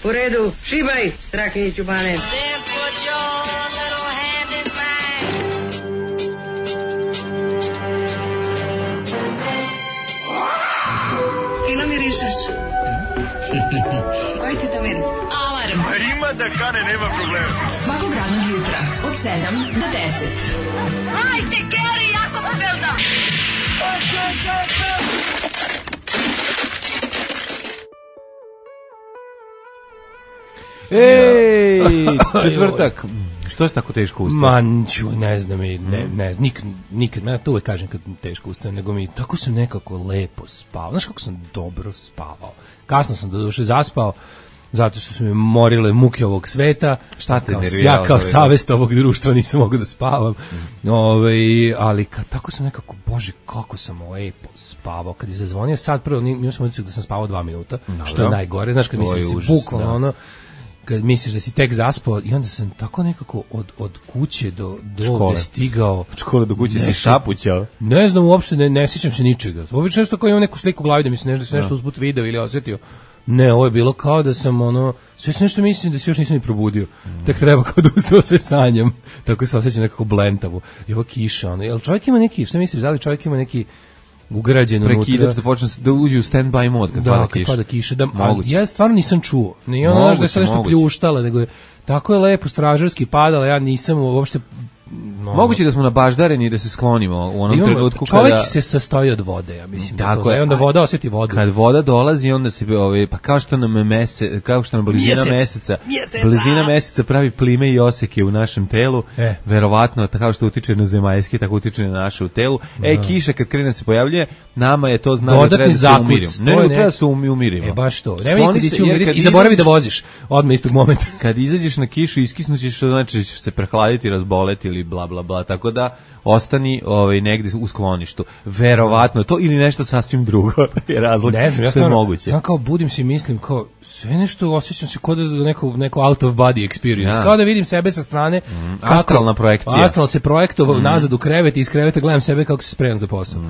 U redu, šibaj, Strahinjiću Bane. Fino mirišeš. Koji ti to miris? Alarm. Ima da kane, nema problema. Svakog radnog jutra, od 7 do 10. Hajde, Geri, jako se velda! Ej, četvrtak. Što se tako teško ustaje? Manću, ne znam, nikad, ja to uvek kažem kad teško ustajem, nego mi tako sam nekako lepo spavao. Znaš kako sam dobro spavao? Kasno sam do duše zaspao, zato što su me morile muke ovog sveta. Šta te nerviralo? Ja kao savest ovog društva nisam mogao da spavam. Ali tako sam nekako, bože, kako sam lepo spavao. Kad je zazvonio sad prvo, imao sam utisak da sam spavao 2 minuta, što je najgore. Znaš, kad misliš da si bukvalno ono, kad misliš da si tek zaspao, i onda sam tako nekako od kuće do ovde stigao. Od škole do kuće si šapućao? Ne znam, uopšte ne sjećam se ničega. Obično nešto kao imam neku sliku u glavi da mi se nešto uzput video ili osjetio. Ne, ovo je bilo kao da sam sve se nešto mislim da se još nisam ni probudio. Tek treba kao da ustao sve sanjam. Tako se osjećam nekako blentavo. I ovo kiša, jel čovjek ima neki, šta misliš, da li čovjek ima neki ugrađen unutra? Prekidač da počne da uđe u stand-by mod kad pada kiša. Ja stvarno nisam čuo. Nije ono da je sve nešto pljuštala, nego je tako je lepo stražarski padala, ja nisam uopšte. Moguće da smo nabaždareni i da se sklonimo u onom trenutku kada... Čovjek se sastoji od vode, ja mislim. Tako je. Onda voda osjeti vodu. Kad voda dolazi, onda se pa kao što nam blizina meseca pravi plime i oseke u našem telu, verovatno kao što utiče na zemaljski, tako utiče na naše u telu. Kiša kad krene se pojavljuje, nama je to znak da treba da se umirimo. Ne, treba da se umirimo. Baš to. Nema nikad ići umiris i zaboravi da voziš odmah istog momenta. Kad izađeš na kišu, iskisnućeš, znači ćeš se prehladiti, razboleti ili bla bla bla, tako da ostani negdje u skloništu. Verovatno to ili nešto sasvim drugo je razlog. Ne znam, što je moguće. Ja kao budim se i mislim kao sve nešto osjećam se kao da neko out of body experience. Kao da vidim sebe sa strane. Astralna projekcija. Astral se projektovao nazad u krevet i iz kreveta gledam sebe kako se spremam za posao.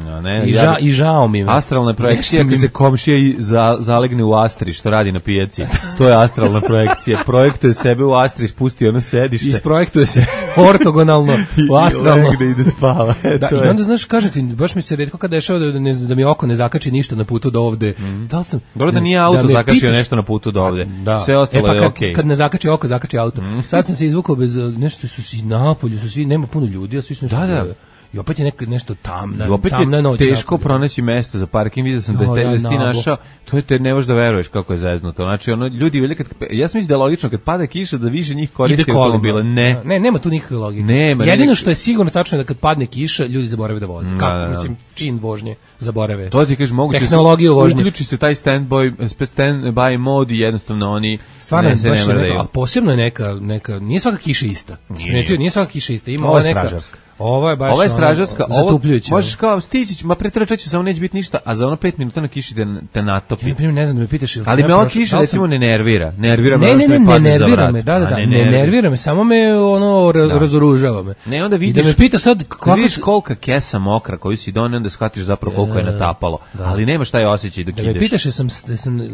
I žao mi je. Astralna projekcija kad se komšija zalegne u Astri što radi na pijaci. To je astralna projekcija. Projektuje sebe u Astri, spusti ono sedište. Isprojektuje se ortogonalno u astralno. Negde ide spava. I onda znaš, kažem ti, baš mi se retko kad dešava da mi oko ne zakači ništa na putu do ovde. Da li sam... Dobro da nije auto zakačio nešto na putu do ovde. Sve ostalo je okej. Kad ne zakači oko, zakači auto. Sad sam se izvukao bez... Nešto su svi napolju, nema puno ljudi, a svi su nešto... I opet je nešto tamna noć. I opet je teško pronaći mesto za parking. Vidio sam da je ti našao. To je te ne možeš da veruješ kako je zeznuto. Znači ljudi velje ja sam mislim da je logično kad pada kiša da više njih koristi automobile. Ne, nema tu nikakve logike. Jedino što je sigurno tačno je da kad padne kiša ljudi zaborave da voze. Kako mislim čin vožnje zaborave. To ti kažeš moguće tehnologiju vožnje. Uključi se taj standby mod i jednostavno oni stvarno baš a posebno je neka nije svaka kiša ista. Nije svaka kiša ista. Ima ova neka. Ovo je baš stražarska, zatupljujuće. Možeš kao stići, pretrčaću, samo neće biti ništa, a za 5 minuta na kiši te natopi. Ja ne znam da me pitaš ili ali me ova kiša recimo ne nervira. Nervira me ne nervira me, ne nervira me, samo me razoružava me. Ne, onda vidiš. I da me pita sad kako kolika kesa mokra koju si doneo, onda shvatiš zapravo koliko je natapalo. Ali nemaš taj osjećaj dok ideš. Da me pitaš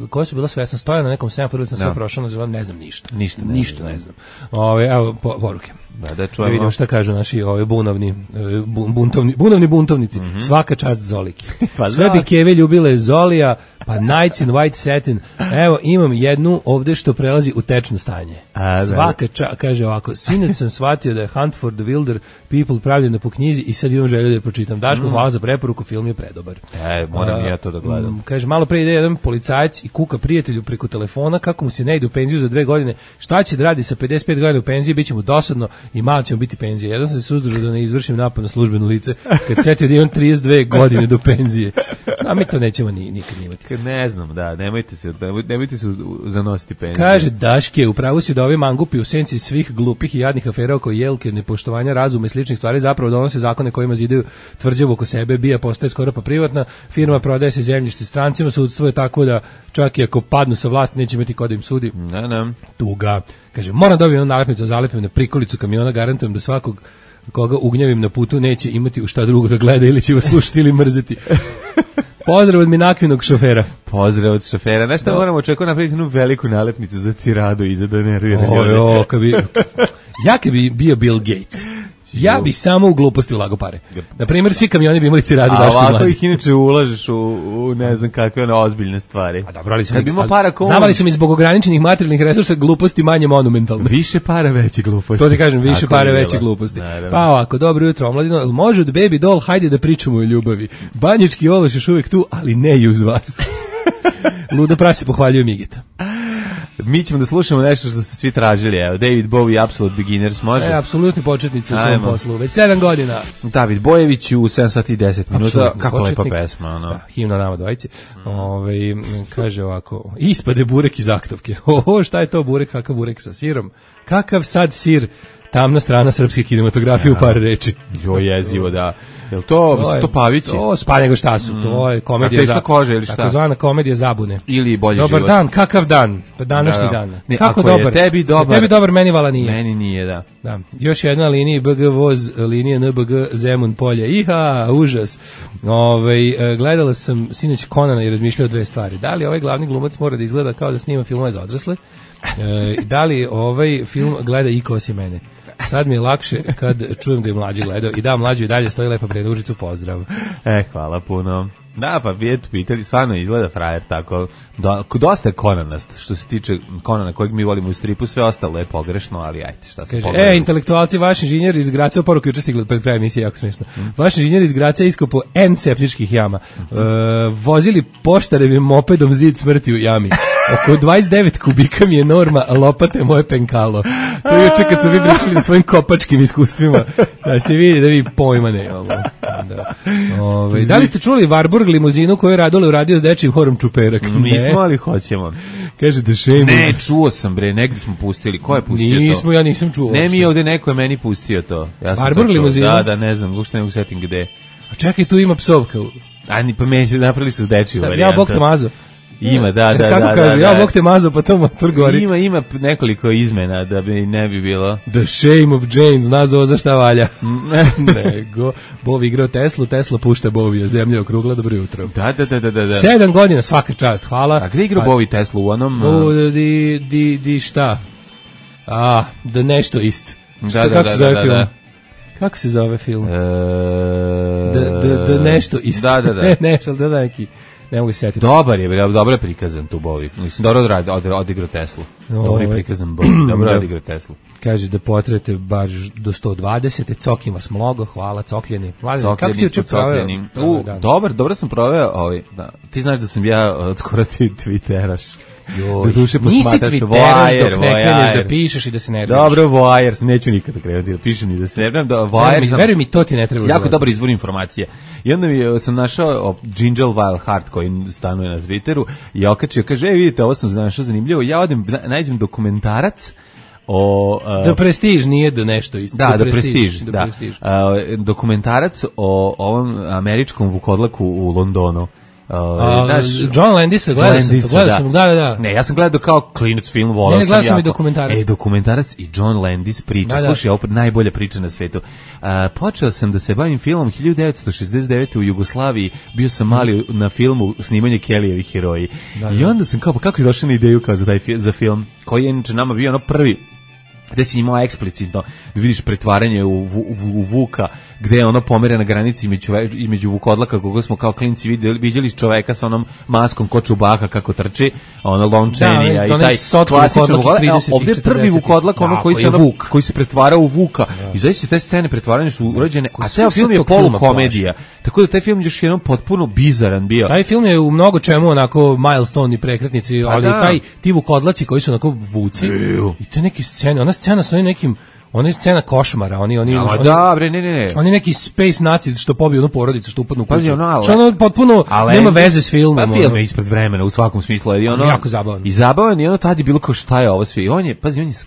koje su bila sve, ja sam stojao na nekom semaforu, sam sve prošao, ne znam ništa. Ne znam. Evo poruke. Da čujemo. Vidimo šta kažu naši buntovnici. Svaka čast Zoliki. Sve bi keve ljubile Zolija, pa Nights in White Satin. Evo, imam jednu ovde što prelazi u tečno stanje. Svaka čast, kaže ovako, sinoć sam shvatio da je Hunt for the Wilder People pravljena po knjizi i sad imam želju da je pročitam. Daško, hvala za preporuku, film je predobar. Moram ja to da gledam. Kaže, malo pre ide jedan policajac i kuka prijatelju preko telefona kako mu se ne ide u penziju za 2 godine. Šta će da radi sa 55 godina u penziji, bit će mu dosadno i malo će mu biti penzija. Jedan sam se suzdržao da ne izvršim napad na službeno lice kad setio da imam 32 godine do penzije. A mi to nećemo nikad imati. Ne znam, nemojte se zanositi penziju. Kaže Daške, upravo si da ovi mangupi u senci svih glupih i jadnih afera oko Jelke, nepoštovanja razuma i sličnih stvari zapravo donose zakone kojima zidaju tvrđavu oko sebe, bija postaje skoro pa privatna, firma prodaje se zemljište strancima, sudstvo je tako da čak i ako padnu sa vlasti neće imati ko da im sudi. Ne. Tuga. Kaže, moram dobiti jednu nalepnicu za zalepim na prikolicu kamiona, garantujem da svakog koga ugnjavim na putu neće imati u šta drugo da gleda ili će vas slušati ili mrzeti. Pozdrav od minakvinog šofera. Pozdrav od šofera. Znaš šta moramo očekati napraviti jednu veliku nalepnicu za Ciradu iza da nervira. Ja kad bi bio Bill Gates, ja bi samo u gluposti ulago pare. Na primjer, svi kamioni bi imali Ciradu Daško i Mlađa. A ovako ih inače ulažeš u ne znam kakve ozbiljne stvari. A dobro, ali kad bi imao para znavali su mi zbog ograničenih materijalnih resursa gluposti manje monumentalne. Više para, veće gluposti. To ti kažem, više para, veće gluposti. Pa ovako, dobro jutro, omladino, može od Baby Doll, hajde da pričamo o ljubavi. Banjički ološ još uvijek tu, ali ne i uz vas. Ludo prase pohvaljuje Migeta. Mi ćemo da slušamo nešto što ste svi tražili. Evo, David Bowie, Absolute Beginners, može? Apsolutni početnici u svom poslu. Već 7 godina. David Bojević u 7 sati i 10 minuta. Kako lepa pesma, ono. Da, himna nama dvojice. Kaže ovako, ispade burek iz aktovke. Šta je to burek? Kakav burek sa sirom? Kakav sad sir? Tamna strana srpske kinematografije u par reči. Jezivo, da. Jel to Pavići? To spa nego šta su, to je komedija za kože ili šta? Takozvana komedija zabune. Ili bolji dobar život. Dan, kakav dan? Današnji dan. Ne, kako dobar? Tebi dobar, meni vala nije. Meni nije, da. Da. Još jedna linija BG voz, linija NBG Zemun polje. Iha, užas. Gledala sam sinoć Conana i razmišljao o dve stvari. Da li ovaj glavni glumac mora da izgleda kao da snima filmove za odrasle? Da li ovaj film gleda Iko osim mene? Sad mi je lakše kad čujem da je mlađi gledao. I da, mlađi i dalje stoji lepa Bredužicu, pozdrav. Hvala puno. Da, pa pitali, stvarno izgleda frajer tako. Dosta je Conanast, što se tiče Conana kojeg mi volimo u stripu, sve ostalo je pogrešno, ali ajte, šta se pogledali. Intelektualci, vaš inženjer iz Graca, poruku juče stigla pred krajem emisije, jako smiješno. Vaš inženjer iz Graca iskopo N septičkih jama. Vozili poštarevim mopedom zid smrti u jami. Oko 29 kubika mi je norma, a lopate moje penkalo. To je juče kad su vi pričali na svojim kopačkim iskustvima. Da se vidi da vi pojma nemamo. Da li ste čuli Warburg limuzinu koju je Radule uradio s dečijim horom Čuperak? Nismo, ali hoćemo. Kaže da šejmo. Ne, čuo sam bre, negdje smo pustili. Ko je pustio to? Ja nisam čuo. Ne, mi ovdje neko je meni pustio to. Ja Warburg limuzinu? Da, ne znam, uopšte ne mogu setim gde. A čekaj, tu ima psovka. Pa meni napravili su s dečiju varijantu. Ja bog te mazo. Ima, da. Kako kaže, ja bog te mazo, pa to motor gori. Ima nekoliko izmena da bi ne bi bilo. The shame of Jane, zna za ovo za šta valja. Nego, Bovi igrao Tesla pušta Bovija, zemlja je okrugla, dobro jutro. Da. 7 godina, svaka čast, hvala. A gde igrao Bovi Tesla u onom? Di šta? Da nešto ist. Kako se zove film? Kako se zove film? Da nešto ist. Da. Nešto, da neki. Ne mogu se sjetiti. Dobar je, dobro je prikazan tu Bovi. Mislim, dobro odigrao Teslu. Dobro je prikazan Bovi, dobro je odigrao Teslu. Kažeš da potrete bar do 120, cokim vas mnogo, hvala, cokljeni. Kako ste juče proveo? Dobro sam proveo. Ti znaš da sam ja skoro Twitteraš. Nisi Twitteraš dok ne kreneš da pišeš i da se nerviraš. Dobro, Voyers, neću nikada krenuti da pišem ni da se nerviram. Veruj mi, to ti ne treba. Jako dobar izvor informacije. I onda sam našao Ginger Wild Heart koji stanuje na Twitteru i okačio, kaže, vidite, ovo sam našao zanimljivo. Ja odem, nađem dokumentarac The Prestige, nije do nešto isto. Da, The Prestige, da. Dokumentarac o ovom američkom vukodlaku u Londonu. John Landisa, gledao sam, da. Ne, ja sam gledao kao klinac film, volao sam jako. Gledao sam i dokumentarac. Dokumentarac i John Landis priča, slušaj, ovo najbolja priča na svetu. Počeo sam da se bavim filmom 1969. u Jugoslaviji, bio sam mali na filmu snimanje Kellyjevi heroji. I onda sam kao, pa kako je došao na ideju kao za film, koji je inače nama bio ono prvi, gde si imao eksplicitno, vidiš pretvaranje u Vuka, gde je ono pomere na granici između vukodlaka, koga smo kao klinci vidjeli čoveka sa onom maskom ko Čubaka kako trči, ono lončenija i taj klasičan vukodlak. Ovdje je prvi vukodlak, ono koji se pretvara u Vuka. I zaista te scene pretvaranja su urađene, a ceo film je polukomedija. Tako da taj film još jednom potpuno bizaran bio. Taj film je u mnogo čemu onako milestone i prekretnici, ali ti vukodlaci koji su onako vuci i te neke scene, ona scena sa nekim, ona je scena košmara, oni neki space naci što pobiju onu porodicu, što upadnu u kuću. Što ono potpuno nema veze s filmom. Pa film je ispred vremena u svakom smislu. Jako zabavan. I zabavan i ono tad je bilo kao šta je ovo sve. I on je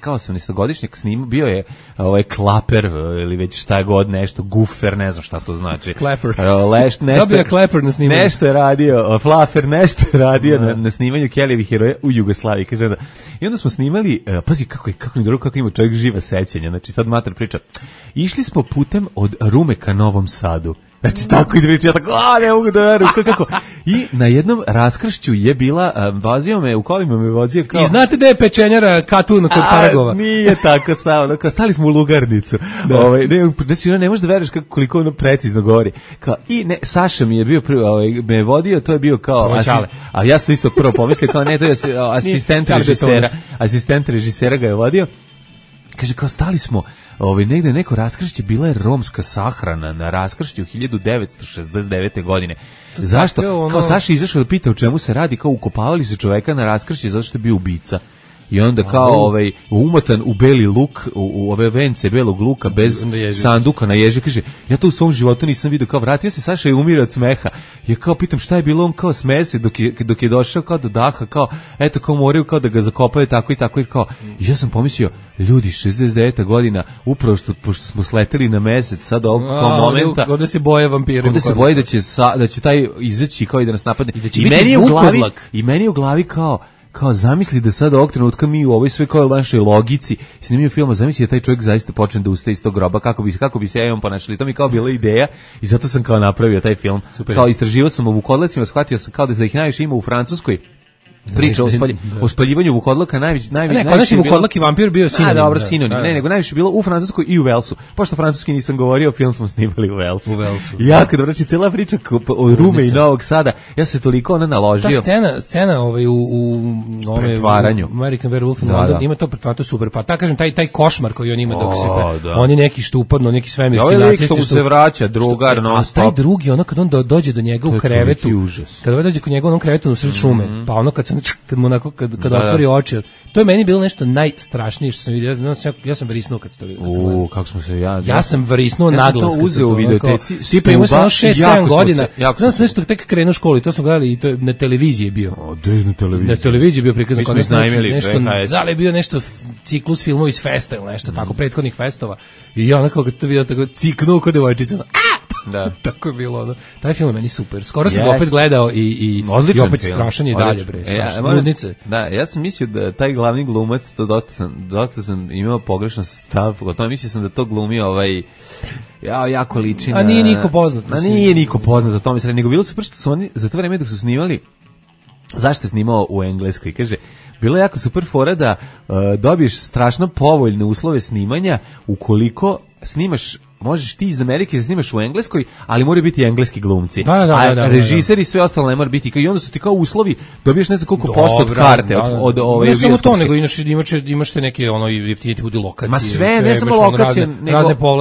kao 18-godišnjak snimao, bio je klaper ili već šta je god nešto, gufer, ne znam šta to znači. Klaper. Dobio je klaper na snimanju. Nešto je radio, flafer, nešto je radio na snimanju Kellyjevih heroja u Jugoslaviji. I onda smo snimali, pazi kako ima čovjek živa sećanja znači sad mater priča. Išli smo putem od Rume ka Novom Sadu. Znači tako i priča, ja tako, ne mogu da verujem, kako. I na jednom raskršću je bila, vozio me, u kolima me vozio kao... I znate da je pečenjara Katun kod Paragova? Nije tako stalo, stali smo u lugarnicu. Znači, ne možeš da veruješ koliko ono precizno govori. Kao, i ne, Saša mi je bio me je vodio, to je bio kao... A ja sam isto prvo pomislio, kao ne, to je asistent režisera ga je vodio. Kaže, kao stali smo negde neko raskršće, bila je romska sahrana na raskršću 1969. godine. Zašto? Kao Saša izašao da pita o čemu se radi, kao ukopavali se čoveka na raskršće zato što je bio ubica. I onda kao umotan u beli luk, u ove vence belog luka bez sanduka na ježi, kaže, ja to u svom životu nisam vidio, kao vratio se Saša i umire od smeha. Ja kao pitam šta je bilo, on kao smeje se dok je došao kao do daha, kao eto kao moraju kao da ga zakopaju tako i tako i kao, ja sam pomislio, ljudi 69. godina, upravo pošto smo sleteli na mesec, sad ovog kao momenta. Ovdje se boje vampiri. Ovdje se boje da će taj izaći kao i da nas napadne. I meni je u glavi kao zamisli da sad ovog trenutka mi u ovoj sve kao našoj logici snimio filma, zamisli da taj čovjek zaista počne da ustaje iz tog groba, kako bi se ja imam ponašali. To mi kao bila ideja i zato sam kao napravio taj film. Super. Kao istraživao sam o vukodlacima, shvatio sam kao da ih najviše ima u Francuskoj. Priča o spaljivanju vukodlaka najviše konačni vukodlak i vampir bio sinonim. Dobro, sinonim. Ne, nego najviše bilo u Francuskoj i u Velsu. Pošto francuski nisam govorio, film smo snimali u Velsu. I jako dobro, znači cela priča o Rume i Novog Sada, ja se toliko ona naložio. Ta scena u pretvaranju American Werewolf in London ima to pretvaranje, to super. Pa ta kažem taj košmar koji on ima dok se oni neki što upadnu, neki svemirski nacisti što se vraća drugar non stop. A taj drugi, ono kad on dođe do njega u krevetu, kad dođe kod njega u onom krevetu u sred šume, pa ono kad mu onako kad otvori oči, to je meni bilo nešto najstrašnije što sam vidio. Ja sam vrisnuo kad ste vidio. Kako smo se ja sam vrisnuo naglas. Ja sam to uzeo u videoteci. Svi imao sam 6-7 godina. Znam se nešto tek krenuo u školu i to smo gledali i to na televiziji je bio. Na televiziji je bio prikazan kao nešto, da li je bio nešto ciklus filmova iz festa ili nešto tako, prethodnih festova. I ja onako kad to vidio tako ciknuo kod devojčica. Da. Tako je bilo ono. Taj film je meni super. Skoro sam ga opet gledao i opet strašan je dalje bre. Ludnice. Da, ja sam mislio da taj glavni glumac, to dosta sam imao pogrešan stav, gotovo mislio sam da to glumi jako liči na... A nije niko poznat. Nije niko poznat, o tome se nego bilo super što su oni za to vreme dok su snimali, zašto je snimao u Engleskoj, kaže, bilo je jako super fora da dobiješ strašno povoljne uslove snimanja ukoliko snimaš, možeš ti iz Amerike da snimaš u Engleskoj, ali moraju biti engleski glumci. A režiser i sve ostalo ne mora biti. I onda su ti kao uslovi, dobiješ ne znam koliko posto od karte. Od ove ne samo to, nego imaš te neke jeftinije budi lokacije. Ma sve, ne samo lokacije, nego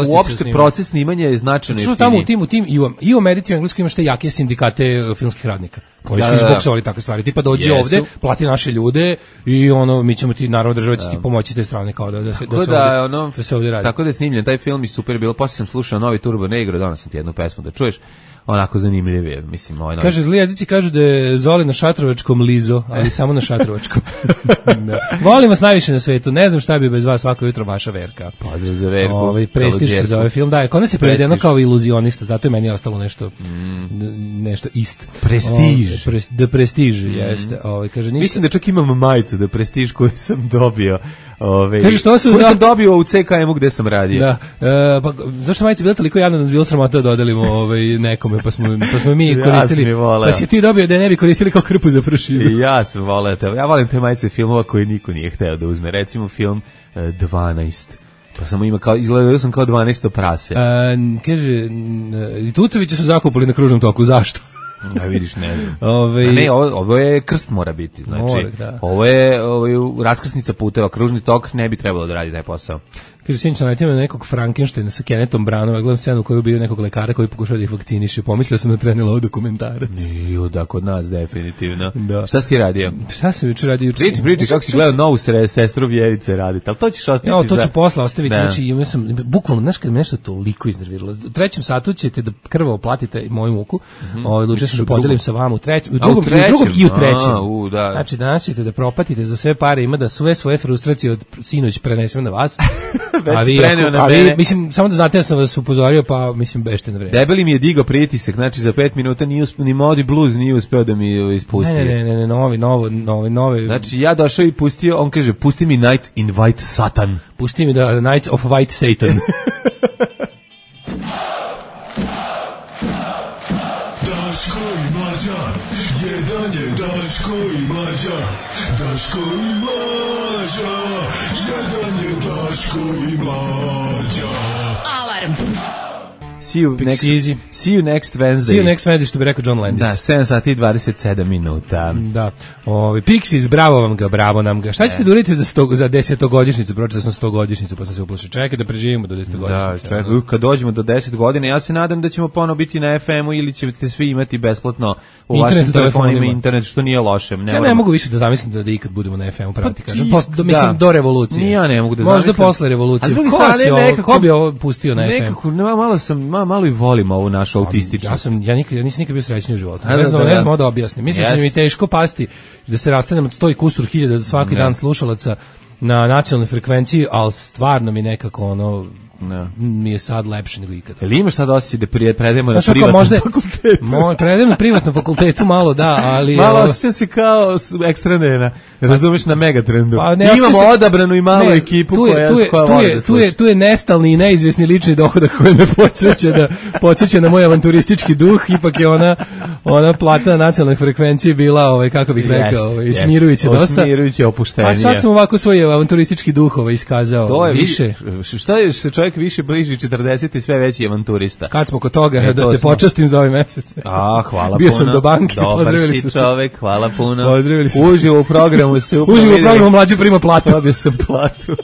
uopšte proces snimanja je značajno jeftiniji. Što tamo u tim i u Americi i u Engleskoj imaš te jake sindikate filmskih radnika koji su izboksovali takve stvari. Tipa dođi ovde, plati naše ljude i mi ćemo ti, naravno država će ti pomoći s te strane kao da se ovdje radi. Tako da je snimljen taj film i super je bilo. Posle sam slušao novi Turbo Negro, danas sam ti jednu pesmu da čuješ, onako zanimljivije, mislim. Kaže, zli jezici kažu da je Zoli na šatrovačkom Lizo, ali samo na šatrovačkom. Volim vas najviše na svetu, ne znam šta bi bez vas svako jutro vaša Verka. Pozdrav za Verku. Prestiž se za ovaj film, da, kod nas je prevedeno kao iluzionista, zato je meni ostalo nešto ist. Prestiž. Da prestiž, jeste. Kaže, mislim da čak imam majicu da prestiž koju sam dobio. Kaže, što se sam dobio u CKM-u gde sam radio. Da. Pa zašto majica bila toliko javna da nas bilo sramota da dodelimo nekome, pa smo mi koristili. Pa si ti dobio da ne bi koristili kao krpu za pršinu. Ja sam voleo te. Ja volim te majice filmova koje niko nije hteo da uzme. Recimo film 12. Pa samo izgledao sam kao 12. prase. Kaže, Tucovića su zakupili na kružnom toku. Zašto? Ja vidiš, ne znam. Ovo je krst mora biti, znači ovo je raskrsnica puteva, kružni tok ne bi trebalo da radi taj posao. Kaže, sinoć sam naletio na nekog Frankensteina sa Kennethom Branaugh, gledam scenu u kojoj je bio nekog lekara koji pokušao da ih vakciniše. Pomislio sam da trenila ovo dokumentarac. Da, kod nas definitivno. Da. Šta si ti radio? Šta sam jučer radio? Priči, kako si gledao novu sestru Vjerice raditi, ali to ćeš ostaviti to ću posle ostaviti, znači ja sam, bukvalno, znaš kad me nešto toliko iznerviralo. U 3. satu ćete da krvo platite moju muku, odlučio sam da podelim sa vama u drugom i u 3. Znači danas ćete da propatite za sve pare, ima da sve svoje frustracije od sinoć prenesem na vas. Ali mislim, samo da znate, ja sam vas upozorio, pa mislim, bešte na vreme. Debeli mi je digao pritisak, znači za 5 minuta nije uspeo, ni Modi Blues nije uspeo da mi ispusti. Ne, novi. Znači ja došao i pustio, on kaže, pusti mi Night in White Satan. Pusti mi da Night of White Satan. Daško i Mlađa, jedan je Daško i Mlađa, Daško i Mlađa, jedan je Daško i Mlađa. Alarm. See you next Wednesday. See you next Wednesday, što bi rekao John Landis. Da, 7 sati i 27 minuta. Da. Pixies, bravo nam ga. Šta ćete da uradite za 10-godišnjicu? Pročitao sam 100-godišnjicu, pa sam se uplašio. Čekaj da preživimo do 10-godišnjice. Da, čekaj, kad dođemo do 10 godina, ja se nadam da ćemo ponovo biti na FM-u ili ćete svi imati besplatno u vašim telefonima internet, što nije loše. Ja ne mogu više da zamislim da ikad budemo na FM-u, pravo ti kažem. Mislim, do revolucije. Ja ne mogu da zamislim. Možda posle revolucije. Ko bi ovo pustio na FM? Nekako, malo i volim ovu našu autističnost. Ja nisam nikad bio srećniji u životu. Ne znam da objasnim. Mislim da će mi teško pasti da se rastanem od 100 i kusur hiljada svaki dan slušalaca na nacionalnoj frekvenciji, ali stvarno mi nekako mi je sad lepše nego ikada. Jel imaš sad osjećaj da predajemo na privatnom fakultetu? Predajem na privatnom fakultetu malo, da, ali... Malo osjećam se kao ekstra nena, razumeš, na Megatrendu. Imamo odabranu i malu ekipu koja voli da sluša. Tu je nestalni i neizvjesni lični dohodak koji me podsjeća na moj avanturistički duh, ipak je ona plata na nacionalnoj frekvenciji bila, kako bih rekao, smirujuće dosta. Smirujuće opuštenije. A sad sam ovako svoj avanturistički duh iskazao više. Šta je se čovjek više bliži 40 i sve veći avanturista. Kad smo kod toga, da te počastim za ovaj mesec. Hvala puno. Bio sam do banke, pozdravili su čovjek, hvala puno. Pozdravili su. Uživo u programu se Uživo u programu Mlađe prima platu. Dobio sam platu.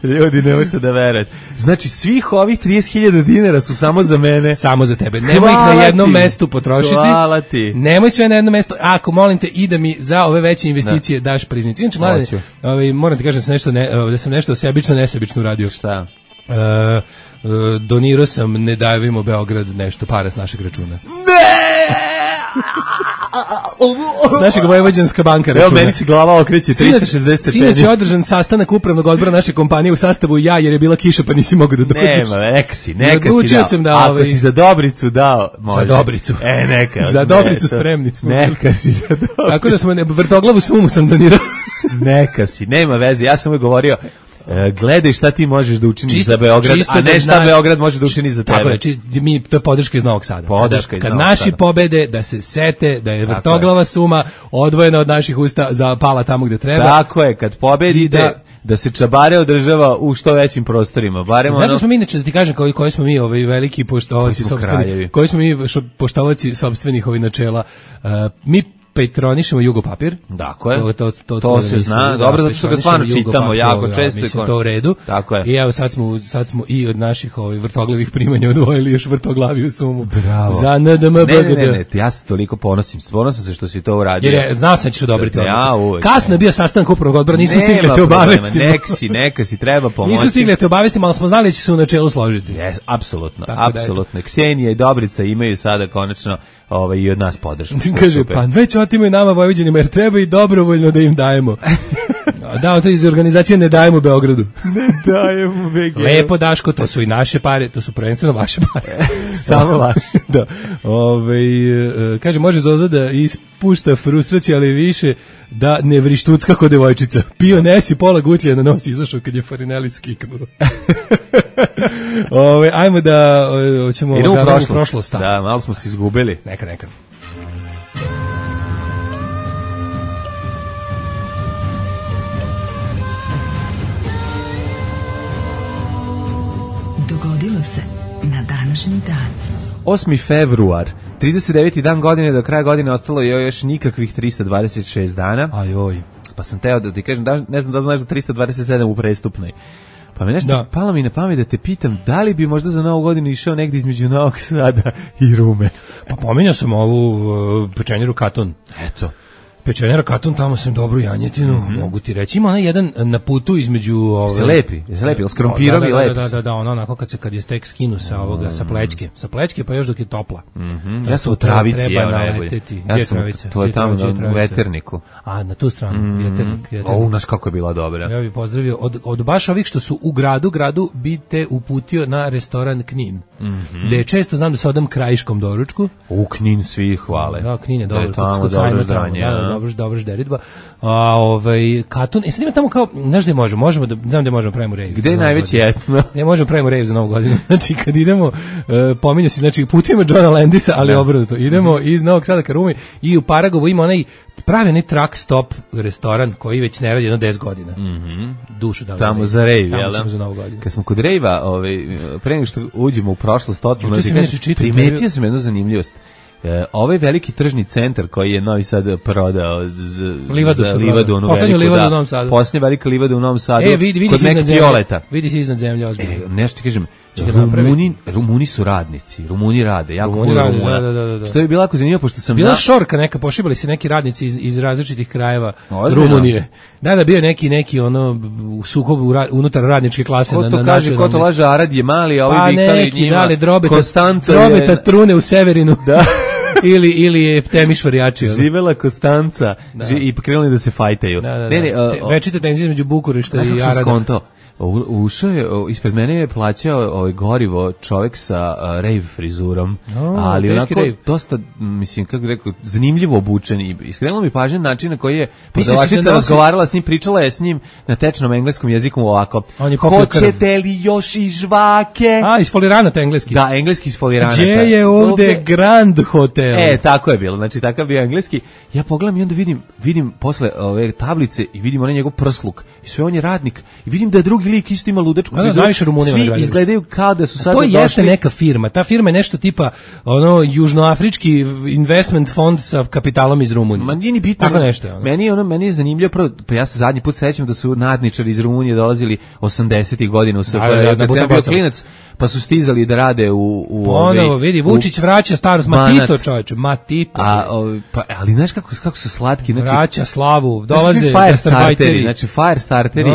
Ljudi, ne možete da verujete. Znači, svih ovih 30.000 dinara su samo za mene. Samo za tebe. Nemoj ih na jednom mestu potrošiti. Hvala ti. Nemoj sve na jednom mestu. Ako, molim te, i da mi za ove veće investicije daš priznicu. Inače, mlade, moram ti kažem da sam nešto nesebično uradio. Šta? Donirao sam Ne davimo Beograd nešto para s našeg računa. S našeg Vojvođanska banka računa. Evo, meni se glava okreće 360 stepeni. Sinoć je održan sastanak upravnog odbora naše kompanije u sastavu ja, jer je bila kiša pa nisi mogao da dođeš. Nema, neka si dao. Ako si za Dobricu dao, može. Za Dobricu. Neka. Za Dobricu spremni smo. Neka si za Dobricu. Tako da smo vrtoglavu sumu sam donirao. Neka si, nema veze. Ja sam uvijek govorio, gledaj šta ti možeš da učiniš za Beograd, a ne šta Beograd može da učini za tebe. Tako je, to je podrška iz Novog Sada. Kad naši pobede, da se sete da je vrtoglava suma odvojena od naših usta zapala tamo gde treba. Tako je, kad pobedite, da se čabare održava u što većim prostorima. Znači smo mi, inače, da ti kažem koji smo mi veliki poštovaci sopstvenih, koji smo mi poštovaci sopstvenih načela. Mi patronišemo Jugopapir. Dakle, to se zna. Dobro, zato što ga stvarno čitamo jako često. Mislim, to u redu. Tako je. I evo sad smo i od naših vrtoglavih primanja odvojili još vrtoglaviju sumu. Bravo. Za NDMBGD. Ne, ja se toliko ponosim. Ponosim se što si to uradio. Jer znao sam da ćeš odobriti odluku. Kasno je bio sastanak upravnog odbora, nismo stigli te obavesti. Neka si, treba pomoći. Nismo stigli te obavesti, ali smo znali da će se u načelu složiti. Jes, apsolutno. Ksenija i Dobrica imaju sada konačno i od nas podršku. Kaže, pa već otimaju nama Vojvođanima, jer treba i dobrovoljno da im dajemo. Da, to iz organizacije Ne dajemo Beogradu. Ne dajemo BG. Lepo, Daško, to su i naše pare, to su prvenstveno vaše pare. Samo vaše. Da. Kaže, može Zoza da ispušta frustraciju, ali više da ne vrištuc kako devojčica. Pio nesi pola gutlje na nos, izašao kad je Farinelli skiknuo. Ajmo da ćemo idemo u prošlost. Da, malo smo se izgubili. Neka. Dogodilo se na današnji dan. 8. februar, 39. dan godine, do kraja godine ostalo je još nikakvih 326 dana. Ajoj. Pa sam teo da ti kažem, ne znam da znaš da 327 u prestupnoj. Pa me nešto palo mi na pamet da te pitam, da li bi možda za Novu godinu išao negdje između Novog Sada i Rume? Pa pominjao sam ovu pečenjeru Katon. Eto. Pečenjara Katun, tamo sam dobru janjetinu, mogu ti reći. Ima onaj jedan na putu između... Se lepi, s krompirom i lepi. Da, ono onako kad je tek skinu sa ovoga, sa plećke, pa još dok je topla. Ja sam u Travici, treba naleteti. Ja sam, to je tamo u Veterniku. A, na tu stranu, Veternik. Znaš kako je bila dobra. Ja bih pozdravio, od baš ovih što su u gradu bi te uputio na restoran Knin. Gde često znam da se odam krajiškom doručku. U Knin svi hvale. Da, Knin je dobro, kod sajma tamo. Dobro žderitba. Katun, sad ima tamo kao, znaš gde možemo da, znam gde možemo pravimo rejv. Gde je najveći etno? Ne možemo pravimo rejv za Novu godinu. Znači, kad idemo, pominju se, znači, putujemo Johna Landisa, ali obrnuto. Idemo iz Novog Sada ka Rumi i u Paragovu ima pravi onaj truck stop restoran koji već ne radi jedno 10 godina. Dušu dao tamo za rejv, jel? Tamo ćemo za Novu godinu. Kad smo kod rejva, pre nego što uđemo u prošlost, primetio sam jednu zanimljivost. Ovaj veliki tržni centar koji je Novi Sad prodao za livadu, poslednju livadu u Novom Sadu. Poslednja velika livada u Novom Sadu, vidi kod Mek Violeta. Vidi se iznad zemlje, ozbiljno. Nešto ti kažem, Rumuni su radnici, Rumuni rade, jako puno Rumuna. Da. Što je bilo jako zanimljivo, pošto sam... Bila šorka neka, pošibali se neki radnici iz različitih krajeva Rumunije. Da, bio neki u sukobu unutar radničke klase. Ko to kaže, ko to laže, Arad je mali, a ovi vikali njima, Konstanca je... Drobeta trune u Severinu. Da. ili je Temiš varijači. Živela Konstanca i krenuli da se fajtaju. Večite tenzije između Bukurešta i Arada. Skonto. Ušao je, ispred mene je plaćao gorivo čovjek sa rave frizurom, ali onako dosta, mislim, kako rekao, zanimljivo obučen i iskrenulo mi pažnje način na koji je prodavačica razgovarala s njim, pričala je s njim na tečnom engleskom jeziku ovako. Hoćete li još i žvake? Isfoliranat engleski. Da, engleski isfoliranat. Gdje je ovde Grand Hotel? Tako je bilo, znači takav bio engleski. Ja pogledam i onda vidim posle ove tablice i vidim onaj njegov prsluk i sve on je radnik i vidim da je drugi lik isto ima ludačku frizuru. Svi izgledaju kao da su sad došli. To jeste neka firma. Ta firma je nešto tipa južnoafrički investment fond sa kapitalom iz Rumunije. Ma nije ni bitno. Tako nešto. Meni je zanimljivo prvo, pa ja se zadnji put sećam da su nadničari iz Rumunije dolazili 80-ih godina u SFRJ, kad sam bio klinac, pa su stizali da rade ponovo vidi, Vučić vraća starost, Matito čovječe, Matito. Ali znaš kako su slatki, znači vraća slavu, dolaze Firestarteri, znači Firestarteri.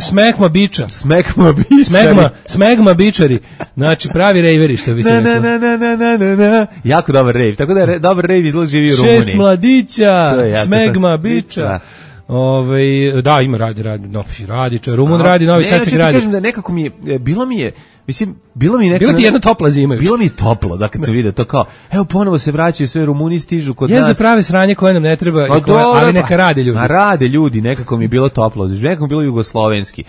Smekma biča. Smekma bičari. Znači pravi rejveri, što bi se rekao. Jako dobar rejv, tako da je dobar rejv izgleda živi u Rumuniji. 6 mladića, smegma biča. Da, ima radi, Rumun radi, Novi Sad se gradi. Ne, kažem da nekako bilo mi je ti jedna topla zima. Bilo mi je toplo, da kad se vide to kao, evo ponovo se vraćaju sve Rumuni, stižu kod nas. Jeste prave sranje koje nam ne treba, ali neka rade ljudi. Rade ljudi, nekako mi je bilo toplo, nekako mi je bilo jugoslovenski.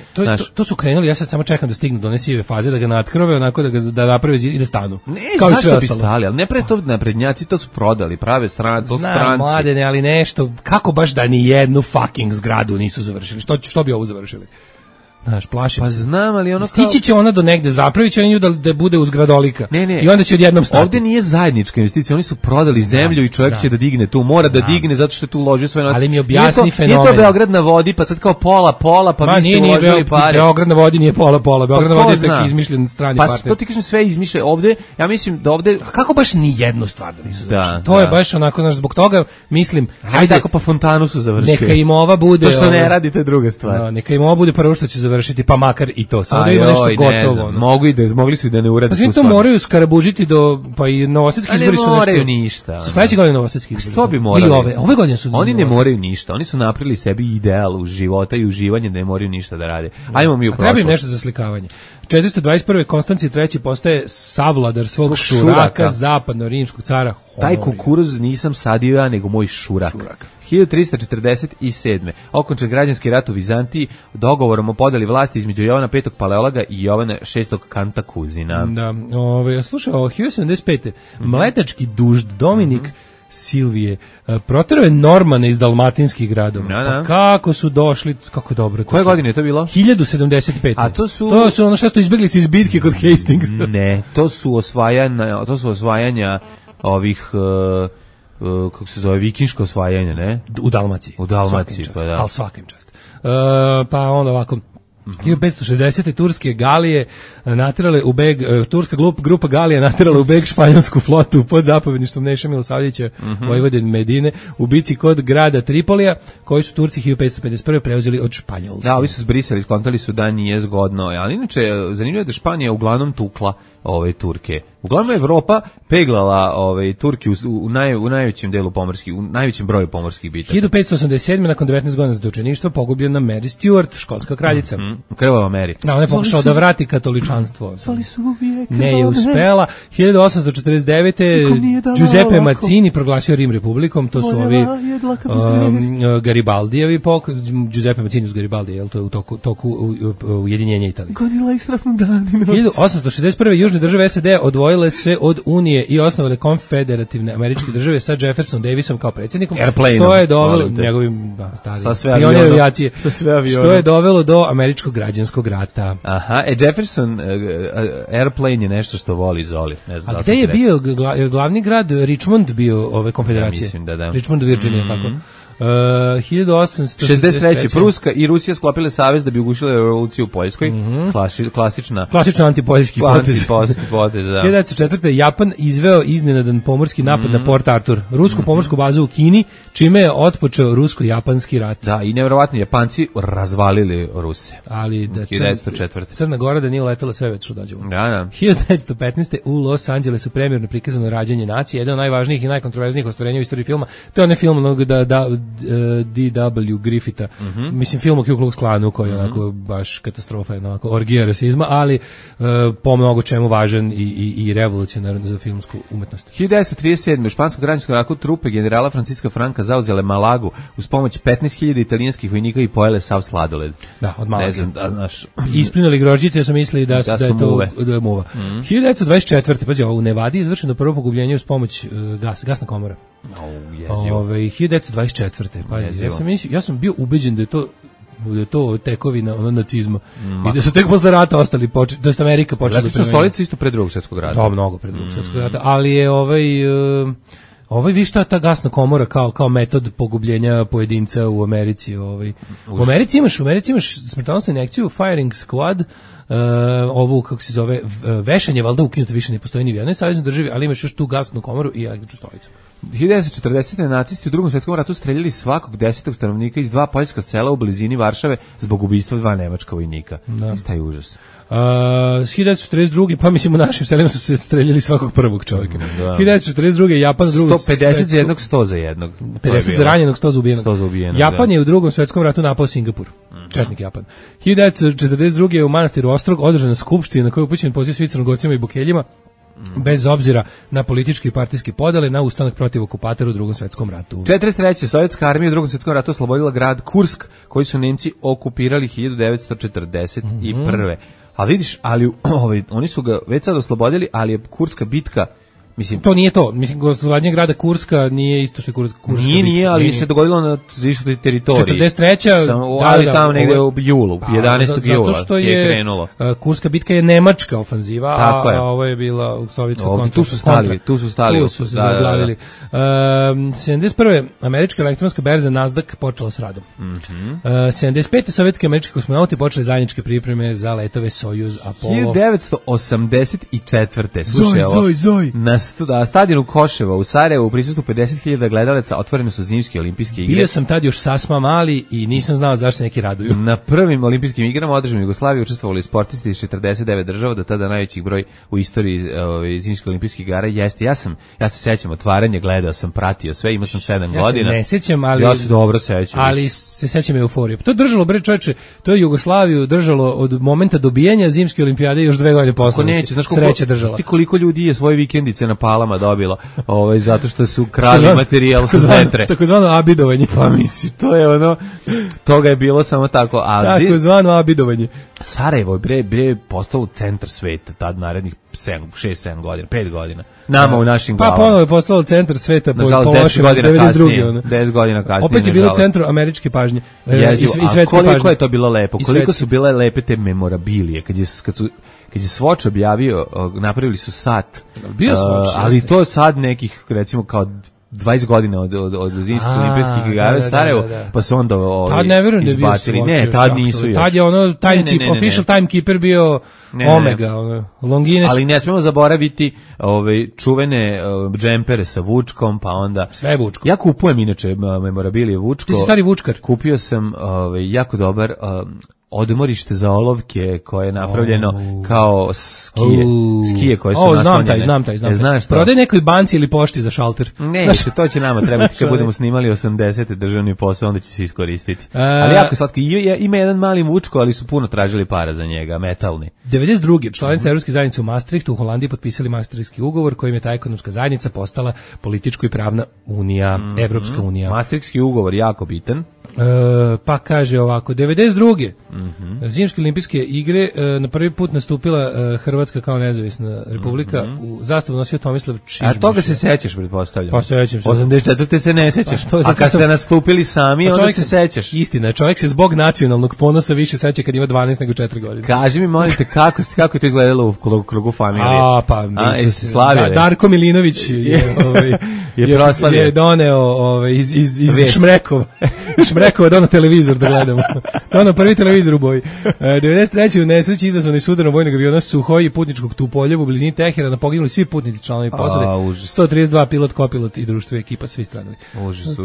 To su krenuli, ja sad samo čekam da stignu do one sive faze, da ga natkrove, onako da naprave zid i da stanu. Ne, kao zašto bi stali, ali ne pre to naprednjaci to su prodali, prave stranci. Znam, mladene, ali nešto, kako baš da ni jednu fucking zgradu nisu završili? Što bi ovo završili? Znaš, plašim se. Pa znam, ali ono stići će ona do negde, zapravit će nju da bude uzgradolika. Ne. I onda će odjednom stati. Ovde nije zajednička investicija, oni su prodali zemlju i čovjek će da digne tu, mora da digne zato što je tu uložio svoje novce. Ali mi objasni fenomen. Nije to Beograd na vodi, pa sad kao pola, pa vi ste uložili pare. Beograd na vodi nije pola, Beograd na vodi je neki izmišljen strani partner. Pa to ti kažem sve izmišlja ovde, ja mislim da ovde... Kako baš ni jednu stvar da nisu završili? To je baš onako, znaš, zbog toga mislim... Hajde, tako pa fontanu su završili. Neka im ova bude... To što ne radite druga stvar. Neka im ova bude prvo što će završiti, pa makar i to. Sada ima nešto gotovo. Mogli su i da ne urade. Pa svi to moraju skarabužiti pa i novosadski izbori su nešto. Ne moraju ništa. Su sledeće godine novosadski izbori. Što bi morali? Ili ove godine su. Oni ne moraju ništa. Oni su napravili sebi ideal u života i uživanje da ne moraju ništa da rade. Ajmo mi u prošlost. Treba im nešto za slikavanje. 421. Konstancije III postane savladar svog šuraka, zapadno-rimskog cara. Taj kukuruz nisam sadio ja, nego moj šurak. 1347. Okončan građanski rat u Vizantiji dogovorom o podeli vlasti između Jovana V. Paleologa i Jovana VI. Kantakuzina. Da, slušaj, 1075. Mletački dužd Dominik Silvije proterao je Normane iz dalmatinskih gradova. Pa kako su došli, kako dobro. Koje godine je to bilo? 1075. A to su ono što su izbeglice iz bitke kod Hastings. Ne, to su osvajanja ovih kako se zove, vikinško osvajanje, ne? U Dalmaciji. Pa da. Ali svakim čast. Pa onda ovako, 1560. turske galije naterale u beg, turska grupa galija naterala u beg španjolsku flotu pod zapovjedništvom Neše Milosavljevića, Vojvodin Medine, u bici kod grada Tripolija, koji su Turci 1551. preuzeli od Španjolske. Da, ovi su zbrisali, skontali su da nije zgodno, ali inače zanimljivo je da Španija uglavnom tukla Turke. Uglavnom Evropa peglala Turki u najvećem delu pomorskih, u najvećem broju pomorskih bitaka. 1587. nakon 19 godina zatočeništva pogubljena Mary Stuart, škotska kraljica. Krvava Mary. Da, ona je pokušala da vrati katoličanstvo. Zvali su uvijek. Ne je uspela. 1849. Giuseppe Mazzini proglasio Rim republikom, to su ovi Garibaldijevi Giuseppe Mazzini uz Garibaldi, je to je u toku ujedinjenja Italije. Godila ih strasno danino. 1861. južne države SAD odvojile se od Unije i osnovale konfederativne američke države sa Jefferson Davisom kao predsjednikom, što je dovelo njegovim pionir avijacije, što je dovelo do američkog građanskog rata. Aha, Jefferson airplane je nešto što voli Zoli. Ne znam. A gde je bio glavni grad Richmond bio ove konfederacije? Ja mislim da. Richmond u Virginiji, tako. 1863. Pruska i Rusija sklopile savez da bi ugušile revoluciju u Poljskoj. Klasična antipoljski potez. Da. 1904. Japan izveo iznenadan pomorski napad na Port Arthur, rusku pomorsku bazu u Kini, čime je otpočeo rusko-japanski rat. Da, i nevjerovatno, Japanci razvalili Ruse. Ali da 1904. Crna Gora da nije letela sve već što dođemo. Da. 1915. u Los Angelesu premijerno prikazano Rađanje nacije, jedan od najvažnijih i najkontroverznijih ostvarenja u istoriji filma. To je onaj film D.W. Griffitha. Mislim, film o Ku Klux Klanu koji je onako baš katastrofa, onako orgija rasizma, ali po mnogo čemu važan i revolucionaran za filmsku umetnost. 1937. u španskom građanskom ratu trupe generala Franciska Franka zauzele Malagu uz pomoć 15.000 italijanskih vojnika i pojele sav sladoled. Da, od Malage. Ne znam, da znaš. Isplinuli grožđice, jer su mislili da je to muva. 1924. Pazi, u Nevadi izvršeno prvo pogubljenje uz pomoć gasna komora. 1924. Pazi, ja sam bio ubeđen da je to tekovina nacizma i da su tek posle rata ostali da je Amerika počela da primenjuje. Stolica isto pre Drugog svjetskog rata. Da, mnogo pre Drugog svjetskog rata, ali je vi šta ta gasna komora kao metod pogubljenja pojedinca u Americi. U Americi imaš smrtonosnu injekciju, firing squad, ovu, kako se zove, vešanje, valjda ukinuto, više ne postoji ni u jednoj saveznoj državi, ali imaš još tu gasnu komoru i električnu stolicu. 1940. nacisti u Drugom svjetskom ratu streljali svakog 10. stanovnika iz 2 poljska sela u blizini Varšave zbog ubistva 2 nemačka vojnika. Taj užas. 1942. pa mislim u našim selima su se streljali svakog prvog čovjeka. 1942. Japan 150 za jednog, 100 za jednog. 50 za ranjenog, 100 za ubijenog. Japan je u Drugom svjetskom ratu napao Singapur. Četnik Japan. 1942. je u manastiru Ostrog održana skupština na kojoj je upućen poziv svi Crnogorcima i Bukeljima, bez obzira na političke i partijske podele, na ustanak protiv okupatora u Drugom svjetskom ratu. 43. Sovjetska armija u Drugom svjetskom ratu oslobodila grad Kursk, koji su Nemci okupirali 1941. A vidiš, ali oni su ga već sad oslobodili, ali je Kurska bitka, mislim, to nije to. Mislim, oslobađanje grada Kurska nije isto što je Kurska nije, ali se dogodilo na zištoj teritoriji. 43. Ali tamo negde u julu, 11. jula je krenulo. Kurska bitka je nemačka ofanziva, a ovo je bila u sovjetskom kontra. Tu su stali. Tu su se zaglavili. 71. američka elektronska berza Nasdaq počela s radom. 75. sovjetski američki kosmonauti počeli zajedničke pripreme za letove Sojuz Apollo. 1984. Slušaj ovo. Zoj. Na stadionu Koševa u Sarajevu u prisustvu 50.000 gledalaca otvorene su zimske olimpijske igre. Bio sam tad još sasma mali i nisam znao zašto neki raduju. Na prvim olimpijskim igrama održanim u Jugoslaviji učestvovali sportisti iz 49 država, do tada najveći broj u istoriji zimskih olimpijskih igara jeste. Ja se sećam otvaranja, gledao sam, pratio sve, imao sam 7 godina. Ne sećam, ali ja se dobro sećam. Ali se sećam euforije. To je držalo, bre čoveče, to je Jugoslaviju držalo od momenta dobijanja zimske olimpijade još 2 godine posle. Sreća držala. Ti koliko ljudi je svoje vikendice na Palama dobilo, zato što su krali materijal sa Zetre. Takozvano abidovanje. Pa misli, to je toga je bilo samo tako. Takozvano abidovanje. Sarajevo je postalo centar sveta tad narednih 6-7 godina, 5 godina. Nama u našim glavama. Pa ponovo je postalo centar sveta po lošem 92. 10 godina kasnije. Opet je bilo centru američke pažnje i svetske pažnje. Koliko je to bilo lepo, koliko su bile lepe te memorabilije, kad je Swatch objavio, napravili su sat, bio Swatch, ali to sad nekih, recimo kao 20 godina od zimskih olimpijskih igara u Sarajevu, pa su onda tad ne verujem da je bio izbacili. Ne, tad nisu još. Tad je ono official timekeeper bio Omega, Longines. Ali ne smemo zaboraviti čuvene džempere sa Vučkom, pa onda... Sve Vučko. Ja kupujem inače memorabilije Vučko. Ti si stari Vučkar. Kupio sam jako dobar... odmorište za olovke koje je napravljeno kao skije koje su naslonjene. Znam taj. Prodaj nekoj banci ili pošti za šalter. Ne, to će nama trebati kad budemo snimali 80. državni posao, onda će se iskoristiti. Ali jako slatko. Ima jedan mali Vučko, ali su puno tražili para za njega, metalni. 92. članice Evropske zajednice u Maastrichtu u Holandiji potpisali Maastrichtski ugovor kojim je ta ekonomska zajednica postala političko i pravna unija, Evropska unija. Maastrichtski ugovor jako bitan. Pa kaže ovako, 92. Zimske olimpijske igre na prvi put nastupila Hrvatska kao nezavisna republika, u zastavu nosio Tomislav Čižmiš. A toga se sećaš, pretpostavljam. Pa sećam se. 84. se ne sećaš. A kad ste nastupili sami, onda se sećaš. Istina, čovjek se zbog nacionalnog ponosa više seća kad ima 12 nego 4 godine. Kaži mi, molite, kako je to izgledalo u krugu familije? Mi smo se Darko Milinović je doneo iz Šmrekova. Šmrekova donao televizor da gledamo. Donao prvi televizor u boji. 93. u nesreći izazvani sudarom vojnog aviona Suhoj i putničkog Tupoljevu u blizini Teherana poginuli svi putnici članovi posade. 132 pilot, kopilot i društvo ekipa, svi stradali. Užas.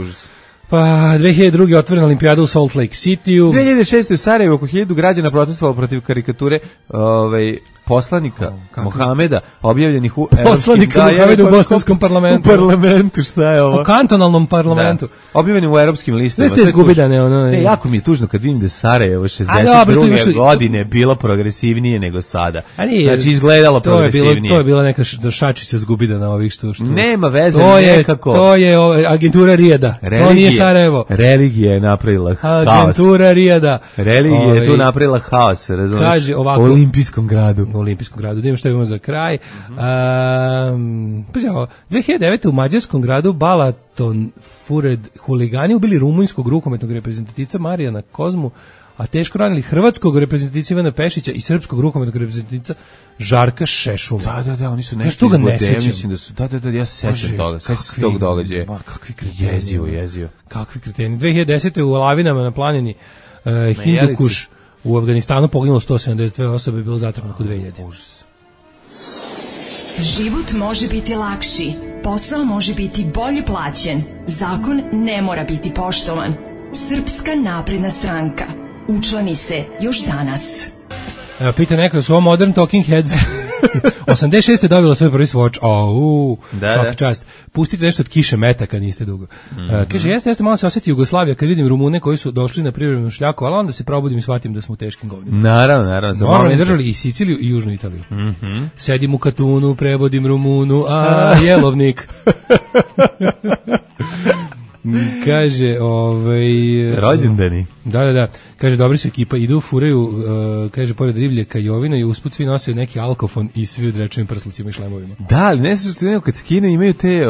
Pa 2002. otvorena olimpijada u Salt Lake City-u. 2006. u Sarajevu oko 1000 građana protestovalo protiv karikature poslanika Mohameda, objavljenih u poslanika Mohameda u bosanskom parlamentu. U parlamentu, šta je ovo? U kantonalnom parlamentu. Da. Objavljenim u europskim listovima. Sve ste izgubidane. Ne, jako mi je tužno kad vidim da Sarajevo 62. godine bilo progresivnije nego sada. Znači, izgledalo progresivnije. To je bila neka šačica zgubidana ovih što... Nema veze, nekako. To je agentura Rijeda. To nije Sarajevo. Religija je napravila haos. Agentura Rijeda. Religija je tu napravila haos, razumiješ? Kaže ovako. U Olimpijskom gradu. Da imamo što imamo za kraj. 2009. u mađarskom gradu Balaton Fured huligani ubili rumunjskog rukometnog reprezentativca Marijana Kozmu, a teško ranili hrvatskog reprezentativca Ivana Pešića i srpskog rukometnog reprezentativca Žarka Šešuma. Da, oni su nešto izgode, mislim da su, ja se sećam toga, sećam se tog događaja. Kakvi kreteni. Jezio. Kakvi kreteni. 2010. u Lavinama na planini Hindukuš u Afganistanu poginulo 172 osobe, bilo zatvoreno oko 2000. Užas. Život može biti lakši, posao može biti bolje plaćen, zakon ne mora biti poštovan. Srpska napredna stranka. Učlani se još danas. Pita neko su ovo Modern Talking Heads. 86. dobila svoj prvi Swatch. Svaka čast. Pustite nešto od Kiše Metaka, niste dugo. Kaže, jeste, malo se osjeti Jugoslavija kad vidim Rumune koji su došli na privremenu šljaku, ali onda se probudim i shvatim da smo u teškim godinama. Naravno. Normalno držali i Siciliju i Južnu Italiju. Sedim u Katunu, prevodim Rumunu, jelovnik. Kaže, rođendani. Da. Kaže, dobri su ekipa, idu, furaju, kaže, pored riblje kajovina i usput svi nose neki alkofon i svi u drečevim prslucima i šlemovima. Da, ali ne se što kad skinu imaju te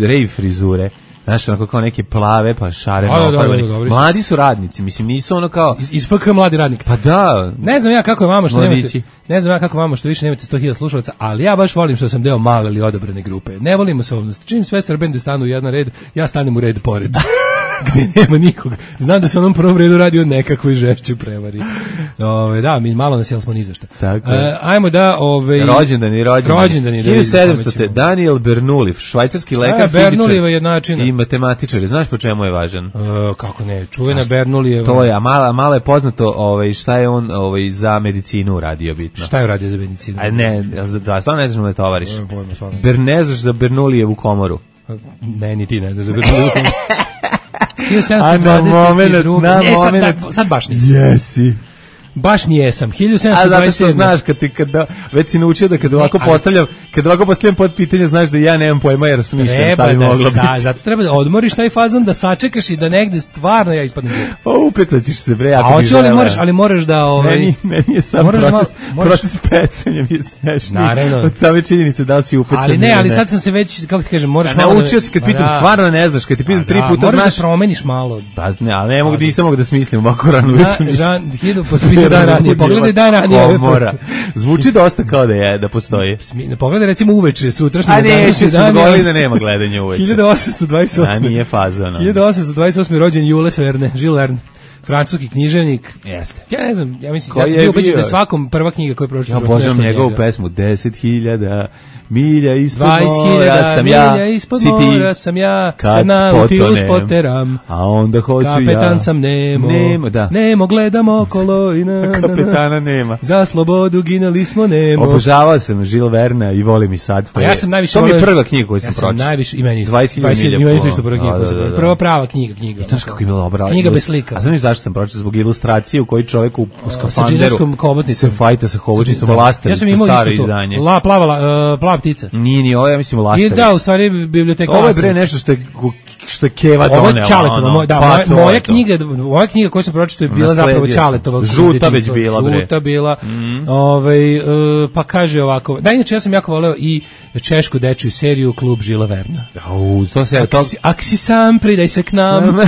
rave frizure. Znaš, onako kao neke plave, pa šareno ofarbani. Mladi su radnici, mislim, nisu ono kao... Iz FK mladi radnik. Pa da. Ne znam ja kako je vama što više nemate 100.000 slušalaca, ali ja baš volim što sam deo male ili odabrane grupe. Ne volim masovnost. Čim sve Srbende stanu u jedan red, ja stanem u red pored. Gde nema nikog. Znam da se u onom prvom redu radi o nekakvoj žešćoj prevari. Da, mi malo nas jel smo ni zašta. Ajmo da... Rođendani. 1700. Daniel Bernoulli, švajcarski lekar, fizičar i matematičar. Znaš po čemu je važan? Kako ne, čuvena Bernoullijeva. To je, a malo je poznato šta je on za medicinu uradio bitno. Šta je uradio za medicinu? Stvarno ne znaš da tovariš. Ne znaš za Bernoullijevu komoru. Ne, ni ti ne znaš za Bernoullijevu komoru. A na moment, sad baš nisam. Jesi. Baš nijesam. 1727. A zato što znaš već si naučio da kad ovako postavljam pod pitanje, znaš da ja nemam pojma jer smišljam šta bi moglo biti. Zato treba da odmoriš taj fazon, da sačekaš i da negde stvarno ja ispadnem glup. Pa upetaćeš se bre, ako bi žele. Ali moraš da... Meni je sam proces pecanja mi je smešniji. Naravno. Od same činjenice da li si upecan. Ali sad sam se već, kako ti kažem, moraš malo... Naučio si kad pitam, stvarno ne znaš, kad ti pitam 3 puta znaš... Moraš da promeniš malo. Ali ne mogu da smislim ovako rano ujutru ništa. za dan ranije. Pogledaj dan ranije. Komora. Zvuči dosta kao da postoji. Pogledaj recimo uveče, sutrašnji dan. A ne, današnji dan. Da nema gledanja uveče. 1828. A nije fazano. 1828. rođen Jules Verne, Jules Verne. Francuski književnik. Jeste. Ja ne znam, ja mislim, ja sam bio ubeđen da je svakom prva knjiga koju pročitao. Ja obožavam njegovu pesmu 10.000 milja ispod mora sam ja, mora sam ja, kad Nautilus poteram, a onda hoću kapetan sam Nemo, da. Nemo gledam okolo i kapetana nema. Za slobodu ginuli smo Nemo. Obožavao sam Jules Verna i volim i sad. Ja sam najviše to mi je prva knjiga koju sam pročitao. Ja sam najviše, i meni 20.000 milja. Imeni isto prva knjiga. Prva prava knjiga. Znaš kako je bila dobra. Knjiga bez slika. A znaš zašto sam pročitao? Zbog ilustracije u kojoj čovjek u skafanderu se fajta sa hobotnicom, lastavicom, staro izdanje. Plava ptica. Nije, ovo ja mislim lastavica. Da, u stvari biblioteka lastavica. Ovo je bre nešto što je Keva donela. Ovo je Čaletova, moja knjiga koju sam pročitao je bila zapravo Čaletova. Žuta već bila bre. Žuta bila. Pa kaže ovako, da inače ja sam jako voleo i češku dečju seriju Klub Žila Verna. Ak si sam, pridaj se k nam,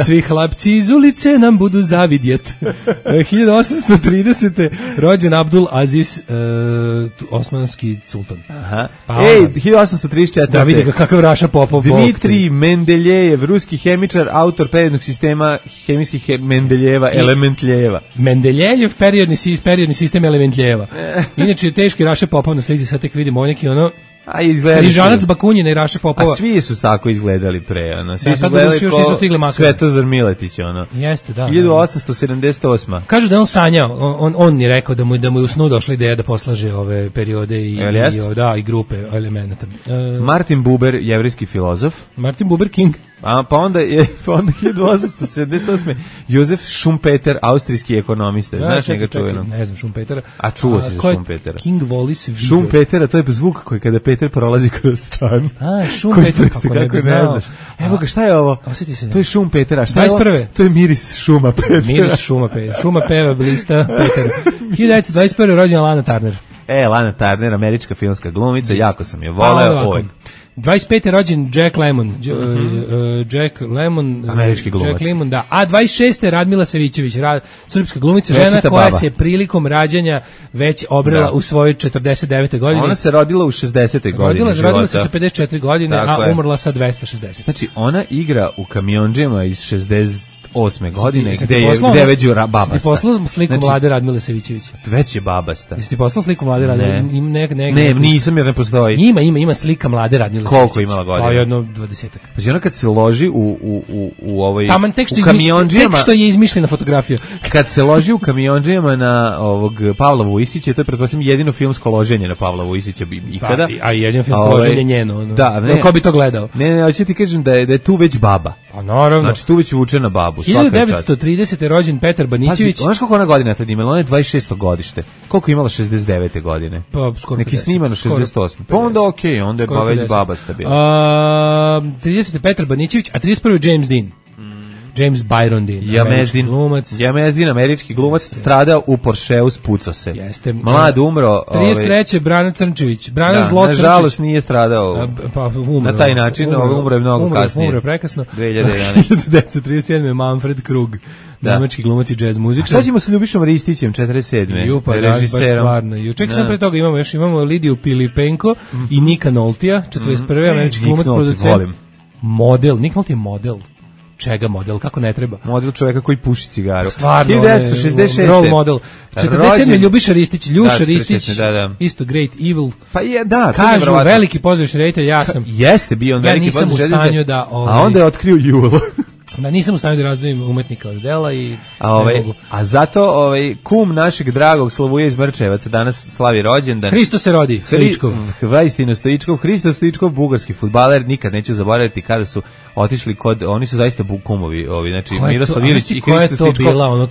svi hlapci iz ulice nam budu zavidjet. 1830. rođen Abdul Aziz, osmanski sultan. Pa, 1834. Da vidi ga kakav Raša Popov. Dmitrij Mendeljejev, ruski hemičar, autor periodnog sistema hemijskih Mendeljeva, elementljeva. Mendeljejev periodni sistem elementljeva. Inače, teški Raša Popov na slici, sad tek vidimo neki ono Križanac Bakunjina i Raša Popova. A svi su tako izgledali pre, ono. Svi su gledali ko Svetozar Miletić, ono. Jeste, da. 1878. Kažu da on sanjao, on je rekao da mu je u snu došla ideja da poslaže ove periode i grupe elemenata. Martin Buber, jevrijski filozof. Martin Buber King. Pa onda 1878. Josef Schumpeter, austrijski ekonomista. Znaš njega čuvenog? Ne znam Schumpetera. A čuo si za Schumpetera. King Wallis video. Schumpetera, to je zvuk koji kada Peter prolazi kroz stan. Schumpeter, kako ne bi znao. Evo ga, šta je ovo? Osjeti se. To je Schumpetera. Šta je ovo? To je miris šuma Petera. Miris šuma Petera. Šuma peva blista Petera. 1921. rođena Lana Turner. Lana Turner, američka filmska glumica, jako sam je voleo. 25. rođen Jack Lemmon. Jack Lemmon. Američki glumac. Jack Lemmon, da. A 26. Radmila Savićević, srpska glumica, žena koja se prilikom rađanja već obrela u svojoj 49. godini. Ona se rodila u 60. godini. Rodila se sa 54 godine, a umrla sa 260. Znači, ona igra u Kamiondžijama iz 68. godine, gde je već babasta. Jesi ti poslao sliku mlade Radmile Savićevića? Već je babasta. Jesi ti poslao sliku mlade Radmile? Ne, nisam jer ne postoji. Ima slika mlade Radmile Savićevića. Koliko imala godina? Pa jedno 20-ak. Pa ona kad se loži u Kamiondžijama... Tek što je izmišljena fotografija. Kad se loži u Kamiondžijama na Pavla Vujisića, to je pretpostavljam jedino filmsko loženje na Pavla Vujisića ikada. A jedino filmsko loženje njeno. Da, ne. Ko bi to gledao? Ne, hoću ti kažem da je tu već baba. Pa naravno. Znači tu već vuče na babu. 1930. rođen Petar Banićević. Znaš koliko ona godina tad imala? Ona je 26. godište. Koliko je imala 69. godine? Pa skoro 50. Neki snimano 68. Pa onda okej, onda je pa već baba stabila. 30. Petar Banićević, a 31. James Dean. James Byron Dean, Jamezdin, američki glumac, stradao u Porscheu, spucao se. Jeste. Mlad umro. 33. Brana Crnčević. Brana Zlo Crnčević. Nažalost nije stradao na taj način, umro je mnogo kasnije. Umro je prekasno. 2011. 1937. Manfred Krug, nemački glumac i jazz muzičar. A šta ćemo sa Ljubišom Ristićem, 47. režiserom? Ček sam pre toga imamo Lidiju Pilipenko i Nika Noltija, 41. američki glumac, producent. Model, Nik Nolte je model. Čega model, kako ne treba? Model čovjeka koji puši cigaru. Stvarno, 1966. Role model. 47. Ljubiša Ristić, Ljuša Ristić, isto Great Evil. Pa je, da. Kažu, veliki pozorišni reditelj, ja sam. Jeste bio on veliki pozorišni reditelj. Ja nisam u stanju da... A onda je otkrio Julo. Da, nisam u stanju da razdvojim umetnika od dela i a zato kum našeg dragog Slavuje iz Mrčevaca danas slavi rođendan. Hristo se rodi, Stoičkov. Vaistino Stoičkov, Hristo Stoičkov, bugarski fudbaler, nikad neću zaboraviti kada su otišli oni su zaista kumovi, znači Miroslav Ilić i Hristo Stoičkov.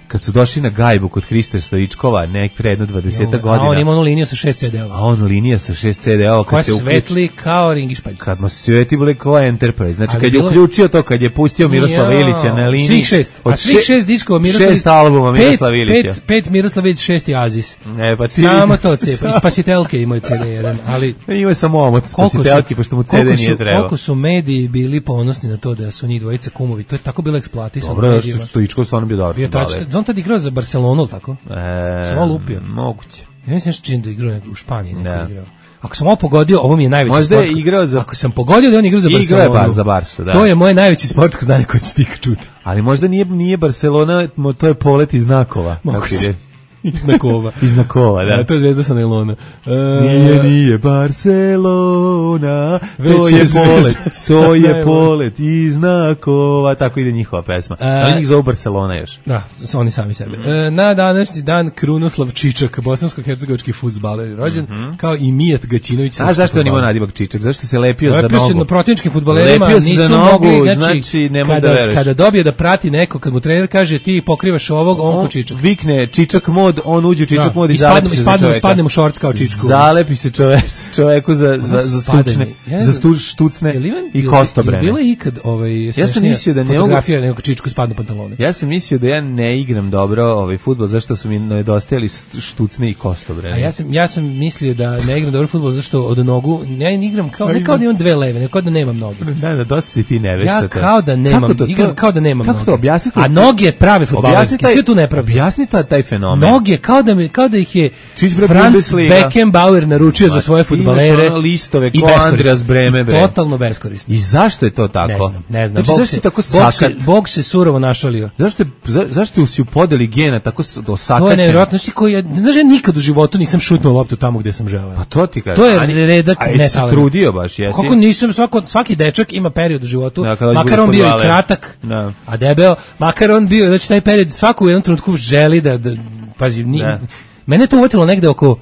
Kad su došli na gajbu kod Hrista Stoičkova, pre jedno 20 godina. A on ima onu liniju sa 6 CD-ova. A on linija sa 6 CD-ova. Koja svetli kao ringišpalj. Kad mu svetli kao Enterprise. Znači kad je uključio to, kad je pustio Miroslava Ilića na liniji. Svih 6. A svih 6 diskova Miroslav Ilić. 6 albuma Miroslava Ilića. 5 Miroslav Ilić, 6 Azis. Pa ti... Samo to cepa. I Spasitelke imaju CD1. Ali... Ima samo omot Spasitelke, pošto mu CD nije trebao. Koliko su mediji bili ponosni na to da su njih dvojica kumovi. To je tako bilo eksploatisano. Dobro, Stoičkov stvarno bio dobar. on tad igrao za Barcelonu, tako? Sam ovo lupio. Moguće. Ja mislim čini da igrao u Španiji, neko igrao. Ako sam ovo pogodio, ovo mi je najveći možda sportsko. Je igrao za... Ako sam pogodio da on igrao za Barcelonu. Igrao je za Barsu, da. To je moje najveće sportsko znanje koje će ti čuti. Ali možda nije Barcelona, to je polet iz znakova. Moguće. Iznakova. Iznakova, da. To je zvezda sa nailona. Nije Barcelona, to je polet iznakova. Tako ide njihova pesma. Ali njih zove Barcelona još. Da, oni sami sebe. Na današnji dan Krunoslav Čičak, bosansko-hercegovački fudbaler, rođen, kao i Mijat Gaćinović. A zašto on ima nadimak Čičak? Zašto se lepio za nogu? Lepio se na protivničkim fudbalerima, nisu mogli, znači ne može da veruješ. Kada dobije da prati neko, kad mu trener kaže ti pokrivaš ovog, on ko Čičak. Vikne Čičak mod, on uđe u Čičak mod i zalepi se čoveka. Ispadne mu šorc kao Čičku. Zalepi se čoveku za štucne i kostobrene. Bilo je ikad ja sam mislio da fotografija nekog Čičku spadne pantalone. Ja sam mislio da ja ne igram dobro fudbal zašto su mi nedostajali štucne i kostobrene. A ja sam mislio da ne igram dobro fudbal zašto od nogu ja igram ne kao da imam dve leve, nego kao da nemam noge. Da, dosta si ti nevešta. Ja kao da nemam, igram kao da nemam noge. Kako to objasniti? A noge prave fudbalerske, sve tu ne pravi. Objasni taj fenomen. Noge kao da ih je Franz Beckenbauer naručio za svoje fudbalere. Listove ko Andreas Breme. Totalno beskorisno. I zašto je to tako? Ne znam. Bog se surovo našalio. Zašto si u podeli gena tako osakačen? To je nevjerojatno. Znaš, ja nikad u životu nisam šutnuo loptu tamo gde sam želeo. Pa to ti kažem. To je redak netalent. A jesi trudio baš, jesi? Kako nisam, svaki dečak ima period u životu, makar on bio i kratak, a debeo, makar on bio, znači taj period, svako u jednom trenutku želi da pazi, mene to uvatilo negde oko,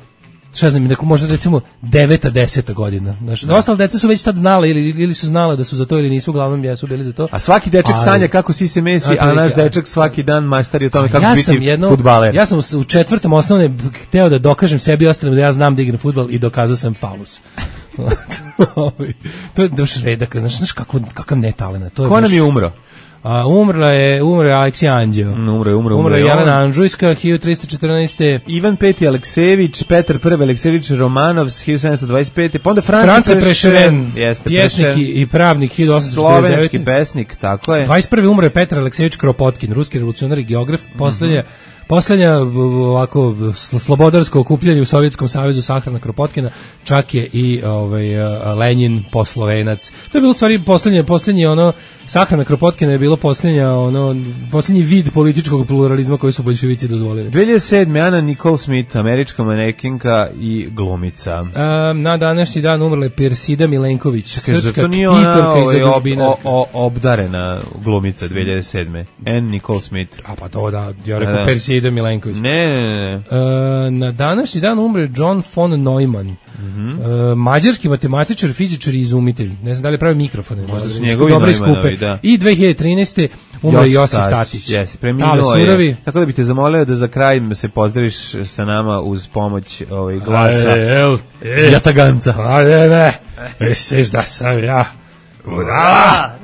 šta znam, neko možda recimo 9. 10. godina. Znači, ostale deca su već tad znale ili su znale da su za to ili nisu, uglavnom jesu bili za to. A svaki dečak sanja kako si se Messi, a naš dečak svaki dan majstari o tome kako biti fudbaler. Ja sam u 4. osnovne hteo da dokažem sebi i ostalim da ja znam da igram fudbal i dokazao sam faulus. To je baš redak, znaš kakav netalent. Ko nam je umro? Umro je Aleksija Anđeo. Umro je Jelena Anđujska, 1314. Ivan V. Aleksejević, Petar I. Aleksejević Romanov, 1725. Pa onda France Prešeren, pjesnik i pravnik, 1849. Slovenski pesnik, tako je. 21. umro je Petar Aleksejević Kropotkin, ruski revolucionar i geograf, poslednja ovako slobodarsko okupljanje u Sovjetskom savezu sahrana Kropotkina, čak je i Lenin poslovenac. To je bilo u stvari poslednje ono sahrana Kropotkina je bilo poslednji vid političkog pluralizma koji su boljševici dozvolili. 2007. Ana Nicole Smith, američka manekinka i glumica. Na današnji dan umrla je Persida Milenković, srpska ktitorka i zadužbinarka. Obdarena glumica 2007. Anne Nicole Smith. A pa to da, ja rekao Persida Milenković. Ne. Na današnji dan umre John von Neumann. Mađarski matematičar, fizičar i izumitelj. Ne znam da li pravi mikrofone. Možda su njegovi Neumannovi, da. I 2013. umre Josif Tatić. Jesi, preminuo je. Tako da bih te zamolio da za kraj se pozdraviš sa nama uz pomoć glasa Jataganca. Ne, misliš da sam ja budala?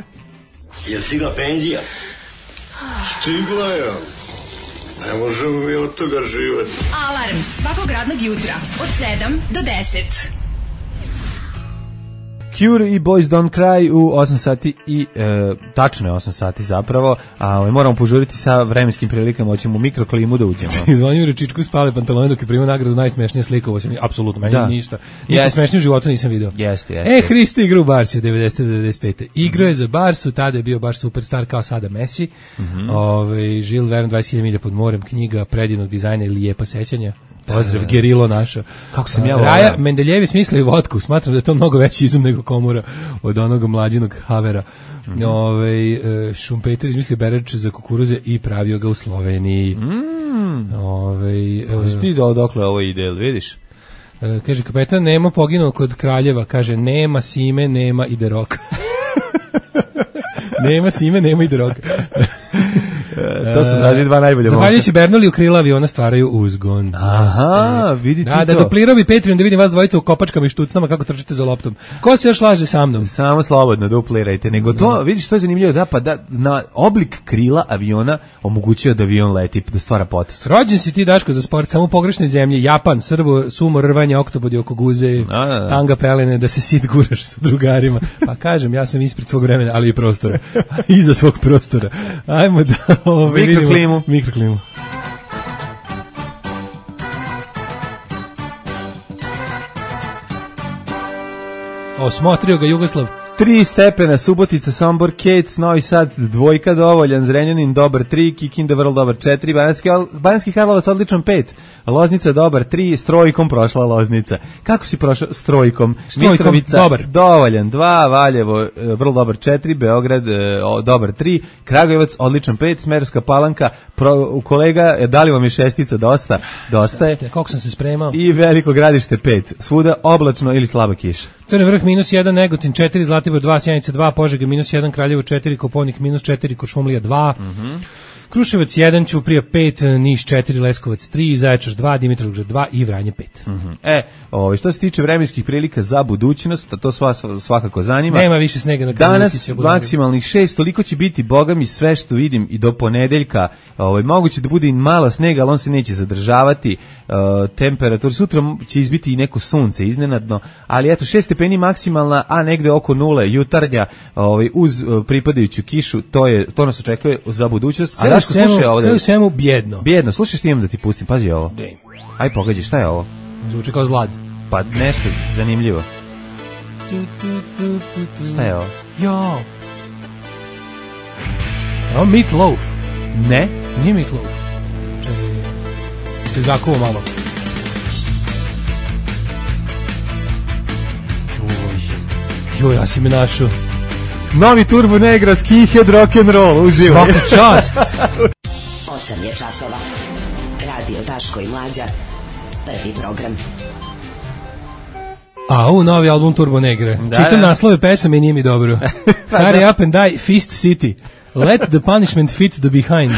Je stigla penzija? Stigla je. Ne možemo mi od toga živati. Alarm svakog radnog jutra od 7 do 10. Cure i Boys Don't Cry u 8 sati i tačno je 8 sati zapravo, a moramo požuriti sa vremenskim prilikama, hoćemo u mikroklimu da uđemo. Zvonju Rečičku spale pantalone dok je primao nagradu najsmešnija slika, ovo se apsolutno meni ništa smešnije u životu nisam video. Jeste. Hristo igra u Barsi 90-95. Igrao je za Barsu, tada je bio baš superstar kao sada Messi. Žil Verne 20.000 milja pod morem, knjiga predivnog dizajna i lijepa sećanja. Pozdrav, gerilo naša. Kako sam ja Raja Mendeljevi smislio vodku. Smatram da je to mnogo veći izum nego Komura od onog mlađinog Havera. Šumpeter izmislio bereč za kukuruze i pravio ga u Sloveniji. Ti dokle ovo ide, vidiš? Kaže, kapetan Nemo poginuo kod Kraljeva. Kaže, nema Sime, nema ide roka. Nema Sime, nema ide roka. To su traži dva najbolje momka. Zahvaljujući Bernoli u krila aviona stvaraju uzgon. Aha, vidite to. Da duplirao bi Patreon da vidim vas dvojica u kopačkama i štucnama kako trčite za loptom. Ko se još laže sa mnom? Samo slobodno duplirajte. Nego to, vidiš, to je zanimljivo, da na oblik krila aviona omogućuje da avion leti, da stvara potres. Rođen si ti, Daško, za sport, samo u pogrešnoj zemlji. Japan, Srvo, sumo, rvanje, oktobodi oko guze, tanga pelene, da se sit guraš sa drugarima. Pa kažem, ja sam ispred svog vremena, ali i prostora. Iza svog prostora. Ajmo Mikroklimu. Osmotrio ga Jugoslav. 3 stepena, Subotica, Sombor, Kec, Novi Sad, 2 dovoljan, Zrenjanin, dobar 3, Kikinda, vrlo dobar 4, Banjski Karlovac, odličan 5, Loznica, dobar 3, s trojkom prošla Loznica. Kako si prošao s trojkom? Mitrovica, dobar. Dovoljan 2, Valjevo, vrlo dobar 4, Beograd, dobar 3, Kragujevac, odličan 5, Smerska Palanka, kolega, da li vam je šestica dosta? Dosta je. Koliko sam se spremao? I Veliko Gradište 5, svuda oblačno ili slaba kiša. Crni vrh -1, Negotin 4, Zlatibor 2, Sjenica 2, Požega -1, Kraljevo 4, Koponik -4, Kuršumlija 2, Kruševac 1, Ćuprija 5, Niš 4, Leskovac 3, Zaječar 2, Dimitrovgrad 2 i Vranje 5. Što se tiče vremenskih prilika za budućnost, to svakako zanima. Nema više snega na danas maksimalnih 6, toliko će biti, boga mi, sve što vidim i do ponedeljka. Moguće da bude i malo snega, ali on se neće zadržavati. Temperatura sutra će izbiti i neko sunce iznenadno, ali eto 6 stepeni maksimalna, a negde oko 0 jutarnja, uz pripadajuću kišu, to nas očekuje za budućnost. A Daško, slušaj ovo. Sve u svemu bjedno. Bjedno, slušaj što imam da ti pustim, pazi ovo. Aj pogađi, šta je ovo? Zvuči kao zlad. Pa nešto zanimljivo. Šta je ovo? Jo. Ovo Meat Loaf. Ne? Nije Meat Loaf. Te zakuo malo. Joj, ja si me našao. Novi Turbo Negra, skinhead rock'n'roll, uživaj. Svaka čast. 8 je časova. Radio Daško i Mlađa. Prvi program. Novi album Turbo Negre. Čitam naslove pesama i nije mi dobro. Hurry up and die, Fist City. Let the punishment fit the behind.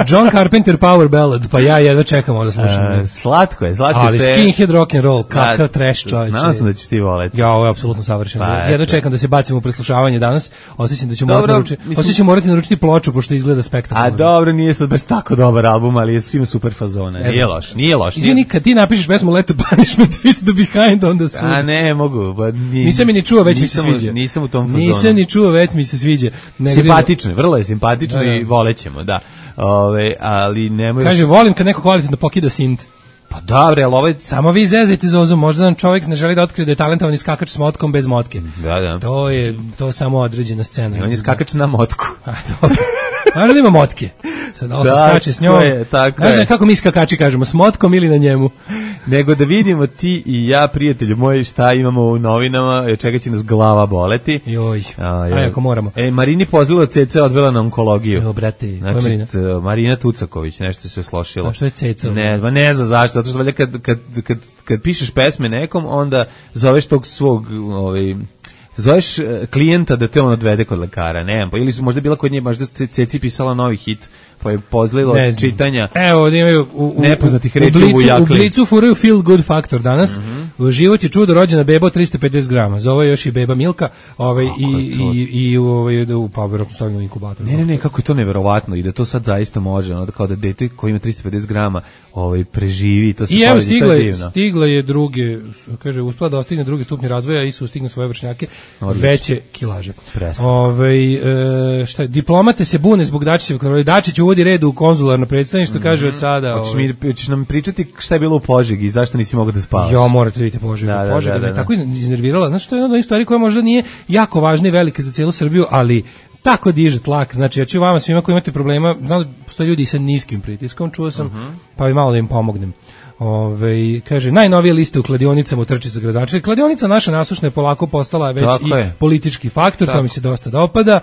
John Carpenter Power Ballad. Pa ja jedva čekam ovo da slušam. Slatko je. Ali skinhead rock and roll, kakav trash čovječe. Nadam sam da ćeš ti voleti. Ja, ovo je apsolutno savršeno. Jedva čekam da se bacimo u preslušavanje danas. Osjećam da ću morati naručiti ploču, pošto izgleda spektakularno. A dobro, nije sad baš tako dobar album, ali je svima super fazone. Nije loš. Izvini, kad ti napišeš pesmu Let the punishment fit the behind, onda su... A ne, mogu. Nisam ni čuo, već mi se sviđa. Nisam u tom fazonu. Nisam ni čuo, već mi se sviđa. Simpatično, vrlo je simpatično i volećemo, da. Ali nemoj... Kaže, volim kad neko kvalitetno pokida sint. Pa dobro, ali ovaj... Samo vi zezajte Zozu, možda nam čovjek ne želi da otkrije da je talentovani skakač s motkom bez motke. Da. To je samo određena scena. I on je skakač na motku. Dobro. Možda ima motke. Sad ovo se skače s njom. Znaš kako mi skakači kažemo, s motkom ili na njemu? Nego da vidimo ti i ja, prijatelju moji, šta imamo u novinama, čega će nas glava boleti. Joj, ako moramo. Marini Pozlilo Ceca odvela na onkologiju. Jo, brate, znači, Marina? Marina Tucaković, nešto se slošilo. A što je Ceca? Ne znam zašto, zato što valjda kad pišeš pesme nekom, onda zoveš tog svog... zoveš klijenta da te on odvede kod lekara, ne, pa ili su možda bila kod nje, možda Ceci pisala novi hit, pa je pozlilo od čitanja. Evo, imaju nepoznatih reči u jakli. U Blicu furaju feel good faktor danas. Život je čudo, rođena beba od 350 grama. Zove još i beba Milka, i pa verovatno stavljeno u inkubator. Ne, kako je to neverovatno i da to sad zaista može, kao da dete koje ima 350 grama preživi, to se i evo stigla je druge, kaže, uspela da ostigne drugi stupnji razvoja i sustigne svoje vršnjake, veće kilaže. Diplomate se bune zbog Dačićeva. Dačić uvodi red u konzularno predstavništvo, kaže od sada. Hoćeš nam pričati šta je bilo u Požegi i zašto nisi mogao da spavaš? Jo, morate vidjeti Požega. Požega me tako iznervirala. Znači, to je jedna od stvari koja možda nije jako važna i velika za cijelu Srbiju, ali tako diže tlak. Znači, ja ću vama svima koji imate problema, znam da postoje ljudi sa niskim pritiskom, čuo sam, pa bi malo da im pomognem. Kaže, najnovije liste u kladionicama u trči za gradonačelnika. Kladionica naša nasušna je polako postala već i politički faktor, to mi se dosta dopada.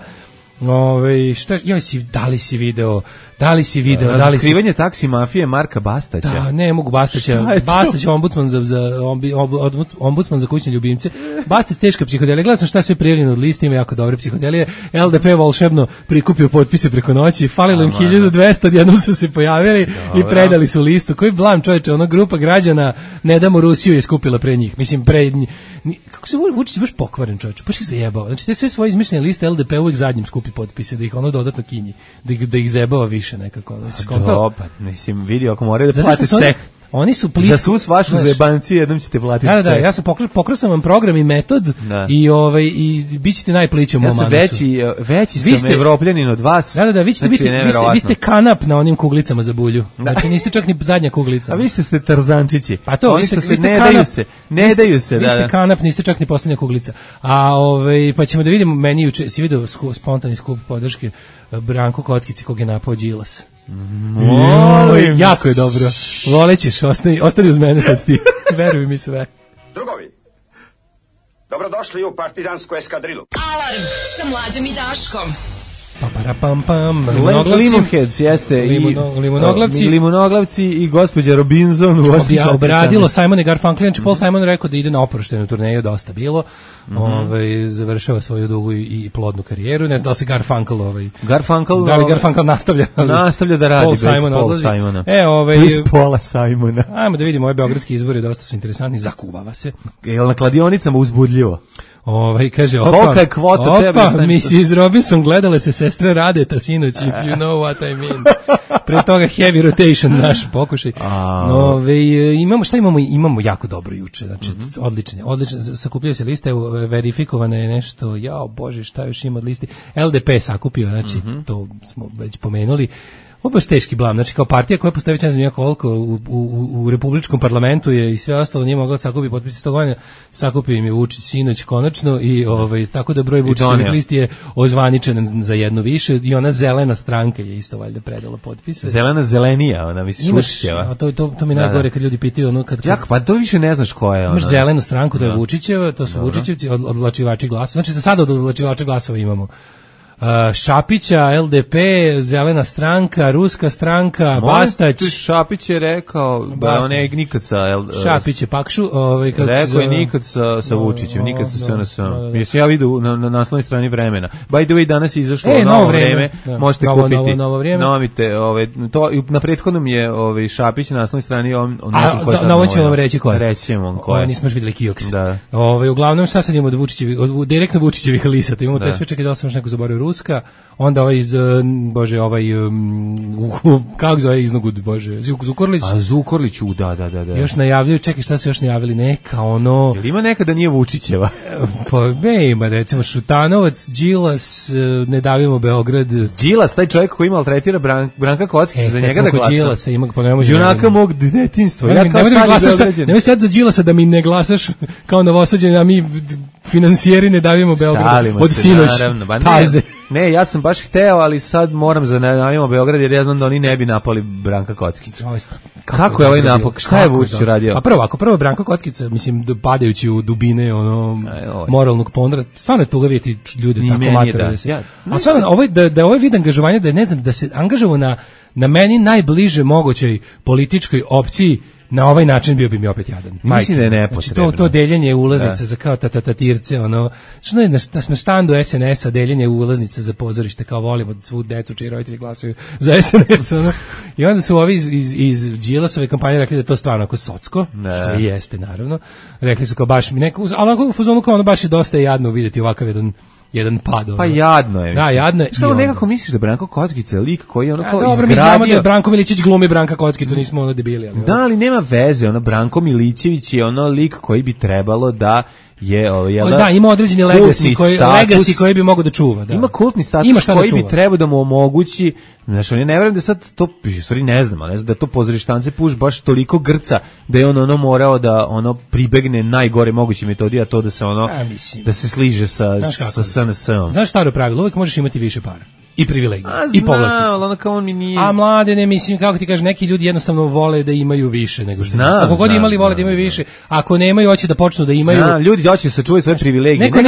Da li si video razotkrivanje taksi mafije Marka Bastaća. Da, ne mogu Bastaća. Bastać ombudsman za kućne ljubimce. Bastać teška psihodelija. Gledao sam šta sve prijavljeno od liste, ima jako dobre psihodelije. LDP volšebno prikupio potpise preko noći, falilo im 1200, odjednom su se pojavili i predali su listu. Koji blam, čoveče, ona grupa građana Ne damo Rusiju je skupila pre njih. Mislim, kako se Vučić baš pokvaren, čoveče, baš ih zajebao. Znači, te sve svoje izmišljene liste LDP uvijek zadnjim skupi potpise, da ih ono dodatno kinji, da ih zajebava više nekako. Mislim, vidi, ako moraju da plate ceh. Oni su za svu vašu zajebanciju jednom ćete platiti. Da, ja sam pokrao sam vam program i metod i bićete najplići u mom Anusu. Veći sam evropljanin od vas. Da, vi ste kanap na onim kuglicama za bulju. Znači niste čak ni zadnja kuglica. A vi ste tarzančići. Pa to, oni što se ne daju se. Vi ste kanap, niste čak ni poslednja kuglica. A pa ćemo da vidimo, meni juče si video spontani skup podrške Branko Kockici kog je napao Đilas. Jako je dobro. Volećeš, ostani uz mene sad ti. Veruj mi sve. Drugovi, dobrodošli u partizansku eskadrilu. Alarm sa Mlađom i Daškom. Pam. Limonheads jeste limonoglavci i gospođa Robinson u 8 obradilo Simon i Garfunkel. Znači Paul Simon rekao da ide na oproštenu turneju, dosta bilo. Završava svoju dugu i plodnu karijeru. Ne znam da li se Garfunkel Garfunkel nastavlja da radi Paul bez Simon Paul Simona. Bez Paula Simona. Ajmo da vidimo ove beogradski izbori, dosta su interesantni, zakuvava se. Jel na kladionicama uzbudljivo? Kaže, Mrs. Robinson, gledale se sestre Radeta sinoć, if you know what I mean. Pre toga heavy rotation, naš pokušaj. Imamo jako dobro juče, znači odlične, sakupljaju se liste, verifikovane je nešto, bože, šta još ima od listi, LDP sakupio, znači to smo već pomenuli. Ovo baš teški blam, znači kao partija koja postoji već ne znam koliko u republičkom parlamentu je i sve ostalo nije mogla sakupiti potpise 100 godina, sakupio im je Vučić sinoć konačno i tako da broj Vučićevih listi je ozvaničen za jedno više i ona zelena stranka je isto valjda predala potpise. Zelenija, ona misli Vučićeva. To mi najgore kad ljudi pitaju ono kad... Pa to više ne znaš koja je ona. Imaš zelenu stranku, to je Vučićeva, to su Vučićevci, odvlačivači glasova. Znači za sada od odvlačivača glasova imamo Šapića, LDP, Zelena stranka, Ruska stranka, Bastać. Šapić je rekao da on je nikad sa Šapić je Pakšu, rekao je nikad sa Vučićem, nikad sa SNS. Mislim ja vidio na naslovnoj strani Vremena. By the way, danas je izašlo novo vreme, možete kupiti. Novo vreme. To na prethodnom je Šapić na naslovnoj strani on na ovo ćemo vam reći ko je. Reći ćemo ko je. Nismo još videli Kioks. Uglavnom sad imamo od Vučićevih, direktno Vučićevih lisata. Imamo te sve, čekaj da sam još neko zaboravio, Ruska, onda kako zove iznogud, Zukorlić. A Zukorlić, da. Još najavljaju, čekaj, šta su još najavili, neka ono... Jel ima neka da nije Vučićeva? Pa ima, recimo, Šutanovac, Đilas, Ne davimo Beograd. Đilas, taj čovjek koji maltretira Branka Kockića, za njega da glasa. Đilasa ima, pa junaka mog detinjstva. Nemoj sad za Đilasa da mi ne glasaš kao Novosađani, a mi finansijeri Ne davimo Beograd od sinoć taze. Ne, ja sam baš hteo, ali sad moram za Ne davimo Beograd jer ja znam da oni ne bi napali Branka Kockicu. Kako je ovaj napak? Šta je Vučić uradio? A prvo Branko Kockica, mislim, padajući u dubine moralnog ponora, stvarno je tuga vidjeti ljude tako matere. A stvarno, da ovaj vid angažovanja, da ne znam, da se angažovao na meni najbliže mogućoj političkoj opciji, na ovaj način bio bi mi opet jadan. Mislim da je nepotrebno. Znači to deljenje ulaznica za kao tatatirce, što je na štandu SNS-a deljenje ulaznica za pozorište, kao volimo svu decu čiji roditelji glasaju za SNS, I onda su ovi iz Đilasove kampanje rekli da to stvarno ako socko, što i jeste naravno. Rekli su kao baš mi neko, ali u fazonu kao baš je dosta jadno vidjeti ovakav jedan pad. Pa jadno je. Da, jadno je. Što nekako misliš da Branko Kockica je lik koji ono kao izgradio... Dobro, mi znamo da Branko Milićević glumi Branka Kockicu, nismo debili. Da, ali nema veze, Branko Milićević je lik koji bi trebalo da je ima određeni legacy koji bi mogao da čuva, da. Ima kultni status koji bi trebao da mu omogući, znači ne verujem da sad to stvari ne znam da to pozorištance puš baš toliko grca da je on morao da pribegne najgore moguće metodi, a to da se da se sliže sa SNS-om. Znaš staro pravilo, uvijek možeš imati više para i privilegije i povlastice. A mlade, ne mislim, kako ti kažeš, neki ljudi jednostavno vole da imaju više nego što. Ako god imali, vole da imaju više. Ako nemaju, hoće da počnu da imaju. Ljudi hoće da sačuvaju svoje privilegije. Neko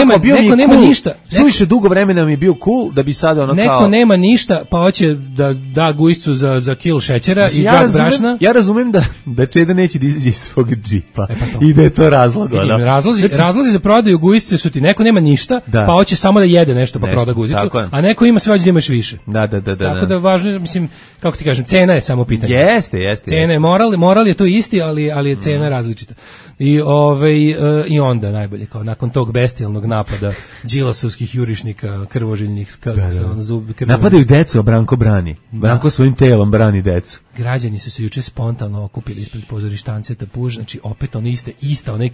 nema ništa. Suviše dugo vremena mi je bio cool da bi sad Neko nema ništa, pa hoće da gujscu za kil šećera i džak brašna. Ja razumem da Čeda neće da izađe iz svog džipa i da je to razlog. Razlozi za prodaju gujsce su ti neko nema ništa, pa hoće samo da jede nešto pa proda guzicu, a neko ima sve hoće da imaš više. Da. Tako da važno, mislim, kako ti kažem, cena je samo pitanje. Jeste. Cena je moral je to isti, ali je cena različita. I onda najbolje, kao nakon tog bestijalnog napada Đilasovskih jurišnika, krvoželjnih, napadaju decu, a Branko brani. Branko svojim telom brani decu. Građani su se juče spontano okupili ispred pozorištance Puž, znači opet ista ona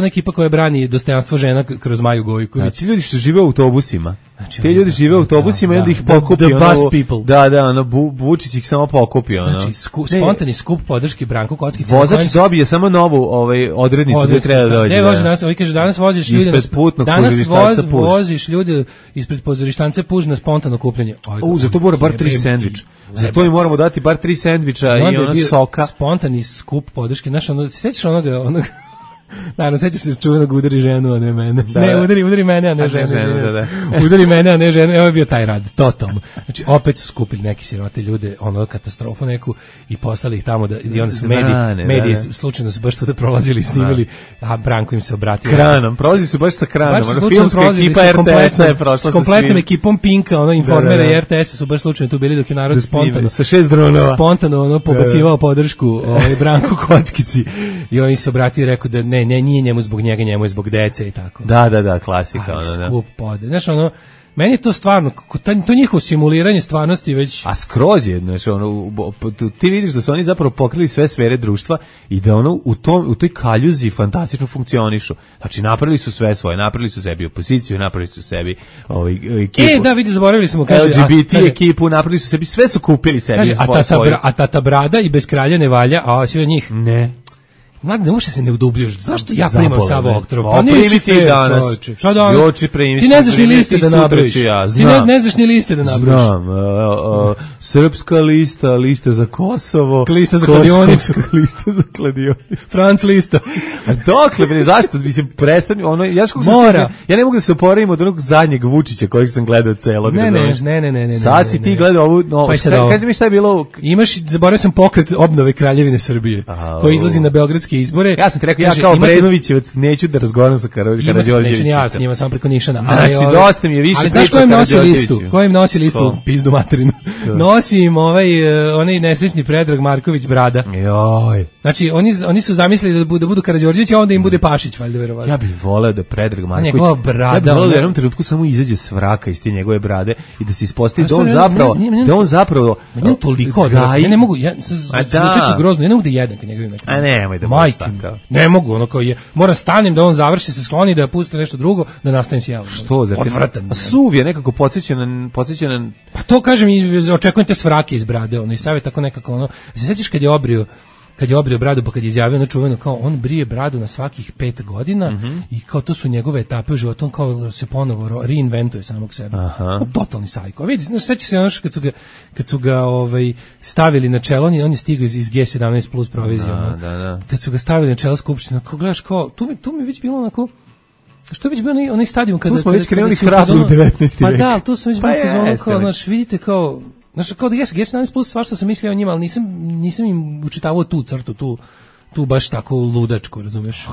ekipa koja brani dostojanstvo žena kroz Maju Gojković. Znači ljudi što žive u autobusima. Znači, te ljudi žive u autobusima i onda ih pokupi. The bus people. Da, Vučić ih samo pokupi. Znači, spontani skup podrške Branku Kockici. Vozač dobije samo novu odrednicu gde treba da dođe. Ne, vozi danas, kaže, danas voziš ljude voziš ljude ispred pozorištance Puž na spontano kupljenje. Zato mora bar 3 sendviča. Zato im moramo dati bar 3 sendviča i ona soka. Spontani skup podrške. Znaš, sećaš onoga naravno, sećaš se čuvenog udari ženu, a ne mene. Ne, udari mene, a ne ženu. Udari mene, a ne ženu. Evo je bio taj rad, totalno. Znači, opet su skupili neki sirote ljude, katastrofu neku i poslali ih tamo i onda su mediji slučajno su baš tu prolazili i snimili, a Branko im se obratio. Kranom, prolazili su baš sa kranom. Filmska ekipa RTS-a je prošla sa kompletnom ekipom Pinka, Informera i RTS-a su baš slučajno tu bili dok je narod spontano. Sa 6 dronova. Spontano pobacivao podršku Branku Kockici i on se obratio i rekao da ne, nije njemu zbog njega, njemu je zbog dece i tako. Da, klasika. Skup pode. Znaš, meni je to stvarno, to njihovo simuliranje stvarnosti već... A skroz je, znači, ti vidiš da su oni zapravo pokrili sve sfere društva i da u toj kaljuzi fantastično funkcionišu. Znači, napravili su sve svoje, napravili su sebi opoziciju, napravili su sebi ekipu. Da, vidi, zaboravili smo, kaže... LGBT ekipu, napravili su sebi, sve su kupili sebi. Kaže, a tata brada i bez kralja ne valja, a svi od njih... Ne. Mladi, ne možeš se ne udubljuješ. Zašto ja primam Savo Oktrov? Pa nisi ti danas. Šta danas? Ti ne znaš ni liste da nabrojiš. Ti ne znaš ni liste da nabrojiš. Znam. Srpska lista za Kosovo. Lista za kladionicu. Lista za kladionicu. Franc lista. A dokle, bre, zašto? Mislim, prestani. Ja ne mogu da se oporavim od onog zadnjeg Vučića kojeg sam gledao celog. Ne. Sad si ti gledao ovu... Kaži mi šta je bilo... Zaboravio sam pokret obnove Kraljevine Srbije, koji izlazi na beogradski izbore. Ja sam ti rekao, ja kao Brenovićevac neću da razgovaram sa Karađorđevićem. Neću ni ja s njima, samo preko Nišana. Znači, dosta mi je više priča Karađorđeviću. Ko im nosi listu? Pizdu materinu. Nosi im onaj nesrećni Predrag Marković Brada. Joj. Znači, oni su zamislili da budu Karađorđević, a onda im bude Pašić, valjda verovatno. Ja bih voleo da Predrag Marković... Njegova brada... Ja bih voleo da u jednom trenutku samo izađe s vraka iz te njegove brade i da se ispostavi da on zapravo... Meni toliko... Ja ne mogu... Zvučeću grozno, ja ne mogu da jedan kad njega a nemoj da budeš takav. Ne mogu, kao je, moram stanem da on završi, se skloni, da pusti nešto drugo, da nastavim s javom. Što? Odvratan. Suv je nekako podsjećan. Pa to kažem i očekujem te svrake iz brade, i savjet tako nekako, se sećaš kad je obrio bradu, pa kad je izjavio čuveno kao on brije bradu na svakih 5 godina i kao to su njegove etape u životu, on kao se ponovo reinventuje samog sebe. Totalni sajko. Vidi, sećaš se kad su ga stavili na čelo, on je stigao iz G17 plus provizije. Kad su ga stavili na čelo skupštine, kao gledaš kao, tu mi već bilo onako, što je već bio onaj stadijum kada... Tu smo već krenuli hrabro u 19. vek. Pa da, tu smo već bilo fazonu kao, znaš, vidite kao... Znači, kao da G17 plus svašta sam mislio o njima, ali nisam im učitavao tu crtu, tu baš tako ludačku, razumeš?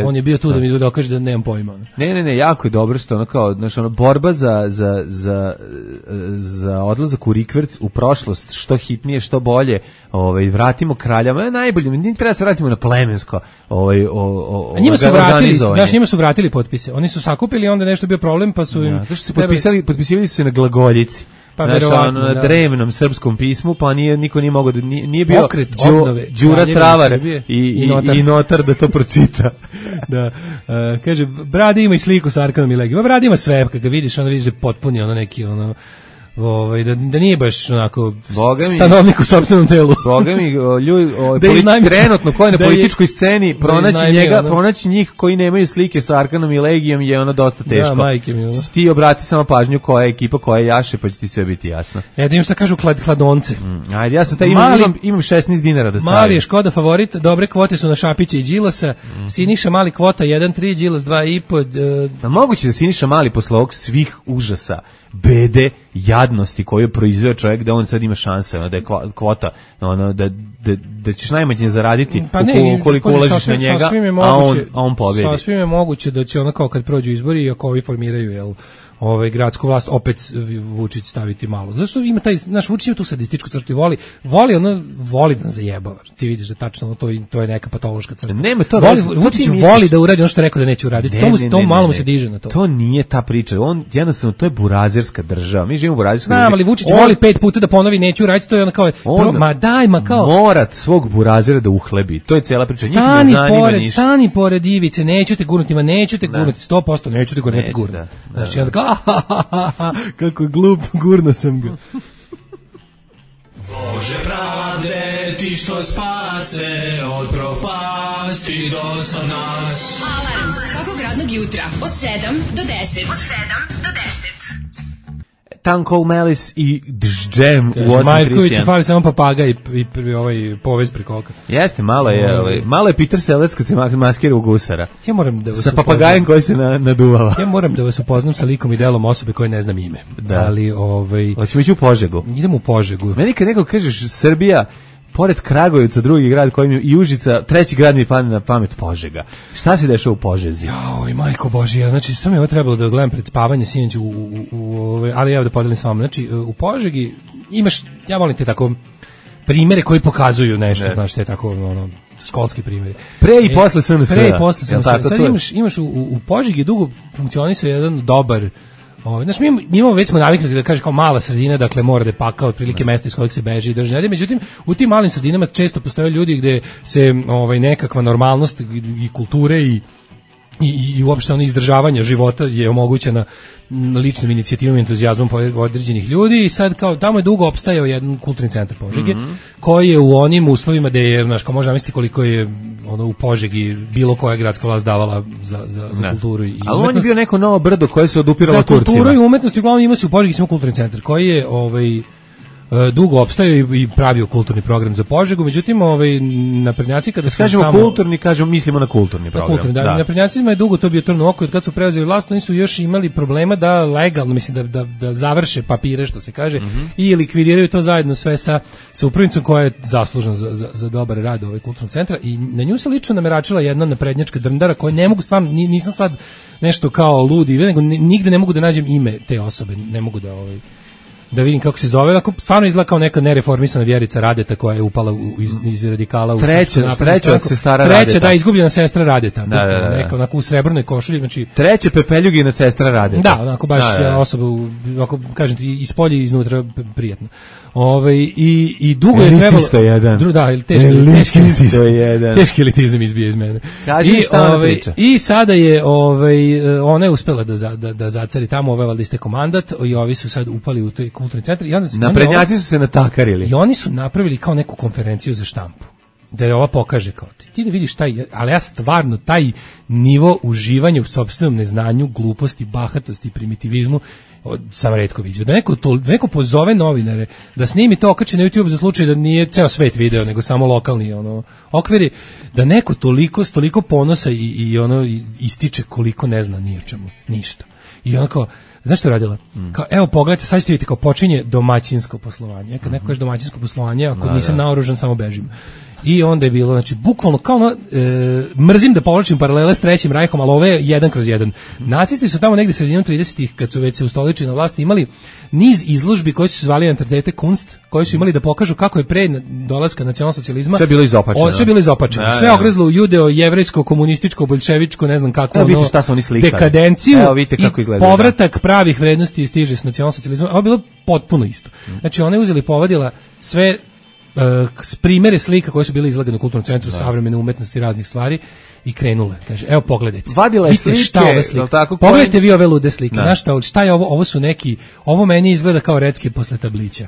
On je bio tu da mi dokaže da nemam pojma. Ne, jako je dobro što borba za odlazak u rikverc u prošlost, što hitnije, što bolje, vratimo kraljama, najbolje, nije treba se vratimo na plemensko, njima su vratili potpise, oni su sakupili, onda nešto bio problem, pa su im... Potpisivali su se na glagoljici. Pa na drevnom srpskom pismu, pa niko nije mogao da nije bio Đura Travar i notar da to pročita. Da. Kaže, Brada ima i sliku sa Arkanom i Legijom. Brada ima sve, kad ga vidiš, vidiš da je potpuni neki da nije baš onako stanovnik u sopstvenom telu. Boga mi, ljudi, trenutno koji na političkoj sceni pronaći njih koji nemaju slike sa Arkanom i Legijom je dosta teško. Da, majke mi. Ti obrati samo pažnju koja je ekipa, koja je jaše, pa će ti sve biti jasno. Da im šta kažu hladonce. Ajde, ja sam imam 16 dinara da stavim. Mali je Škoda favorit, dobre kvote su na Šapića i Đilasa, Siniša Mali kvota 1.3, Đilas 2.5. Da moguće da Siniša Mali posle ovog svih užasa, bede, jadnosti koju proizveo čovjek, da on sad ima šanse, da je kvota, da ćeš najmanje zaraditi ukoliko ulažiš na njega, a on pobjedi. Sasvim je moguće da će kao kad prođu izbori i ako ovi formiraju gradsku vlast opet Vučić staviti malo. Zašto ima taj naš Vučić ima tu sadističku crtu i voli da zajebava. Ti vidiš da tačno to je neka patološka crta. Nema to. Vučić voli da uradi ono što je rekao da neće uraditi. To malo mu se diže na to. To nije ta priča. On jednostavno to je burazerska država. Mi živimo u burazerskoj državi. Ali Vučić voli 5 puta da ponovi neće uraditi, to je kao mora svog burazera da uhlebi. To je cela priča. Stani pored Ivice, neću te gurnuti, 100%, neću te gurnuti. Znači, onda kao, kako je glup, gurno sam ga. Bože pravde, ti što spase od propasti do sad nas. Alarm svakog radnog jutra od 7 do 10. Tanko Melis i Džem u 8.31. Majković fali samo papaga i povez preko oka. Jeste, malo je Peter Sellers kad se maskira u gusara. Ja moram da vas sa papagajem koji se naduvala. Ja moram da vas upoznam sa likom i delom osobe koje ne znam ime. Da. Ali hoćemo ići u Požegu. Idemo u Požegu. Meni kad neko kažeš Srbija, pored Kragujevca, drugi grad koji mi i Užica, treći grad mi padne na pamet Požega. Šta se dešava u Požezi? Joj, majko Božija, znači što mi je ovo trebalo da gledam pred spavanje sinoć ali evo da podelim s vama. Znači u Požegi imaš, ja volim te tako primere koji pokazuju nešto, znaš, te tako školski primjeri. Pre i posle SNS. Sad imaš u Požegi dugo funkcionisao jedan dobar. Znači, mi imamo, već smo naviknuti da kaže kao mala sredina, dakle mora da je pakao otprilike mesto iz kojeg se beži i drži. Međutim, u tim malim sredinama često postoje ljudi gde se nekakva normalnost i kulture i uopšte izdržavanje života je omogućena ličnom inicijativom i entuzijazmom određenih ljudi i sad kao tamo je dugo opstajao jedan kulturni centar Požege koji je u onim uslovima da je, znaš, kao možda misliti koliko je u Požegi bilo koja gradska vlast davala za kulturu i umetnost. Ali on je bio neko novo brdo koje se odupiralo Turcima. Za kulturu i umetnost uglavnom ima se u Požegi samo kulturni centar koji je dugo opstajao i pravio kulturni program za Požegu, međutim naprednjaci kada su kažemo tamo, kulturni, mislimo na kulturni program. Naprednjacima je dugo to bio trn u oku, kad su preuzeli vlast, oni su još imali problema da legalno, mislim da završe papire, što se kaže, i likvidiraju to zajedno sve sa upravnicom koja je zaslužna za dobar rad kulturnog centra i na nju se lično nameračila jedna naprednjačka drndara koja ne mogu stvarno, nisam sad nešto kao ludi, nego nigde ne mogu da nađem ime te osobe, ne mogu da vidim kako se zove, ako stvarno izgleda kao neka nereformisana Vjerica Radeta koja je upala iz radikala u treća od sestara Radeta. Treća, izgubljena sestra Radeta. Neka onako u srebrnoj košulji, znači treća Pepeljugina sestra Radeta. Da, onako baš osoba, ako kažem ti, iz polja i iznutra prijatno. I dugo je trebalo... Elitisto jedan. Teški elitizam izbije iz mene. Kaži šta ona priča. I sada je, ona je uspela da zacari tamo, valjda istekao mandat i ovi su sad upali u taj kulturni centar. Naprednjaci su se natakarili. I oni su napravili kao neku konferenciju za štampu. Da je ova pokaže kao ti da vidiš ali ja stvarno taj nivo uživanja u sopstvenom neznanju, gluposti, bahatosti i primitivizmu sam retko vidio. Da neko pozove novinare da snimi to, okači na YouTube za slučaj da nije ceo svet video, nego samo lokalni okviri, da neko toliko ponosa i ističe koliko ne zna ni o čemu, ništa. I ono kao, znaš što je radila? Kao, evo pogledajte, sad ćete vidjeti kao počinje domaćinsko poslovanje. Kad neko kaže domaćinsko poslovanje, ako nisam naoružan, samo bežim. I onda je bilo, znači, bukvalno kao mrzim da povlačim paralele s Trećim Rajhom, ali ovo je 1/1. Nacisti su tamo negde sredinom 30-ih, kad su već se ustoličili na vlasti, imali niz izložbi koji su se zvali Entitete Kunst, koji su imali da pokažu kako je pre dolaska nacionalsocijalizma sve bilo izopačeno. Sve ogrezlo u judeo, jevrejsko, komunističko, boljševičko, ne znam kako, vidite šta su oni slikali. Dekadenciju i povratak pravih vrednosti stiže s nacionalsocijalizmom. Ovo je bilo potpuno isto. Znači, ona je uzeli povadila sve primere slika koje su bile izlagane u kulturnom centru savremene umetnosti i raznih stvari i krenule. Kaže, evo pogledajte. Vadila je slike. Pogledajte vi ove lude slike. Znaš šta je ovo? Ovo su neki, ovo meni izgleda kao recke posle tablića.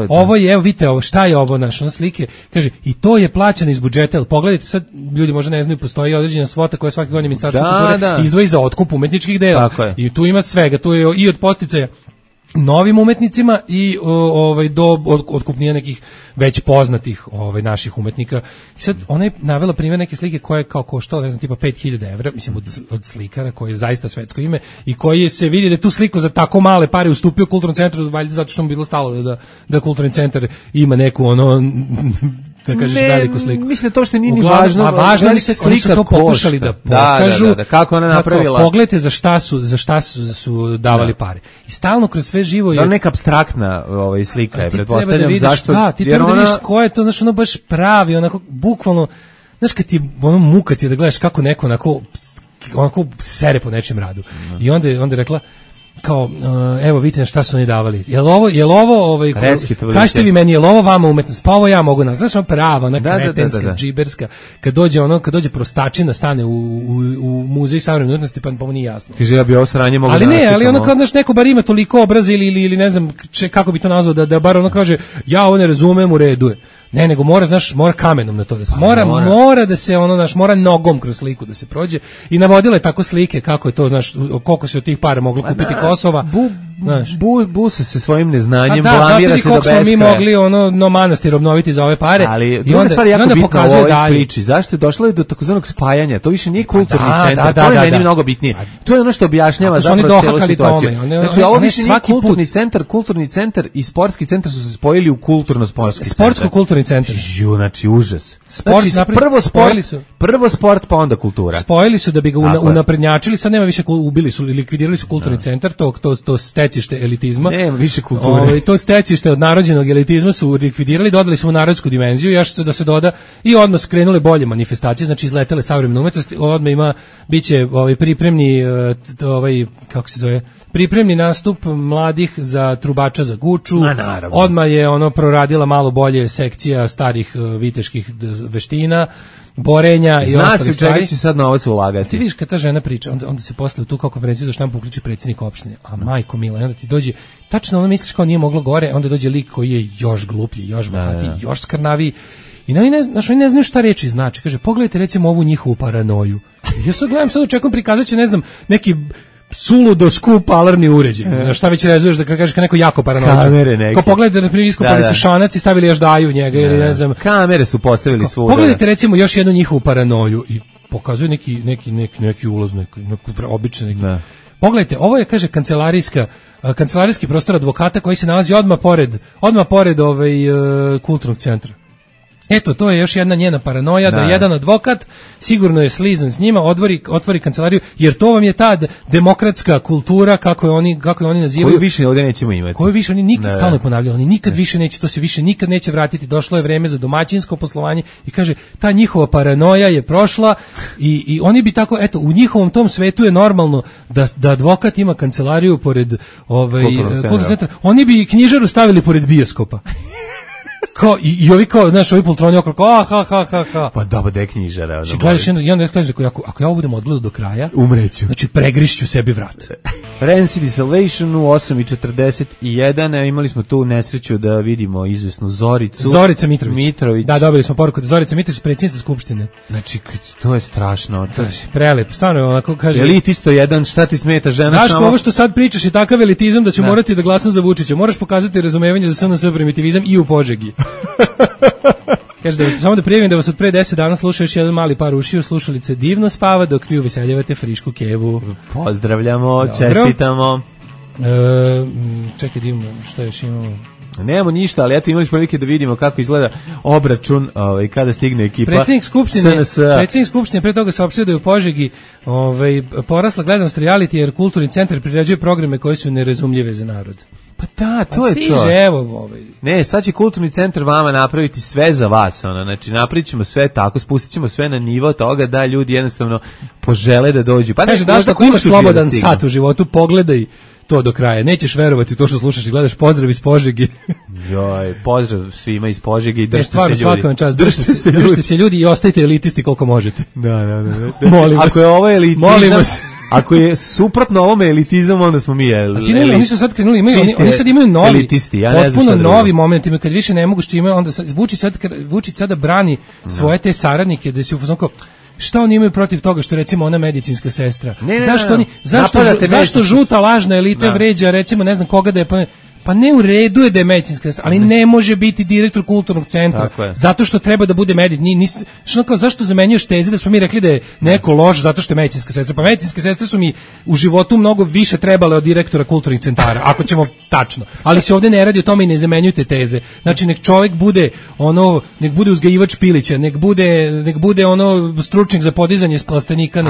Ovo je, evo vidite, šta je ovo naše slike? Kaže, i to je plaćano iz budžeta. Jel pogledajte, sad ljudi možda ne znaju, postoji određena svota koja svake godine Ministarstvo kulture izdvoji za otkup umetničkih dela. I tu ima svega, tu je i od podsticaja novim umetnicima i do otkupnija nekih već poznatih naših umetnika. I sad ona je navela primjer neke slike koje je kao koštala, ne znam, tipa 5.000 evra, mislim od slikara koji je zaista svetsko ime i koji se vidi da je tu sliku za tako male pare ustupio kulturnom centru, valjda zato što mu bilo stalo da kulturni centar ima neku kad kažeš veliku sliku. Mislim to što nije ni važno. A važno je oni su to pokušali da pokažu. Da, kako ona napravila. Pogledajte za šta su davali pare. I stalno kroz sve živo je... Da, neka apstraktna slika je, pretpostavljam, zašto... Da, ti treba da vidiš ko je to, znaš, ono baš pravi, onako, bukvalno, znaš, kad ti ono muka ti da gledaš kako neko onako sere po nečem radu. I onda je rekla, kao, evo vidite šta su oni davali. Jel ovo kažete vi meni, jel ovo vama umetnost? Pa ovo ja mogu nas. Znaš, prava, ona kretenska, džiberska. Kad dođe prostačina, stane u muzej savremene umetnosti, pa mu nije jasno. Kaže, ja bi ovo sranje mogu ali ne, ali ono kao, znaš, neko bar ima toliko obraza ili ne znam kako bi to nazvao, da bar ono kaže, ja ovo ne razumem, u redu je. Ne, nego mora kamenom na to da se mora da se mora nogom kroz sliku da se prođe i navodila je tako slike kako je to, znaš, koliko se od tih para moglo kupiti Kosova. Busa se svojim neznanjem, blamira se do beskraja. Mi mogli manastir obnoviti za ove pare. Ali druga stvar je jako bitna u ovoj priči. Zašto je došlo do takozvanog spajanja? To više nije kulturni centar, to je meni mnogo bitnije. To je ono što objašnjava zapravo celu situaciju. Znači, ovo više nije kulturni centar i sportski centar su se spojili u kulturno-sportski centar. Sportsko-kulturni centar. Znači, užas. Prvo sport, pa onda kultura. Spojili su da bi ga unaprednjačili, sad nema više, ubili su, likvidirali su kulturni centar, to stecište elitizma. Nema više kulture. To stecište od narodđenog elitizma su likvidirali, dodali su mu narodsku dimenziju, još da se doda i odmah su krenule bolje manifestacije, znači izletele savremena umetnost, odmah biće pripremni kako se zove, pripremni nastup mladih za trubača za Guču. Odmah je proradila malo bolje sekcija starih viteških veština, borenja i ostalih stvari. Zna se u čega će sad novac ulagati. Ti vidiš kad ta žena priča, onda se posle u tu kao konferenciju za štampu uključi predsjednik opštine, a majko mila, i onda ti dođe, tačno misliš kao nije moglo gore, onda dođe lik koji je još gluplji, još bahatiji, još skrnaviji. I oni ne znaju šta reči znači. Kaže, pogledajte recimo ovu njihovu paranoju. Ja sad gledam, sad očekujem prikazat će, ne znam, neki suludo skup alarmni uređaj. Šta već rezuješ da kažeš kao neko jako paranoičan. Kamere neke. Ko pogledajte, na primjer, iskopali su šanac i stavili još daju u njega ili ne znam. Kamere su postavili svuda. Pogledajte recimo još jednu njihovu paranoju i pokazuje neki ulaz, neki običan. Pogledajte, ovo je, kaže, kancelarijski prostor advokata koji se nalazi odmah pored kulturnog centra. Eto, to je još jedna njena paranoja, da jedan advokat sigurno je slizan s njima, otvori kancelariju, jer to vam je ta demokratska kultura, kako je oni nazivaju. Koju više ovdje nećemo imati. Koju više, oni nikad stalno ponavljali, oni nikad više neće, to se više nikad neće vratiti, došlo je vreme za domaćinsko poslovanje i kaže, ta njihova paranoja je prošla i oni bi tako, eto, u njihovom tom svetu je normalno da advokat ima kancelariju pored kulturnog centra. Oni bi knjižaru stavili pored bioskopa. Kao, i ovi kao, znaš, ovi poltroni okolo, ha. Pa da, da je knjižara. Gledaš, i onda kaže, ako ja ovo budem odgledao do kraja, umreću. Znači, pregrišću sebi vrat. Rancid i Salvation u 8:41, imali smo tu nesreću da vidimo izvesnu Zoricu. Zorica Mitrović. Da, dobili smo poruku da Zorica Mitrović, predsjednica Skupštine. Znači, to je strašno. Prelep, stvarno, onako kaže. Elitisto jedan, šta ti smeta, žena Daško, samo... ovo što sad pričaš je takav elitizam da ću morati da glasam za Vučića. Moraš pokazati razumevanje za SNS primitivizam i u Požegi. Kaže samo da prijavim da vas od pre 10 dana sluša još jedan mali par ušiju, slušalice divno spava dok vi uveseljavate frišku kevu. Pozdravljamo, čestitamo. Čekaj, divno, šta još imamo? Nemamo ništa, ali eto imali smo prilike da vidimo kako izgleda obračun kada stigne ekipa Predsjednik Skupštine pre toga saopštio da je u Požegi porasla gledanost reality jer kulturni centar priređuje programe koji su nerazumljive za narod. Pa da, to je to. Ne, sad će kulturni centar vama napraviti sve za vas, znači napravit ćemo sve tako, spustit ćemo sve na nivo toga da ljudi jednostavno požele da dođu. Pa kaže, Daško, ako imaš slobodan sat u životu, pogledaj to do kraja. Nećeš verovati u to što slušaš i gledaš. Pozdrav iz Požege. Joj, pozdrav svima iz Požege i držite se ljudi. Držite se ljudi i ostajte elitisti koliko možete. Da. Molim vas. Ako je ovo elitizam, ako je suprotno ovome elitizam, onda smo mi oni su sad krenuli, oni sad imaju novi, elitisti, ja ne znam potpuno novi moment, kad više ne mogu što imaju, onda Vučić sada brani svoje te saradnike, da se ufazonko, šta oni imaju protiv toga što recimo ona medicinska sestra? Zašto žuta lažna elita vređa recimo ne znam koga da je Pa ne, u redu je da je medicinska sestra, ali ne može biti direktor kulturnog centra, zato što treba da bude zašto zamenjuješ teze da smo mi rekli da je neko loš zato što je medicinska sestra? Pa medicinske sestre su mi u životu mnogo više trebale od direktora kulturnih centara, ako ćemo tačno. Ali se ovde ne radi o tome i ne zamenjujte teze. Znači, nek čovjek bude nek bude uzgajivač pilića, nek bude stručnjak za podizanje s plastenika,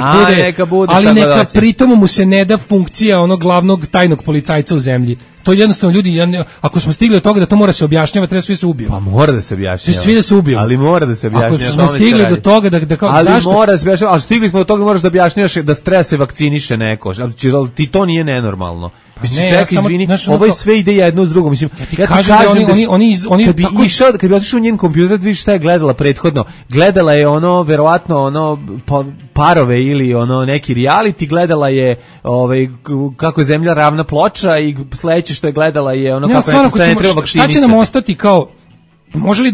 ali neka pritom mu se ne da funkcija glavnog tajnog policajca u zemlji. To jednostavno ljudi, ako smo stigli do toga da to mora se objašnjava, treba svi se ubiju. Pa mora da se objašnjava. Svi da se ubiju. Ali mora da se objašnjava. Ako smo stigli do toga da kao ali zašto? Mora da se objašnjava, ali stigli smo do toga da moraš da objašnjavaš da treba se vakciniše neko. Ali ti to nije nenormalno. Mislim, čekaj, izvini, ovo je sve ide jedno s drugom. Mislim, ja ti kažem da kad bi otišao u njen kompjuter, da vidiš šta je gledala prethodno. Gledala je verovatno parove ili neki reality, gledala je kako je zemlja ravna ploča i sledeće što je gledala je kako ne treba vakcinisati. Šta će nam ostati kao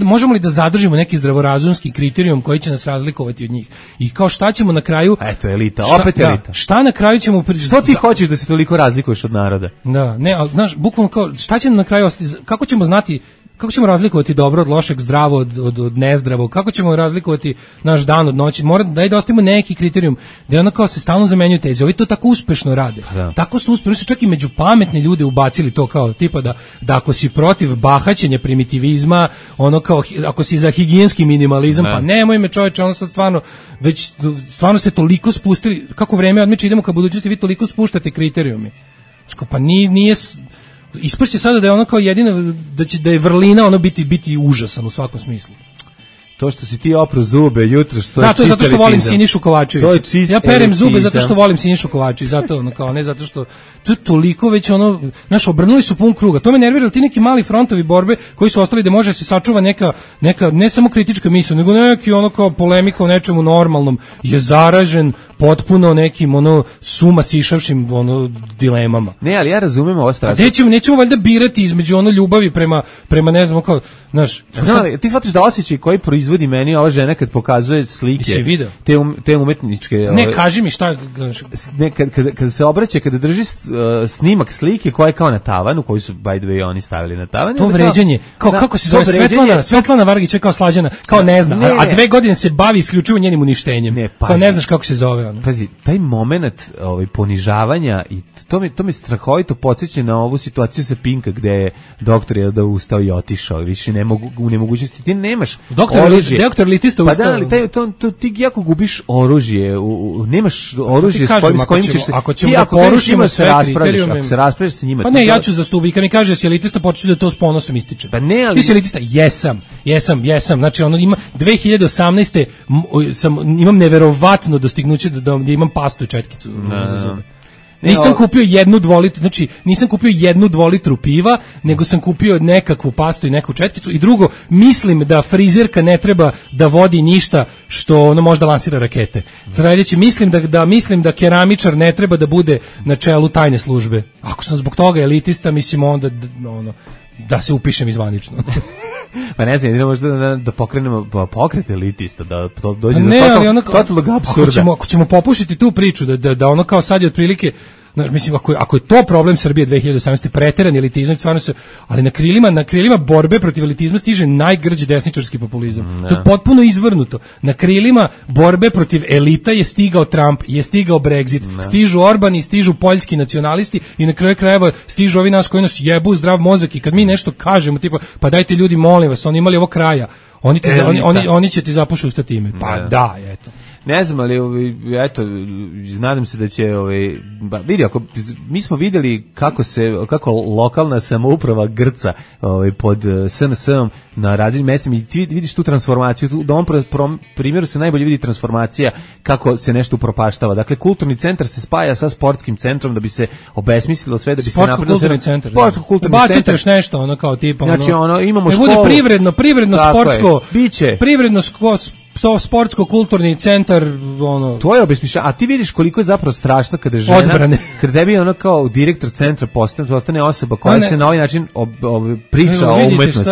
možemo li da zadržimo neki zdravorazumski kriterijum koji će nas razlikovati od njih? I kao šta ćemo na kraju? Eto, elita, opet elita. Šta na kraju ćemo Što ti hoćeš da se toliko razlikuješ od naroda? Da, ne, ali znaš, bukvalno kao šta će na kraju ostati? Kako ćemo znati, kako ćemo razlikovati dobro od lošeg, zdravo od nezdravog? Kako ćemo razlikovati naš dan od noći? Mora da ostavimo neki kriterijum da ono kao se stalno zamenjuju teze. Ovi to tako uspešno rade. Tako su uspešno, čak i među pametne ljude ubacili to kao tipa da ako si protiv bahaćenja, primitivizma, kao ako si za higijenski minimalizam, pa nemoj me čoveče, sad stvarno ste toliko spustili, kako vreme odmiče, idemo ka budućnosti, vi toliko spuštate kriterijume. Pa nije ispršće sada da je ono kao jedina, da je vrlina biti užasan u svakom smislu. To što si ti opro zube jutro, što to je zato što volim Sinišu Kovačevića. Ja perem zube zato što volim Sinišu Kovačevića, zato ne zato što to je toliko već obrnuli su pun kruga. To me nervira, ti neki mali frontovi borbe koji su ostali da može se sačuva neka ne samo kritička misao, nego neki kao polemika o nečemu normalnom je zaražen potpuno nekim suma sišavšim dilemama. Ne, ali ja razumem ovo stvar. Nećemo valjda birati između ljubavi prema ne znam kao, znaš. Ti shvatiš da osjećaj koji proizvodi meni ova žena kad pokazuje slike, te umetničke. Ne, kaži mi šta. Kada se obraća, kada drži snimak slike koja je kao na tavanu, koji su by the way oni stavili na tavan. To vređanje, kako se zove Svetlana Vargić je kao Slađana, kao ne zna, a 2 godine se bavi isključivo njenim uništenjem. Kao ne znaš kako se zove. Pazi, taj moment ponižavanja i to me strahovito podsjeća na ovu situaciju sa Pinka gde je doktor je da ustao i otišao, više ne mogu u nemogućnosti, ti nemaš oružje. Doktor litista ustao. Pa da, ali ti jako gubiš oružje, nemaš oružje s kojim ćeš se... Ako ćemo da porušimo sve kriterijume... Ako se raspraviš sa njima... Pa ne, ja ću zastupiti, kad mi kaže da si elitista, početi da to s ponosom ističe. Pa ne, ali... Ti si elitista? Jesam. Znači, ima 2018. imam neverovatno dostignuće da imam pastu i četkicu za zube. Nisam kupio jednu 2 litru, znači nisam kupio jednu 2 litru piva, nego sam kupio nekakvu pastu i neku četkicu. I drugo, mislim da frizerka ne treba da vodi ništa što možda lansira rakete. Sledeći, mislim da keramičar ne treba da bude na čelu tajne službe. Ako sam zbog toga elitista, mislim onda da se upišem izvanično. Pa ne znam, idemo možda da pokrenemo pokret elitista, da to dođe do totalnog apsurda. Ako ćemo popušiti tu priču, da ono kao sad je otprilike, mislim, ako je to problem Srbije 2018. preteran elitizam, stvarno se, ali na krilima borbe protiv elitizma stiže najgrđi desničarski populizam. To je potpuno izvrnuto. Na krilima borbe protiv elita je stigao Trump, je stigao Brexit, stižu Orbani, stižu poljski nacionalisti i na kraju krajeva stižu ovi nas koji nas jebu zdrav mozak i kad mi nešto kažemo, tipa, pa dajte ljudi, molim vas, oni imali ovo kraja, oni će ti zapušiti usta time. Pa da, eto. Ne znam, ali eto, nadam se da će vidi, mi smo vidjeli kako lokalna samouprava grca pod SNS-om na različitim mestima i ti vidiš tu transformaciju, na ovom primjeru se najbolje vidi transformacija kako se nešto upropaštava. Dakle, kulturni centar se spaja sa sportskim centrom da bi se obesmislilo sve, da bi se napravilo kulturni centar. Bacite još nešto, kao tipa, znači, imamo školu. Ne bude privredno sportsko, biće. Privredno sportsko-kulturni centar, ono... To je obesmišljeno, a ti vidiš koliko je zapravo strašno kada žena... Odbrane. Kada tebi ono kao direktor centra postane osoba koja se na ovaj način priča o umetnosti.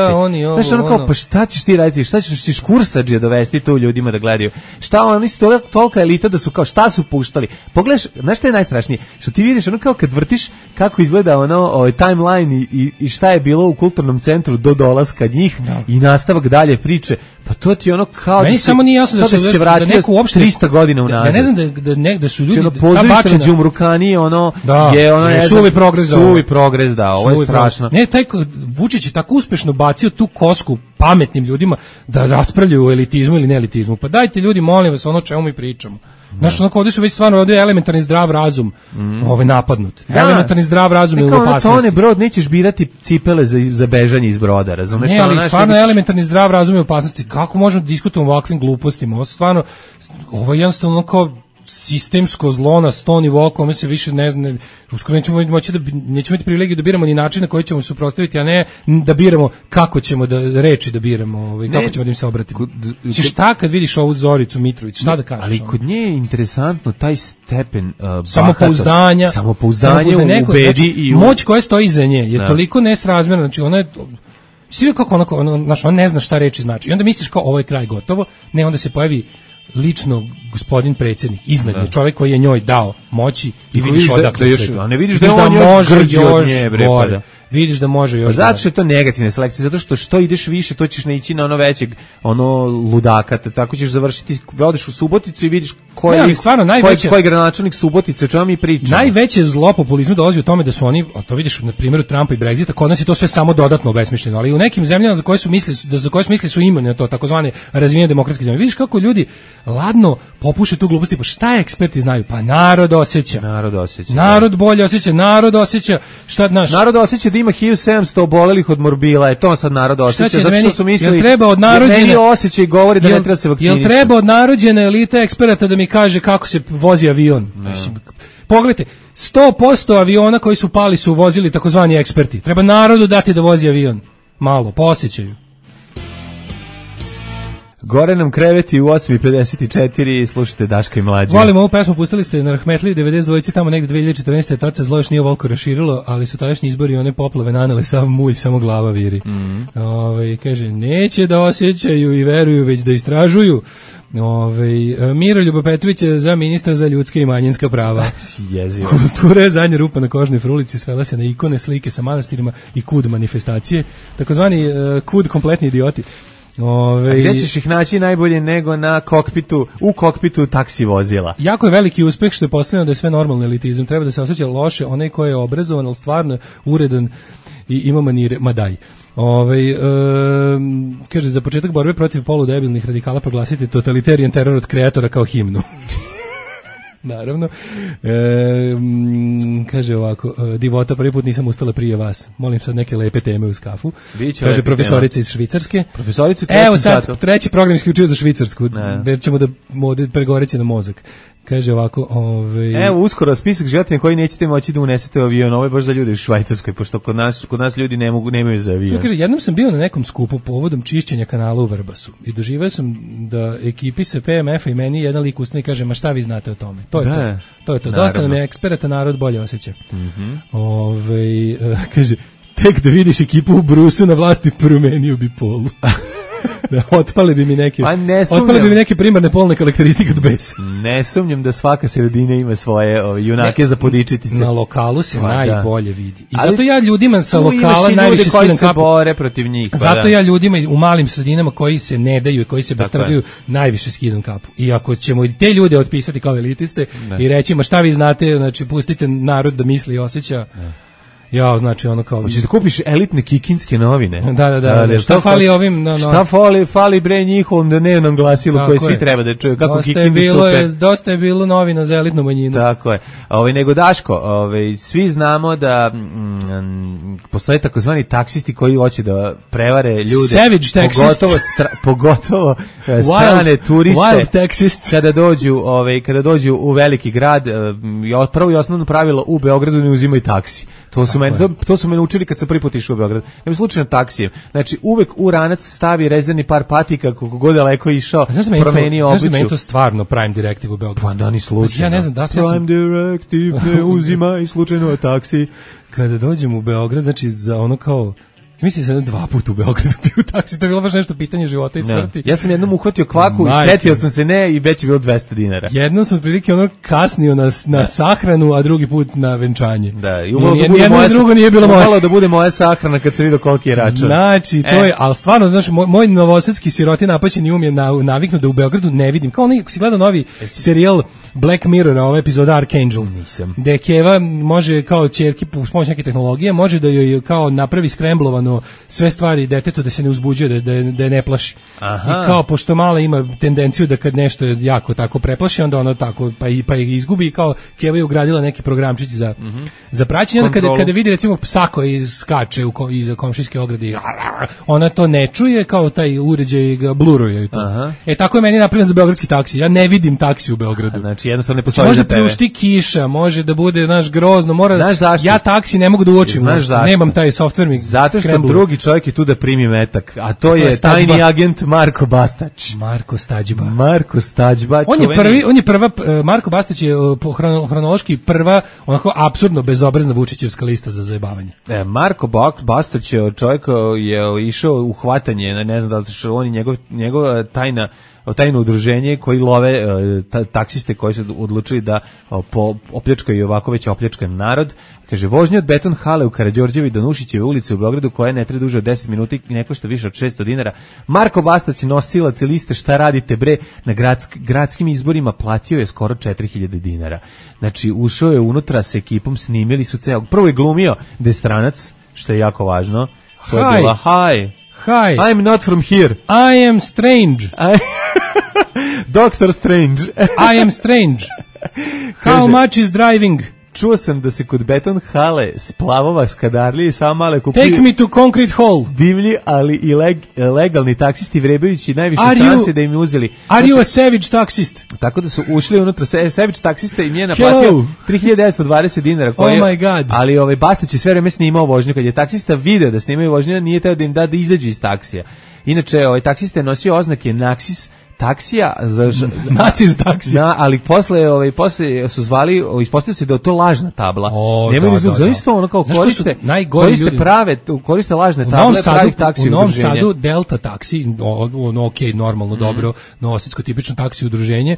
Znaš, ono kao, pa šta ćeš ti raditi? Šta ćeš kursadžije dovesti tu ljudima da gledaju? Šta oni su tolika elita da su kao, šta su puštali? Pogledaš, znaš šta je najstrašnije? Što ti vidiš ono kao kad vrtiš kako izgleda ono timeline i šta je bilo u kulturnom centru do dolaska njih i nastavak dalje priče. Pa to ti ono kao meni samo nije jasno da se vratio neko uopšte 300 godina unazad. Ja ne znam da su ljudi pozorište na Đumrukani je suvi progres da, ovo je strašno. Ne, taj Vučić je tako uspešno bacio tu kosku pametnim ljudima da raspravljaju o elitizmu ili neelitizmu. Pa dajte ljudi, molim vas, ono čemu mi pričamo. Znaš, onako ovdje su već stvarno ovdje elementarni zdrav razum napadnut. Elementarni zdrav razum je u opasnosti. Tone, brod, nećeš birati cipele za bežanje iz broda, razumeš? Ne, ali stvarno elementarni zdrav razum je u opasnosti. Kako možemo da diskutujemo o ovakvim glupostima? Ovo je jednostavno kao sistemsko zlo na 100 nivoa kome se više ne zna, uskoro nećemo imati privilegiju da biramo ni način na koji ćemo suprotstaviti, a ne da biramo kako ćemo da reči da biramo, kako ćemo da im se obratimo. Šta kad vidiš ovu Zoricu Mitrović, šta da kažeš? Ali kod nje je interesantno taj stepen samopouzdanja u bedi i moć koja stoji iza nje je toliko nesrazmjerna, znači ona je svi kako ona ne zna šta reči znači. I onda misliš kao ovo je kraj gotovo, ne, onda se pojavi lično gospodin predsjednik iznad nje, čovjek koji je njoj dao moći i vidiš odakle sve to. A ne vidiš da on može još gore. Vidiš da može još. Zato što je to negativna selekcija, zato što ideš više, to ćeš naići na ono većeg, ono ludaka, tako ćeš završiti, odeš u Suboticu i vidiš koji je gradonačelnik Subotice, o čemu mi pričamo. Najveće zlo populizma dolazi u tome da su oni, a to vidiš na primjeru Trumpa i Brexita, kod nas je to sve samo dodatno obesmišljeno, ali u nekim zemljama za koje su mislili su imuni na to, takozvane razvijene demokratske zemlje. Vidiš kako ljudi ladno popuše tu gluposti, pa šta eksperti znaju? Pa narod osjeća. Narod bolje osjeća, narod osjeća, šta naš? Narod osjeća da ima 1700 obolelih od morbila, je to sad narod osjeća, zato što su mislili meni osjećaj govori da ne treba se vakcinisati. Jel treba od narođene elite eksperata da mi kaže kako se vozi avion? Mislim, pogledajte, 100% aviona koji su pali su vozili takozvani eksperti. Treba narodu dati da vozi avion. Malo, po osjećaju. Gore nam kreveti u 8:54, slušajte Daška i Mlađe. Volim ovu pesmu, pustili ste na Rahmetli 92, tamo negde 2014. Tad se zlo još nije ovoliko raširilo, ali su tadašnji izbori one poplave nanele sav mulj, samo glava viri. Kaže, neće da osjećaju i veruju, već da istražuju. Miroljuba Petrović je za ministra za ljudska i manjinska prava. Jezivo. Kultura je zadnja rupa na kožnoj frulici, svela se na ikone, slike sa manastirima i kud manifestacije, takozvani kud kompletni idioti. A gdje ćeš ih naći najbolje nego u kokpitu taksi vozila? Jako je veliki uspeh što je postavljeno da je sve normalno elitizam. Treba da se osjeća loše onaj koji je obrazovan, ali stvarno uredan i ima manire, ma daj. Kaže, za početak borbe protiv poludebilnih radikala proglasiti totalitarian teror od kreatora kao himnu. Naravno. Kaže ovako, divota, prvi put nisam ustala prije vas. Molim sad neke lepe teme uz kafu. Kaže profesorica iz Švicarske. Evo sad, treći program isključio za Švicarsku. Jer ćemo da pregoreći na mozak. Kaže ovako, Evo uskoro spisak životinja koji nećete moći da unesete u avion. Ovo je baš za ljude u Švajcarskoj, pošto kod nas ljudi nemaju za avion. Kaže, jednom sam bio na nekom skupu povodom čišćenja kanala u Vrbasu i doživio sam da ekipi sa PMF-a i meni jedan lik ustane i kaže, ma šta vi znate o tome? To je to. Dosta nam je eksperata, narod bolje osjeća. Kaže, tek da vidiš ekipu u Brusu na vlasti, promenio bi polu. Otpale bi mi neke primarne polne karakteristike od besa. Ne sumnjam da svaka sredina ima svoje junake za podičiti se. Na lokalu se najbolje vidi. I zato ja ljudima sa lokala najviše skidam kapu. Bore protiv njih. Zato ja ljudima u malim sredinama koji se ne daju i koji se betrgaju najviše skidam kapu. I ako ćemo te ljude otpisati kao elitiste i reći, ma šta vi znate, znači pustite narod da misli i osjeća. Ja, znači ono kao... Hoćeš da kupiš elitne kikinske novine? Da. Šta fali ovim... Šta fali bre njihovom dnevnom glasilu koje svi treba da čuju? Kako Kikindi super. Dosta je bilo novina za elitnu manjinu. Tako je. Nego Daško, svi znamo da postoje takozvani taksisti koji hoće da prevare ljude. Savage taxists. Pogotovo strane turiste. Wild taxists. Kada dođu u veliki grad, prvo i osnovno pravilo u Beogradu ne uzimaju taksi. To su meni, to su me naučili kad sam prvi put išao u Beograd. Nema slučajno taksijem. Znači, uvek u ranac stavi rezervni par patika, koliko god daleko išao, promenio obuću. Znaš da meni to stvarno Prime Directive u Beogradu? Pa da, ni slučajno. Ja ne znam, Prime Directive ne uzima i slučajno taksi. Kada dođem u Beograd, znači, za ono kao... Mislim da sam 2 puta u Beogradu bio u taksi, to je bilo baš nešto pitanje života i smrti. Ja sam jednom uhvatio kvaku i setio sam se i već je bilo 200 dinara. Jednom sam prilike ono kasnio na sahranu, a drugi put na venčanje. Da, i jedno i drugo nije bilo moje. Malo da bude moja sahrana kad se vidio koliki je račun. Znači, to je, ali stvarno, znaš, moj novosadski siroti napaćeni je naviknuo da u Beogradu ne vidim. Kao onaj, ako si gledao novi serijal Black Mirror, ova epizoda Archangel. Nisam. Gde Keva može kao ćerki uz pomoć neke tehnologije, može da joj kao napravi skremblovano sve stvari detetu da se ne uzbuđuje, da je ne plaši. Aha. I kao pošto mala ima tendenciju da kad nešto je jako tako preplaši, onda ono tako pa je izgubi i kao Keva je ugradila neki programčić za praćenje. Onda kada vidi recimo psa koji skače iza komšijske ograde, ona to ne čuje, kao taj uređaj ga bluruje i to. Aha. Tako je meni napravljeno za beogradski taksi. Ja ne vidim taksi u Beogradu. Znači jednostavno ne postoji može za tebe. Može kiša, može da bude grozno, mora. Ja taksi ne mogu da uočim. Nemam taj softver mi. Zato što drugi čovjek je tu da primi metak, a to je tajni agent Marko Bastać. Marko Stađba. On je prva Marko Bastać je hronološki prva onako apsurdno bezobrazna Vučićevska lista za zajebavanje. Marko Bastać je čovjek je išao u hvatanje, ne znam da li se on i njegov tajno udruženje koji love taksiste koji su odlučili da opljačkaju ovako već opljačkan narod. Kaže, vožnja od Beton hale u Karađorđevi do Nušićeve ulice u Beogradu koja ne traje duže od 10 minuta i ne košta više od 600 dinara. Marko Bastać, nosilac liste Šta radite bre, na gradskim izborima platio je skoro 4000 dinara. Znači, ušao je unutra sa ekipom, snimili su ceo. Prvo je glumio da je stranac, što je jako važno. To je bila, hi, I'm not from here. I am strange. Dr. Strange. I am strange. How much is driving? Čuo sam da se kod Beton hale splavova skadarlije i samo male kupuju. Take me to concrete hall. Divlji, ali i legalni taksisti vrebajući najviše strance da im uzeli. Are you a savage taksist? Tako da su ušli unutra savage taksista i nije naplatio 3920 dinara. Oh my god. Ali Bastać je sve vreme snimao vožnju. Kad je taksista video da snimaju vožnju, nije teo da im da izađu iz taksija. Inače, taksista je nosio oznake Naxis taksija naciz taksija, ali posle su zvali, ispostavilo se da je to lažna tabla. Nemaju izgled, zaista ono kao koriste lažne table pravih taksi u Novom Sadu Delta taksi, normalno dobro, novosadsko tipično taksi udruženje,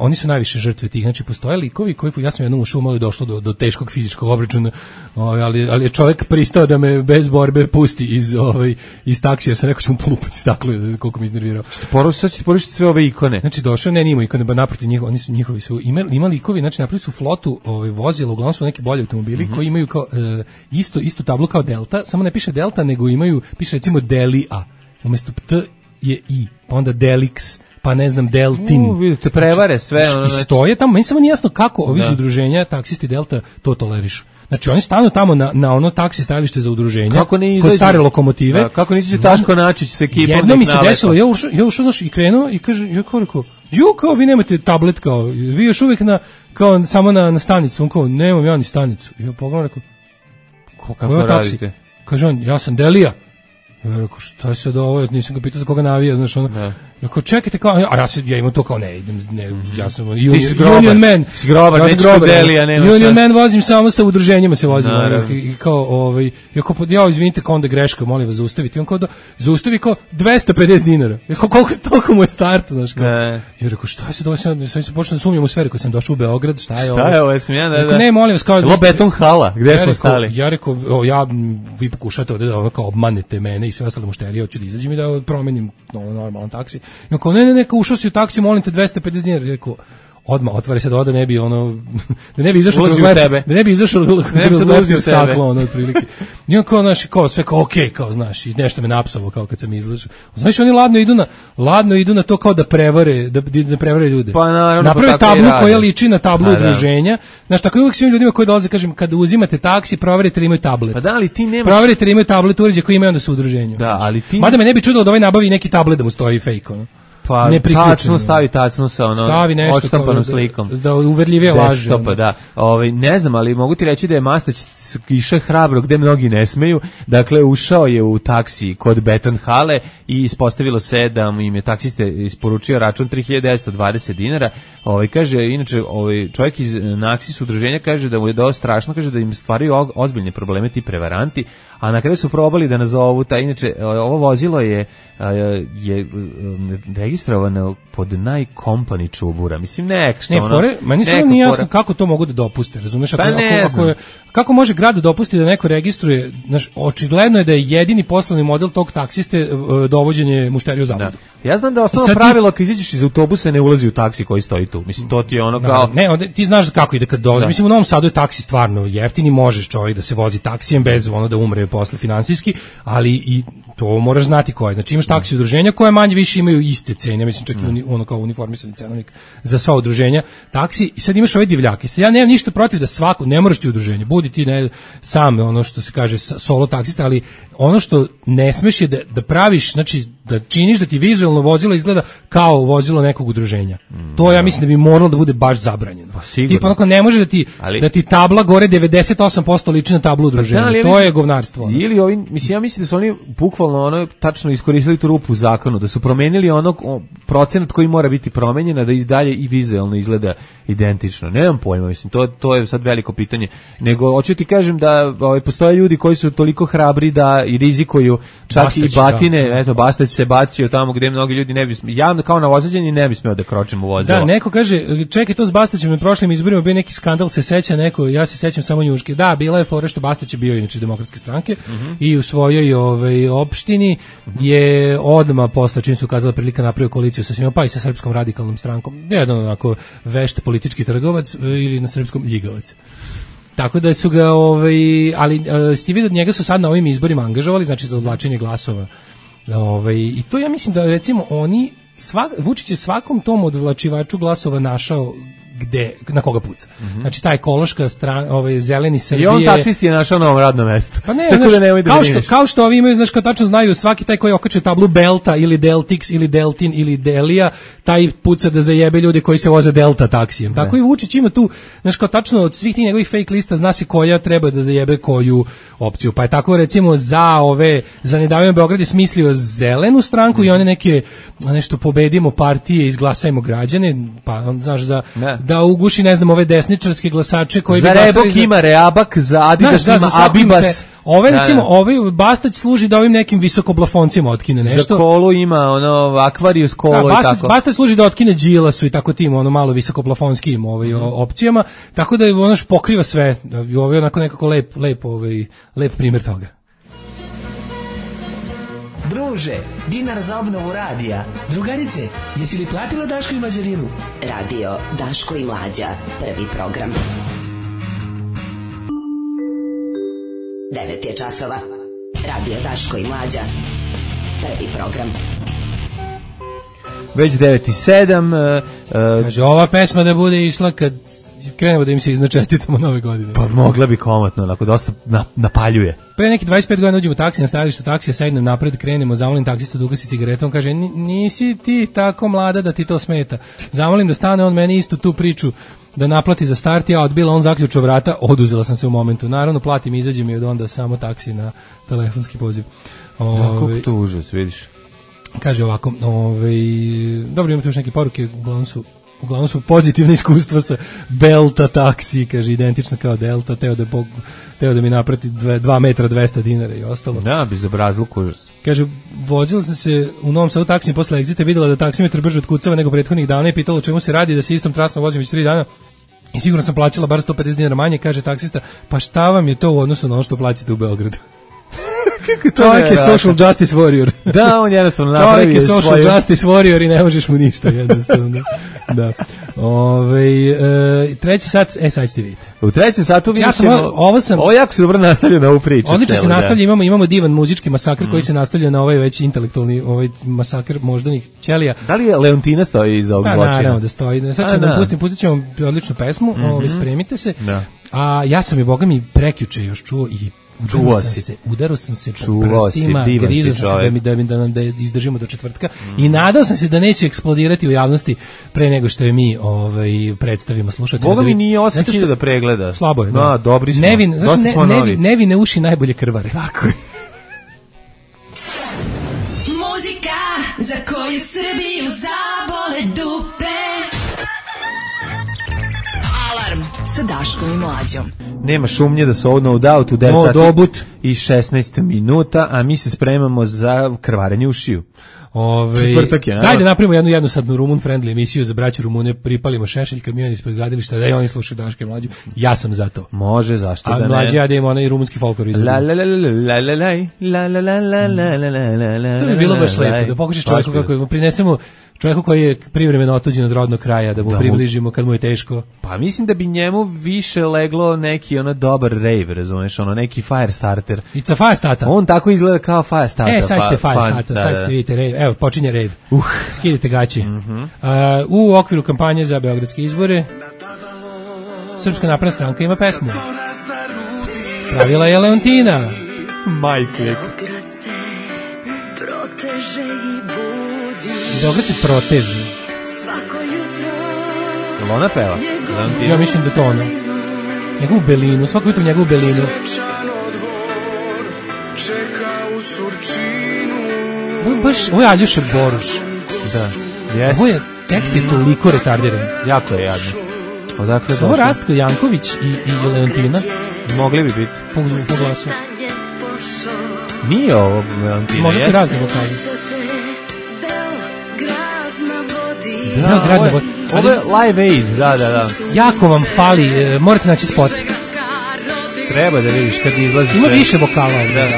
oni su najviše žrtve tih, znači postoje likovi koji, ja sam jednom ušao, malo je došlo do teškog fizičkog obračuna, ali je čovjek pristao da me bez borbe pusti iz taksija, sam rekao ću mu polupati staklo, koliko mi iznervirao. Sad ćete porušiti sve ove ikone. Znači došao, ne ima ikone, ba naprotiv njihovi su imali ikovi, znači napravili su flotu vozila, uglavnom su neki bolji automobili koji imaju kao istu tablu kao Delta, samo ne piše Delta, nego piše recimo Delia. Umjesto T je I, pa onda Delix, pa ne znam Deltin. Vidite, prevare sve. I stoje tamo, meni samo nije jasno kako ovi iz udruženja taksisti Delta to tolerišu. Znači oni stanu tamo na ono taksi stajalište za udruženja, kod stare lokomotive. Kako nisi Taško Načić sa ekipom? Jedno mi se desilo, ja ušao znaš i krenuo i kaže, ja kao vi nemate tablet, kao vi još uvijek kao samo na stanicu, on kao nemam ja ni stanicu. I ja pogledam, rekao, kako je taksi? Kaže on, ja sam Delija. Ja rekao, šta je sad ovo, nisam ga pitao za koga navija, znaš ono. Ja kao, čekajte, kao, ja imam to kao, ja sam Union Man. Si grobar, Union Man vozim samo sa udruženjima se vozim. I kao, ja izvinite, kao onda greška, molim vas zaustaviti. On kao, zaustavi kao 250 dinara. Ja kao, toliko mu je start, znaš kao. Ja rekao, šta je sad ovo, sad sam počeo da sumnjam u sferi, kad sam došao u Beograd, šta je ovo? Šta je ovo, jesam ja, da. Ne, molim vas, kao. Beton hala, gde smo stali? Ja rekao, vi pokušate ovde da kao obmanete mene i sve ostale mušterije, hoću da izađem i da promenim normalan taksi. Ja kao, ne, ušao si u taksi, molim te 250 dinara. Rekao, odmah, otvari se da ne bi da ne bi izašao kroz leptir staklo, otprilike. I on kao, sve kao, okej, kao, znaš, i nešto me napsavo, kao kad sam izlažao. Znaš, oni ladno idu na to kao da prevare ljude. Pa naravno, naprave tablu koja liči na tablu udruženja. Znaš, tako je uvijek svim ljudima koji dolaze, kažem, kada uzimate taksi, proverite da imaju tablet. Pa da, ali ti nemaš... Proverite da imaju tablet uređaj koji imaju onda su u udruženju. Da, ali ti... Mada me ne bi čudilo da nabavi neki tablet da mu stoji fake, ono. ne priključeno. Tacnu stavi tacnu sa odštampanom slikom. Da uverljivije laže. Da. Ne znam, ali mogu ti reći da je Mastać išao hrabro gde mnogi ne smeju. Dakle, ušao je u taksi kod Beton hale i ispostavilo se da mu im je taksista isporučio račun 3920 dinara. Kaže, inače, čovjek iz Naksis udruženja kaže da mu je dosta strašno, kaže da im stvaraju ozbiljne probleme ti prevaranti, a na kraju su probali da nazovu inače, ovo vozilo je registrovano pod najkompani čubura. Mislim, meni samo nije jasno kako to mogu da dopuste, razumeš? Kako može grad da dopusti da neko registruje, očigledno je da je jedini poslovni model tog taksiste dovođenje mušterija u zabludu. Ja znam da osnovno pravilo kad izađeš iz autobusa ne ulazi u taksi koji stoji tu. Mislim, to ti je ono kao... ti znaš kako ide kad dolazi. Mislim, u Novom Sadu je taksi stvarno jeftini, možeš čovjek da se vozi taksijem bez da umre posle finansijski, ali i to moraš znati ko je. Znači imaš taksi udruženja koje manje više imaju iste cene, mislim čak i kao uniformisani cenovnik za sva udruženja taksi, i sad imaš ove divljake. Sad ja nemam ništa protiv da svako, ne moraš ti udruženje, budi ti sam, ono što se kaže solo taksista, ali ono što ne smeš je da praviš, znači da činiš da ti vizualno vozilo izgleda kao vozilo nekog udruženja. To ja mislim da bi moralo da bude baš zabranjeno. Tipa onako ne može da ti tabla gore 98% liči na tablu udruženja. To je govnarstvo. Ili ja mislim da su oni bukvalno tačno iskoristili tu rupu u zakonu, da su promenili procenat koji mora biti promenjen, da i dalje i vizualno izgleda identično. Nemam pojma, mislim, to je sad veliko pitanje. Nego hoću ti kažem da postoje ljudi koji su toliko hrabri da i rizikuju čak Bastać, i batine, eto Bastać se bacio tamo gde mnogi ljudi ne bi javno kao novosađeni ne bi smeo da kročim u vozilo. Da, neko kaže, čekaj, to s Bastaćem na prošlim izborima bio neki skandal, se seća neko, ja se sećam samo njuške. Da, bila je fora što Bastać je bio inače Demokratske stranke i u svojoj opštini je odmah posle čim su ukazala prilika napravio koaliciju sa svima, pa i sa Srpskom radikalnom strankom. Jedan onako vešt politički trgovac ili na srpskom ljigavac. Tako da su ga, ali ste vidio da njega su sad na ovim izborima angažovali, znači za odvlačenje glasova. I to ja mislim da recimo oni, Vučić je svakom tom odvlačivaču glasova našao na koga puca. Znači ta ekološka zeleni Srbije. I on taksisti je našao novo radno mesto. Pa ne, kao što ovi imaju, znaš, kao tačno znaju, svaki taj koji okače tablu Belta ili Deltix ili Deltin ili Delija, taj puca da zajebe ljude koji se voze Delta taksijem. Tako i Vučić ima tu, znaš, kao tačno od svih tih njegovih fake lista zna se koja treba da zajebe koju opciju. Pa je tako recimo za Ne davimo Beograd je smislio zelenu stranku i one neke nešto pobedimo partije, izglasajmo građane, pa znaš da uguši, ne znam, ove desničarske glasače koji za Rebok ima Reabak, za Adidas ima Abibas. Recimo, Bastać služi da ovim nekim visokoblafoncima otkine nešto. Za Kolu ima Aquarius Kolo i tako. Bastać služi da otkine Đilasu i tako tim malo visokoplafonskim opcijama, tako da pokriva sve. I ovo je onako nekako lep primjer toga. Druže, dinar za obnovu radija. Drugarice, jesi li platila Daško i Mlađarinu? Radio Daško i Mlađa, prvi program. 9 je časova. Radio Daško i Mlađa, prvi program. Već 9:07. Kaže, ova pesma da bude išla kad krenemo da im se iznačestitamo nove godine. Pa mogla bi komotno, onako dosta napaljuje. Pre neki 25 godina uđemo u taksi, na stajalištu taksija, sednem napred, krenemo, zamolim taksistu da ugasi cigaretom, kaže, nisi ti tako mlada da ti to smeta. Zamolim da stane on meni istu tu priču da naplati za start, ja odbila, on zaključao vrata, oduzela sam se u momentu. Naravno, platim, izađem i od onda samo taksi na telefonski poziv. Kako to užas, vidiš? Kaže ovako, dobro, imate još neke poruke, uglavnom su pozitivne iskustva sa Belta taksi, kaže, identično kao Delta, teo da mi naprati 2 metra 200 dinara i ostalo. Da, bi zabrazluk užas. Kaže, vozila sam se u Novom Sadu taksijem posle Exita, videla da taksimetar brže otkucava nego prethodnih dana i pitala o čemu se radi, da se istom trasom vozim već 3 dana i sigurno sam plaćala bar 150 dinara manje, kaže taksista, pa šta vam je to u odnosu na ono što plaćate u Beogradu? Čovjek je social justice warrior. Da, on jednostavno napravi čovjek je social justice warrior i ne možeš mu ništa, jednostavno. Da. Treći sat, sad ćete vidjeti. U trećem satu vidjet ćemo, ovo jako se dobro nastavlja na ovu priču. Odlično se nastavlja, imamo divan muzički masakr koji se nastavlja na ovaj već intelektualni masakr moždanih ćelija. Da li je Leontina stoji iza ovog zločina? Naravno da stoji. Sad ćemo da pustit ćemo odličnu pesmu, spremite se. Da. A ja sam je, boga mi, prekjuče još čuo i Udarao sam se po prstima, grizao sam se da izdržimo do četvrtka i nadao sam se da neće eksplodirati u javnosti pre nego što je mi predstavimo slušateljima. Boga mi nije 8.000 pregleda. Slabo je. Da, dobri smo. Nevine uši najbolje krvare. Tako je. Muzika za koju Srbiju zabole dupe. Alarm sa Daškom i Mlađom. Nema šumnje da su ovo No Doubt u 9 sati i 16 minuta, a mi se spremamo za krvarenje ušiju. Četvrtak je. Dajde napravimo jednu jednosadnu Rumun friendly emisiju za braću Rumune, pripalimo šešelj, kamion ispred gradilišta, da i oni slušaju Daška i Mlađu. Ja sam za to. Može, zašto da ne? A Mlađi ja da imamo onaj rumunski folklor izvodi. To bi bilo baš lepo, da pokušaš čovjeku kako prinesemo čovjeku koji je privremeno otuđen od rodnog kraja, da mu približimo kad mu je teško. Pa mislim da bi njemu više leglo neki dobar rave, razumeš, neki fire starter. It's a fire starter. On tako izgleda kao fire starter. Sad ste fire starter, sad ste vidite rave. Evo, počinje rave. Skidite gaći. U okviru kampanje za beogradske izbore Srpska napredna stranka ima pesmu. Pravila je Leontina. Majke. Beograd se proteže. Jel ona peva? Ja mislim da to ona. Njegovu belinu, svako jutro njegovu belinu. Ovo je Aljoša Boruš. Da, jes. Ovo je, tekst je toliko retardiran. Jako je jadno. Odakle ovo Rastko Janković i Leontina. Mogli bi biti. Po glasu. Nije ovo Leontina. Može se razni vokali. Da, ovo je Live Aid, da. Jako vam fali, morate naći spot. Treba da vidiš kad izlazi. Ima više vokala. Da.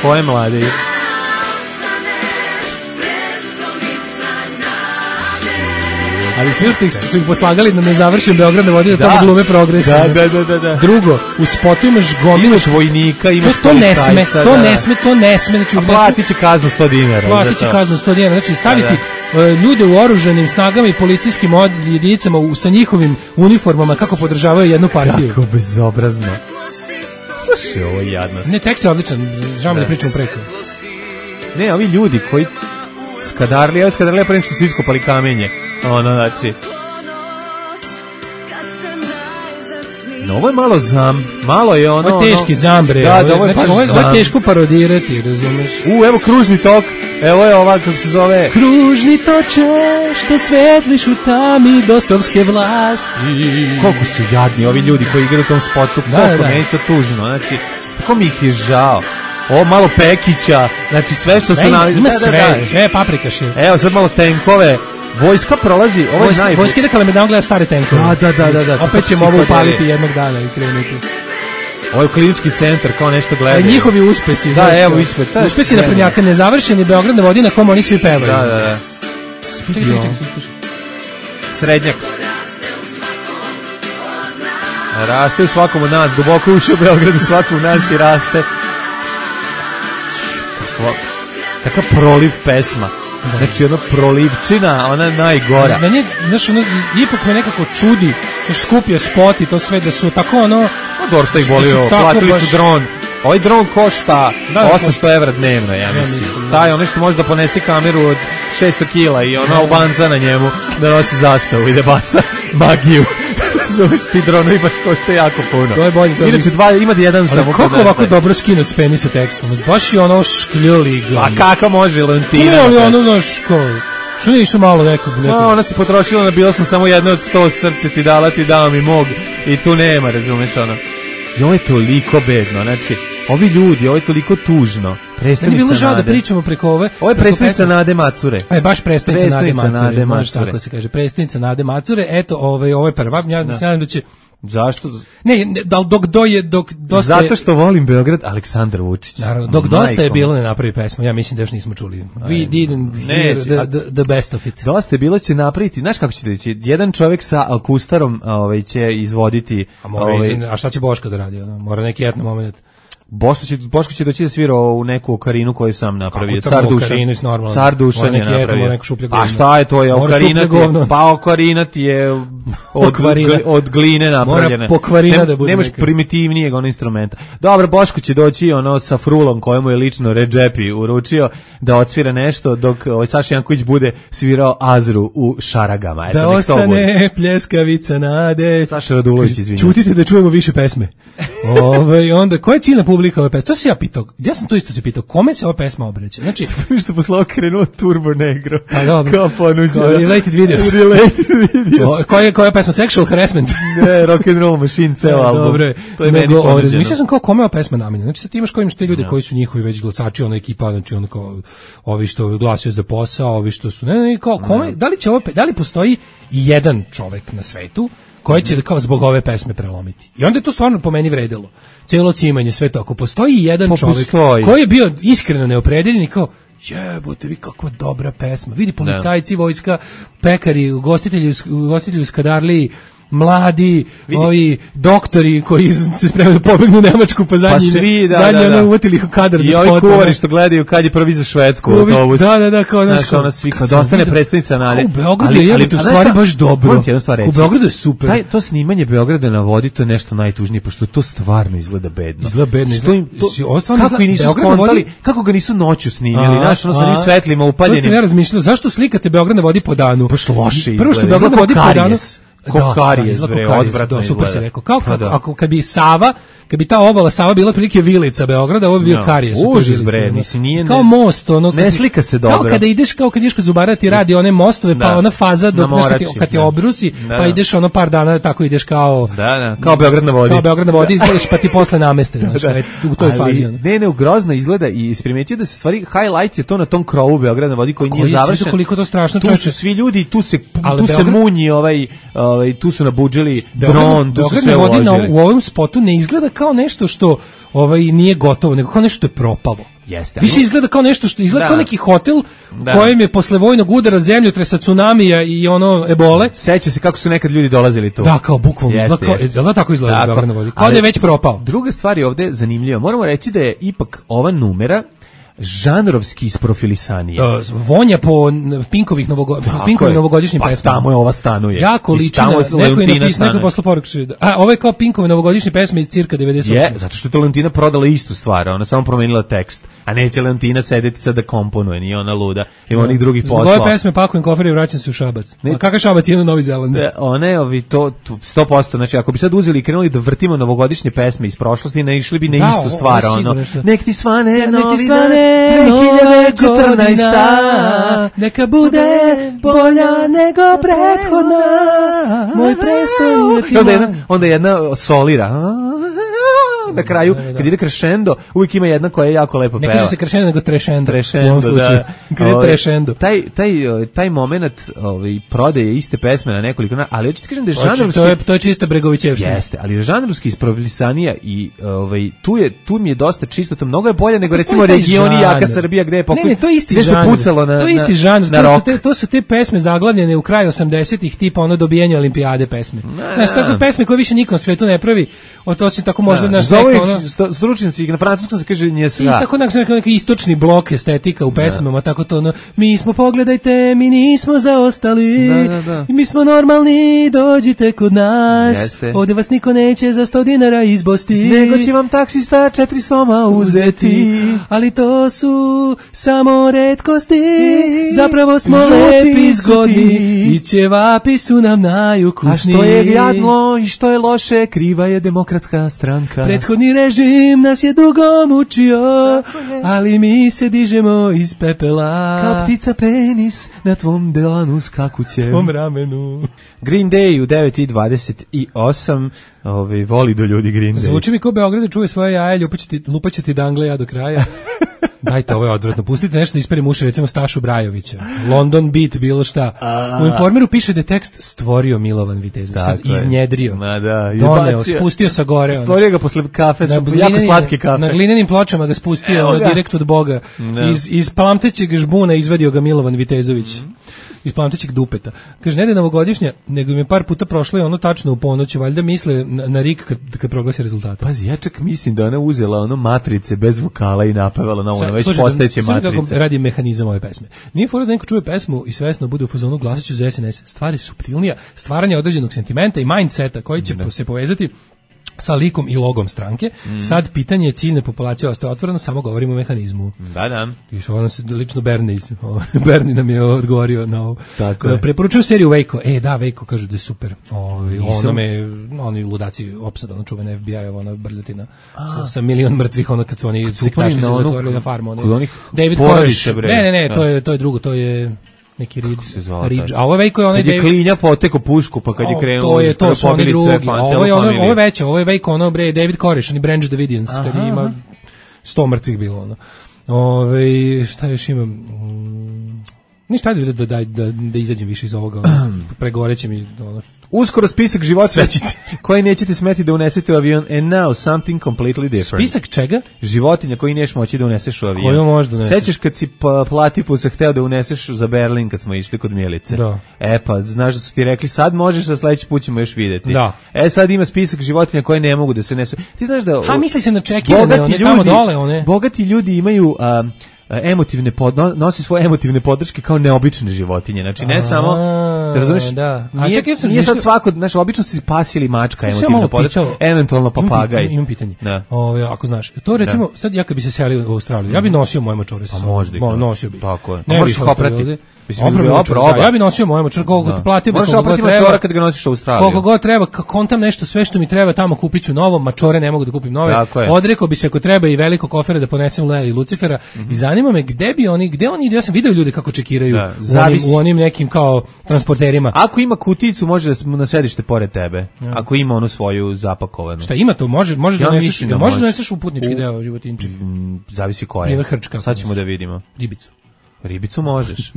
Ko je mladi? Ali svi su ih poslagali da ne završim Beograd na vodi, da tamo glume progresivno. Da. Drugo, u spotu imaš gomilu. Imaš vojnika, imaš policajca. To ne sme. Znači, platit će kaznu 100 dinara. Platit će kaznu 100 dinara. Znači, staviti ljude u oružanim snagama i policijskim jedinicama sa njihovim uniformama kako podržavaju jednu partiju. Kako bezobrazno. Slušaj, ovo je jadnost. Ne, tekst je odličan. Žao mi da pričamo preko. Ne, ovi ljudi koji skadarli prema što su iskopali kamenje. Znači... No, ovo je malo malo je ono... Ovo je teški zambre. Da, ovo je ovo je teško parodirati, razumeš? Evo kružni tok, evo je ova, kako se zove... Kružni toče, što svetliš u tami dosovske vlasti. Koliko su jadni ovi ljudi koji igraju u tom spotu, koliko meni to tužno, znači, tako mi ih je žao. Ovo malo Pekića, znači sve što su... Ima sve paprikaše. Evo, sad malo tenkove. Vojska prolazi, ovo je najbolje. Vojska ide Kalemegdan gleda stare tenkove. Da. Opet ćemo ovo upaliti jednog dana i krenuti. Ovo je klinički centar, kao nešto gledaju. Njihovi uspesi. Da, evo ispred. Uspesi naprednjaka, nezavršeni Beograd na vodi na kom oni svi pevaju. Da. Čekaj. Srednjak. Raste u svakom od nas, duboko ušao u Beogradu, svakom od nas i raste. Kakav proliv pesma. Znači, prolivčina, ona najgora. Meni, znaš, ipak me nekako čudi, znaš, skupio spot i to sve, da su tako, Dobro što ih bolio, platili su dron. Ovaj dron košta 800 evra dnevno, ja mislim. Taj, što može da ponesi kameru od 600 kila i Albanca na njemu da nosi zastavu i da baca magiju. Zoveš, ti dronovi baš košte jako puno. To je bolje. Inače, ima jedan samo. Ali kako ovako dobro skinut s penisa tekstom? Baš je škljuli ga. A kako može Leontina? Što nisu malo nekog? Ona se potrošila, bila sam samo jedna od 100 srce ti dala, ti dao mi mog. I tu nema, razumeš I ovo je toliko bedno, znači, ovi ljudi, ovo je toliko tužno. Ne bi bilo žao da pričamo preko ove... Ovo je predstavnica Nade Macure. Baš predstavnica Nade Macure. Tako se kaže, predstavnica Nade Macure. Eto, ovo je prva. Ja se nadam da će... Zašto? Ne, dok dosta... Zato što volim Beograd, Aleksandar Vučić. Naravno, dok dosta je bilo ne napravi pesmu, ja mislim da još nismo čuli. We didn't hear the best of it. Dosta je bilo će napraviti, znaš kako će reći, jedan čovjek sa Alkustarom će izvoditi... A šta će Boško da radi? Mora neki etno moment. Boško će doći da svira u neku okarinu koju sam napravio. Car Dušan je napravio. A šta je to? Okarina ti je od gline napravljene. Mora pokvarina da bude. Nemaš primitivnijeg ono instrumenta. Dobro, Boško će doći ono sa frulom kojemu je lično Redžepi uručio da odsvira nešto dok Saša Janković bude svirao Azru u Šaragama. Da ostane pljeskavica nade. Saša Radulović, izvinjam. Čutite da čujemo više pesme. Onda, koja je ciljna publika ove pesme? To se ja pitao. Ja sam to isto se pitao. Kome se ova pesma obraća? Znači, što posle krenuo Turbo Negro. Pa dobro. Kao ponuđa. Related videos. Koja je pesma? Sexual harassment. Ne, Rock and Roll Machine, ceo album. Dobre. To je meni ponuđeno. Mislio sam kao kome ova pesma namenjena. Znači sad ti imaš kao imaš te ljude koji su njihovi već glasači, ona ekipa, znači ono kao ovi što glasaju za posao, ovi što su ne kao kome, da li postoji jedan čovek na svetu koji će kao zbog ove pesme prelomiti. I onda je to stvarno po meni vredelo. Celo cimanje, sve to. Ako postoji jedan čovek koji je bio iskreno neopredeljen i kao jebote, vi kakva dobra pesma. Vidi policajci, vojska, pekari, ugostitelji u Skadarliji, mladi, ovi doktori koji se spremaju da pobegnu u Nemačku pa zadnji ono uvatili kadar za spot. I ovi kuvari što gledaju kad je prvi za Švedsku autobus. Da, kao ona svika, da ostane predstavnica Nade. U Beogradu je u stvari baš dobro. U Beogradu je super. To snimanje Beograda na vodi, to je nešto najtužnije, pošto to stvarno izgleda bedno. Kako ga nisu noću snimili, znaš, ono sa njim svetlima upaljenim. To sam ja razmišljao, zašto slikate Beograd na vodi po danu? Baš loše izgleda. Prvo što Beograd na vodi po danu, Kokarijes, odvratno izgleda. Super si rekao. Ako kad bi Sava, kad bi ta obala Sava bila prilike vilica Beograda, ovo bi bio Karijes. Užas bre, mislim nije. Kao most, ono ne slika se dobro. Kao kada ideš kod zubara ti radi one mostove, pa ona faza dok kad te obrusi, pa ideš ono par dana tako ideš kao kao Beograd na vodi. Kao Beograd na vodi izgledaš pa ti posle nameste, znači u toj fazi. Ne, grozno izgleda i primetio da se stvari highlight je to na tom krovu Beograd na vodi koji nije završen. Koliko to strašno čoveče. Tu su svi ljudi, tu se munji tu su nabudžili dron, tu su sve uložili. U ovom spotu ne izgleda kao nešto što nije gotovo, nego kao nešto što je propalo. Jeste. Više izgleda kao nešto što izgleda kao neki hotel kojem je posle vojnog udara zemljotresa, tsunamija i ono ebole. Seća se kako su nekad ljudi dolazili tu. Da, kao bukvalno izgleda tako izgleda Beograd na vodi. Kao da je već propao. Druga stvar je ovde zanimljiva. Moramo reći da je ipak ova numera žanrovski isprofilisanije. Vonja po Pinkovih novogodišnjim pesmama. Pa tamo je ova stanuje. Jako liči na neko je napisao, neko posle poruku. Ovo je kao Pinkove novogodišnje pesme iz cirka 98. Je, zato što je to Leontina prodala istu stvar, ona samo promenila tekst. A neće Leontina sedeti sad da komponuje, nije ona luda. Ima onih drugih poslova. Zbog ove pesme pakujem kofer i vraćam se u Šabac. A kakav Šabac je na Novi Zeland? One, to 100%, znači ako bi sad uzeli i krenuli da vrtimo novogodišnje pesme iz prošlosti, ne išli bi na istu stvar, ono. Nek ti svane novina 2014. Neka bude bolja nego prethodna. Moj prestoj onda jedna solira. Na kraju, kad ide crescendo, uvijek ima jedna koja je jako lepo peva. Ne kaže se crescendo, nego trešendo. Trešendo, da. Kad je trešendo. Taj moment prodaje iste pesme na nekoliko, ali hoću ti kažem da je žanrovski... To je čisto Bregovićevština. Jeste, ali je žanrovski isprofilisanija i tu mi je dosta čisto, to mnogo je bolje nego recimo Regioni Jaka Srbija, gde je pokoj... Ne, to je isti žanr. To je isti žanr. To su te pesme zaglavljene u kraju 80-ih, tipa ono dobijanje olimpijade pesme. Znaš, tako pesme koje više nikom svetu ne pravi, to si tako možda naš stručnjaci na francuskom se kaže njesra. I tako neki istočni blok estetika u pesmama, tako to mi smo, pogledajte, mi nismo zaostali, i mi smo normalni, dođite kod nas, ovdje vas niko neće za 100 dinara izbosti, nego će vam taksista 4 soma uzeti, ali to su samo retkosti, zapravo smo lepi, zgodni i ćevapi su nam najukusniji. A što je jadno i što je loše, kriva je Demokratska stranka. Prethodni režim nas je dugo mučio, ali mi se dižemo iz pepela. Kao ptica penis na tvom delanu skakućem. Tvom ramenu. Green Day u 9:28. Voli do ljudi Green Day. Zvuči mi kao Beograd čuje svoje jaje, lupaćete dangle ja do kraja. Dajte, ovo je odvratno. Pustite nešto da isperim uši, recimo Stašu Brajovića. London Beat, bilo šta. U Informeru piše da je tekst stvorio Milovan Vitezović. Iznjedrio. Doneo, spustio sa gore. Stvorio ga posle kafe, jako slatke kafe. Na glinenim pločama ga spustio direkt od Boga. Iz plamtećeg žbuna izvadio ga Milovan Vitezović. iz pamtećeg dupeta. Kaže, ne da je novogodišnja, nego im je par puta prošlo i ono tačno u ponoć, valjda misle na Rik kad proglasi rezultate. Pazi, ja čak mislim da ona uzela ono matrice bez vokala i napevala na ono već postojeće matrice. Kako radi mehanizam ove pesme. Nije fora da neko čuje pesmu i svesno bude u fazonu glasaću za SNS. Stvari suptilnija, stvaranje određenog sentimenta i mindseta koji će se povezati sa likom i logom stranke. Sad pitanje je ciljne populacije ostaje otvoreno, samo govorimo o mehanizmu. Da. I što ono se lično Berni nam je odgovorio na ovo. Tako preporučujem seriju Waco. Da, Waco kaže da je super. Oni ludaci opsada, ono čuvena FBI-ova, ona brljotina sa milion mrtvih, ono kad su oni sektaši se zatvorili na farmu. David Koresh. Ne, to je drugo, to je neki Ridge. A ovo je Waco je onaj David. Kad je Klinja poteko pušku, pa kad je krenuo to su oni drugi. Ovo je veće, ovo je Waco, ono bre David Koresh, oni Branch Davidians, kad ima 100 mrtvih bilo ono. Šta još imam? Ništa da izađem više iz ovoga, pregoreće mi ono. Uskoro spisak životinja koji nećete smeti da unesete u avion, and now something completely different. Spisak čega? Životinja koji neš moći da uneseš u avion. Koju možda uneseš? Sećaš kad si Platipusa hteo da uneseš za Berlin kad smo išli kod Milice? Da. Pa, znaš da su ti rekli sad možeš, a sledeći put ćemo još videti. Da. Sad ima spisak životinja koje ne mogu da se unesu. Ti znaš da... misli se na čekirane, one tamo dole, one. Bogati ljudi imaju... nosi svoje emotivne podrške kao neobične životinje. Znači ne samo, razumeš, nije sad svako, znači obično si pas ili mačka emotivna podrška, eventualno papagaj. Imam pitanje. Ako znaš, to recimo, sad ja kad bi se selio u Australiju, ja bi nosio moje mačore sa sobom. Nosio bi. Tako je. Možeš oprati. Ja bi nosio moje mačore, koliko ti platio, možeš oprati mačora kad ga nosiš u Australiju. Koliko god treba, kontam nešto, sve što mi treba tamo kupit ću novo, mačore ne mogu da kupim nove. Odrekao bi se ako treba i veliko kofera da ponesem Lea i Lucifera i zanima me gde oni idu, ja sam video ljude kako čekiraju u onim nekim kao transporterima. Ako ima kuticu, može da na sedište pored tebe. Ako ima onu svoju zapakovanu. Šta ima to? Može da neseš u putnički deo životinjček. Zavisi koja. Primjer hrčka. Sad ćemo da vidimo. Ribicu možeš.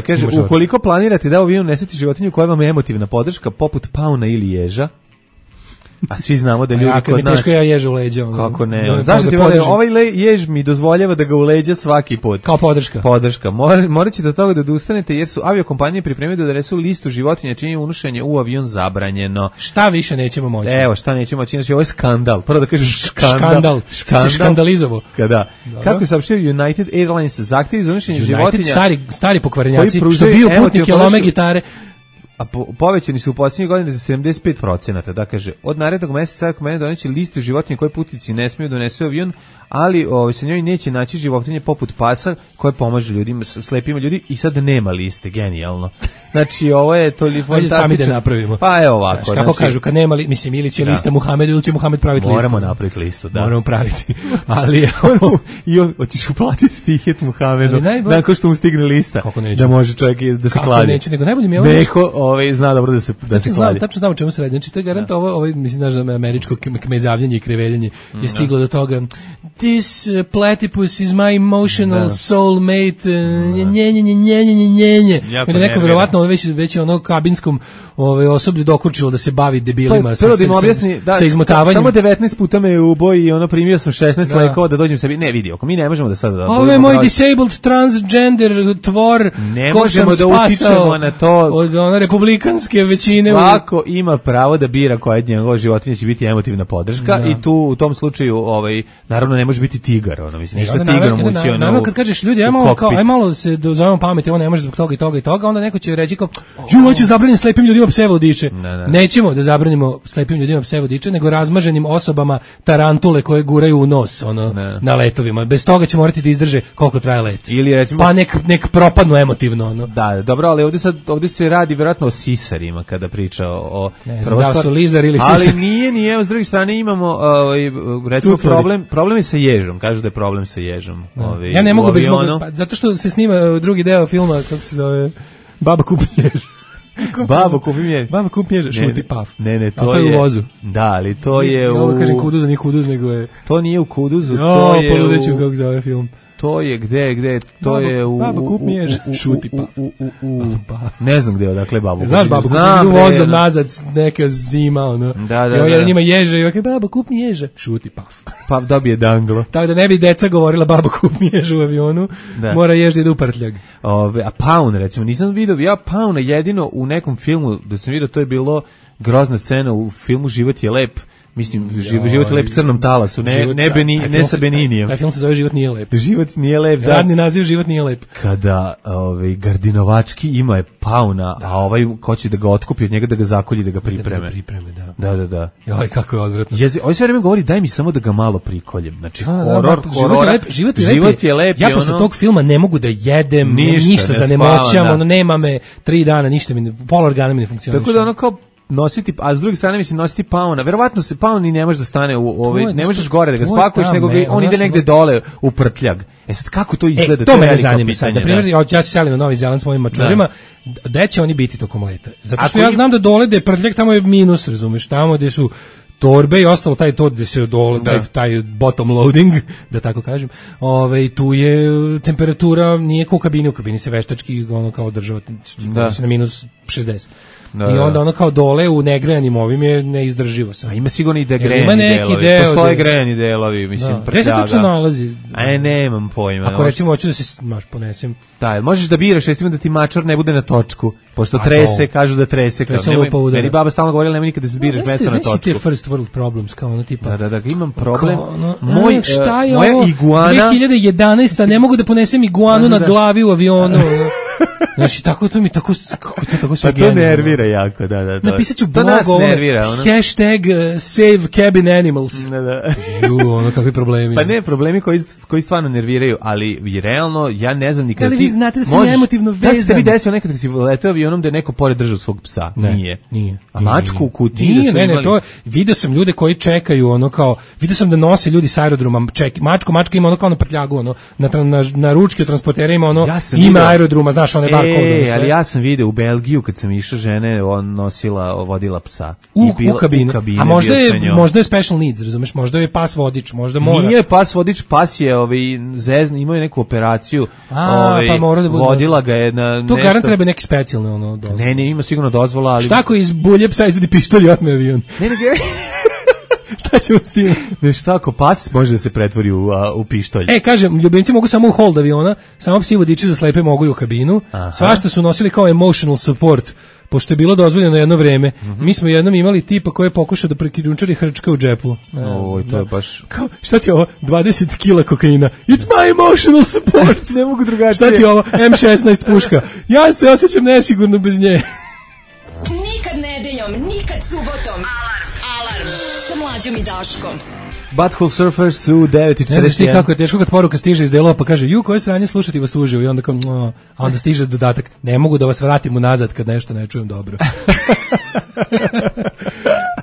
Kaže, ukoliko planirate da u avion unesete životinju koja vam je emotivna podrška, poput pauna ili ježa, a svi znamo da ljudi kod nas... Teško ja ježa u leđa. Kako ne? Zašto ti ovaj jež mi dozvoljava da ga u leđa svaki put? Kao podrška. Morat ćete od toga da odustanete jer su aviokompanije pripremili da donesu listu životinja čiji je unošenje u avion zabranjeno. Šta više nećemo moći? Evo, šta nećemo moći? Znači, ovo je skandal. Prvo da kažeš skandal. Si skandalizovo. Kada? Kako je saopštio United Airlines zahtjevi za unošenje životinja... Stari pokvarenjaci, što biju putnike, lome gitare... A povećani su u posljednjih godina za 75%, da kaže, od narednog meseca kompanija doneće listu životinja koje putnici ne smiju donesu u avion, ali se njoj neće naći životinje poput pasa koje pomažu ljudima, slepima ljudi i sad nema liste, genijalno. Znači, ovo je toliko fantastično. Sami da napravimo. Pa evo ovako. Znači, kako kažu, kad nema mislim, ili će lista Muhamedu ili će Muhamed praviti listu. Moramo napraviti listu, da. Moramo praviti. Ali i on hoćeš uplatiti tihet Muhamedu, nakon što mu stigne lista, da može čovjek da se kladi. Kako neće, nego najbolje mi je ovo zna dobro da se kladi. Tačno znam o čemu se radi. Znači, to je garant ovo, mislim, znaš da američko kmezavljanje i kreveljenje je stiglo do toga. This platypus is my emotional soulmate. Njenjenjenjenjenjenjenjenje. I da neko verovatno već ono kabinskom osoblju dokurčilo da se bavi debilima sa izmotavanjem. Samo 19 puta me uboj i primio sam 16 lekova da dođem sebi. Ne, vidi, ako mi ne možemo da sad... Ovo je moj disabled transgender tvor kog sam spasao na to. Od republikanske većine. Svako ima pravo da bira koja od njegova životinja će biti emotivna podrška i tu u tom slučaju naravno ne može biti tigar, mislim, ništa tigrom ući. Naravno kad kažeš ljudi, aj malo se dozovemo pameti, ovo ne može zbog toga i toga i toga, onda neko će reći kao, hoće zabraniti slepim ljudima pse vodiče. Nećemo da zabranimo slepim ljudima pse vodiče, nego razmaženim osobama tarantule koje guraju u nos na letovima. Bez toga će morati da izdrže koliko traje let. Ili recimo, pa nek propadnu emotivno. Da, dobro, ali ovdje se radi vjerojatno o sisarima kada priča o... Ne znam da su lizar ili sisar. Ali nije, s druge strane imamo recimo problem je sa ježom, kažu da je problem sa ježom. Ja ne mogu bez zato što se snima drugi deo filma, kako se zove, Baba kupi jež. Baba kupi jež, šuti paf. Ne, to je u vozu. Da, ali to je u... Ovo kažem Kuduz, nije Kuduz, nego je... To nije u Kuduzu, to je poludeću kako zove film. To je gde, to je u... Baba, kup mi ježa, šuti paf. Ne znam gde, odakle babu. Znaš babu, kup mi vozom nazad, neka zima, ono. Da. Jer njima ježa i ovakve, baba, kup mi ježa, šuti paf. Paf dobije danglo. Tako da ne bi deca govorila, baba, kup mi ježa u avionu, mora jež da ide u prtljag. A Paun, recimo, nisam vidio, ja Pauna jedino u nekom filmu, da sam vidio, to je bilo grozna scena u filmu Život je lep. Mislim, život je lep Crnom talasu, ne sa Beninijem. Taj film se zove Život nije lep. Život nije lep, da. Radni naziv Život nije lep. Kada Gardinovački ima je Pauna, a ovaj hoće da ga otkupi od njega, da ga zakolji, da ga pripreme. Da. Joj, kako je odvratno. Ovaj sve vreme govori, daj mi samo da ga malo prikoljem. Znači, horor. Život je lep. Ja posle tog filma ne mogu da jedem, ništa zanemoćam, nema me 3 dana, ništa mi, pola organa mi ne funkcioniše. Tako da ono kao nositi, a s druge strane mislim nositi Pauna. Verovatno se Paun ni ne može da stane u ovaj, ne možeš gore da ga spakuješ, nego on ide negde dole u prtljag. Sad kako to izgleda? To me zanima sad. Na primjer, ja se selim na Novi Zeland s mojim mačurima, gde će oni biti tokom leta? Zato što ja znam da dole da je prtljag, tamo je minus, razumeš, tamo gde su torbe i ostalo taj to gde se dole taj bottom loading, da tako kažem. Tu je temperatura nije kao u kabini se veštački ono kao država se na minus 60. I onda ono kao dole u negrejanim ovim je neizdrživo sam. A ima sigurno i da grejani delovi. Postoje grejani delovi, mislim, prtljaga. Gde se točno nalazi? Nemam pojma. Ako recimo hoću da se ponesem. Da, možeš da biraš, recimo da ti mačor ne bude na točku, pošto trese, kažu da trese. Meni baba stalno govorila, nema nikada da se biraš mesto na točku. Znači te first world problems, kao ono tipa. Da, imam problem. Moja iguana... 2011, ne mogu da ponesem iguanu na glavi u avionu. Znači, tako to mi, tako sve pa to nervira jako, da. Napisat ću blog hashtag save cabin animals. Da. Ono, kakvi problemi. Pa ne, problemi koji stvarno nerviraju, ali i realno, ja ne znam nikada. Ali vi znate da sam emotivno vezan. Da se tebi desio nekad kad si letao avionom da je neko pored držao svog psa? Nije. A mačku u kutiji da su imali? To vidio sam ljude koji čekaju, ono kao, vidio sam da nose ljudi s aerodroma, mačka ima ono kao na prtljagu, ono, na ručke transportera ima ono, ime aerodroma, znaš, one barcode. Ali ja sam video u Belgiju kad sam išao, žene vodila psa. U kabine. A možda je special needs, razumeš, možda je pas vodič, možda mora. Nije pas vodič, pas je imao je neku operaciju, pa mora da bude. Vodila ga je na nešto. To garant treba neki specijalni ono dozvola. Ne, ima sigurno dozvola, ali... Šta ako iz bulje psa izvedi pištolj i otme avion? Ne. Šta ćemo s tim? Šta ako pas može da se pretvori u pištolj? Kažem, ljubimci mogu samo u hold aviona, samo psi vodiči za slepe mogu i u kabinu. Svašta su nosili kao emotional support, pošto je bilo dozvoljeno jedno vreme. Mi smo jednom imali tipa koji je pokušao da prekrijumčari hrčka u džepu. To je baš... Šta ti je ovo? 20 kila kokaina. It's my emotional support. Ne mogu drugačije. Šta ti je ovo? M16 puška. Ja se osjećam nesigurno bez nje. Nikad nedeljom, nikad subotom. Alarm. Sa Mlađom i Daškom. Butthole Surfers su 9:41. Ne znaš ti kako je teško kad poruka stiže iz delova pa kaže koje sranje slušati vas uživo i onda kao a onda stiže dodatak ne mogu da vas vratim unazad kad nešto ne čujem dobro.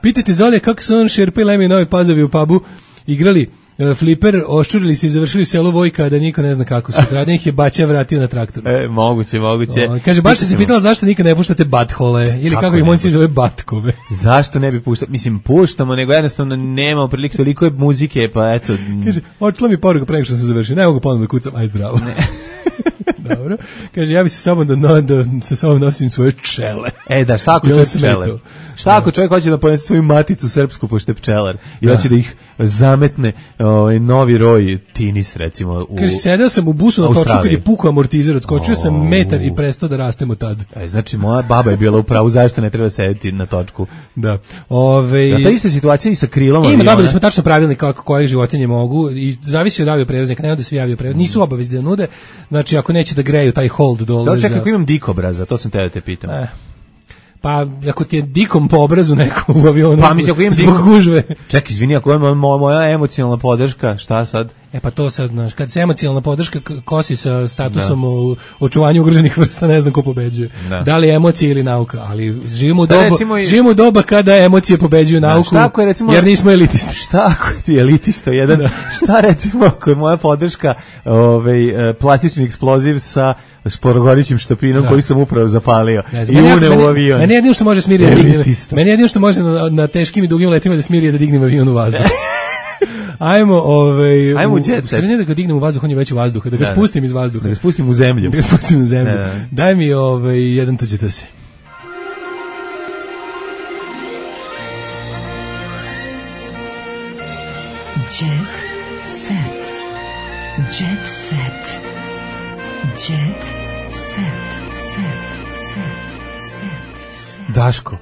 Pitajte Zolje kako su on Šerpa i Lemi Novi Pazovi u pubu igrali fliper, oščurili se i završili selo Vojka, da niko ne zna kako su. Radnje ih je Baća vratio na traktoru. Moguće. Kaže, baš se pitala zašto nikad ne puštate bathole, ili kako ih monsi zove batkove. Zašto ne bi puštali? Mislim, puštamo, nego jednostavno nema prilike, toliko je muzike, pa eto. Kaže, očela mi poruka pre nego što sam završio, ne mogu ponovno da kucam, aj zdravo. Ne. Dobro. Kaže, ja bi se samo da sa sobom nosim svoje pčele. Da, šta ako čovjek pčelar? Šta ako čovjek hoće da ponese svoju maticu srpsku, pošto je pčelar, i hoće da ih zametne novi roj tinis, recimo, u... Kaže, sedeo sam u busu na točku kad je pukao amortizer, odskočio sam metar i prestao da rastem od tad. Znači, moja baba je bila u pravu, zašto ne treba sedeti na točku. Da. Ta ista situacija i sa krilom aviona. Dobili smo tačno pravilnik koje životinje mogu i zavisi od avioprevoznika, ne da svi avioprevoznici nisu obavezni da nude. Znači, ako neće da greju taj hold dole. Čekaj, ako imam dikobraza, to sam te da te pitam. Pa, ako ti je dikom po obrazu neko u avionu, pa, mislim, ako imam zbog gužve. Čekaj, izvini, ako je moja emocionalna podrška, šta sad? Pa to sad, znaš, kad se emocionalna podrška kosi sa statusom u očuvanju ugroženih vrsta, ne znam ko pobeđuje. Da li je emocija ili nauka, ali živimo u doba kada emocije pobeđuju nauku, jer nismo elitisti. Šta ako ti je elitista jedan? Šta recimo ako je moja podrška plastični eksploziv sa šporogorićim štapinom koji sam upravo zapalio i une u avion. Meni jedino što može smiriti, meni jedino što može na teškim i dugim letima da smiri je da dignem avion u vazduh. Ajmo u jet set. Da ga dignem u vazduh, on je već u vazduhu, da ga spustim iz vazduha. Da ga spustim u zemlju. Daj mi jedan tuđe se. Jet set. Jet set. Jet set. Daško,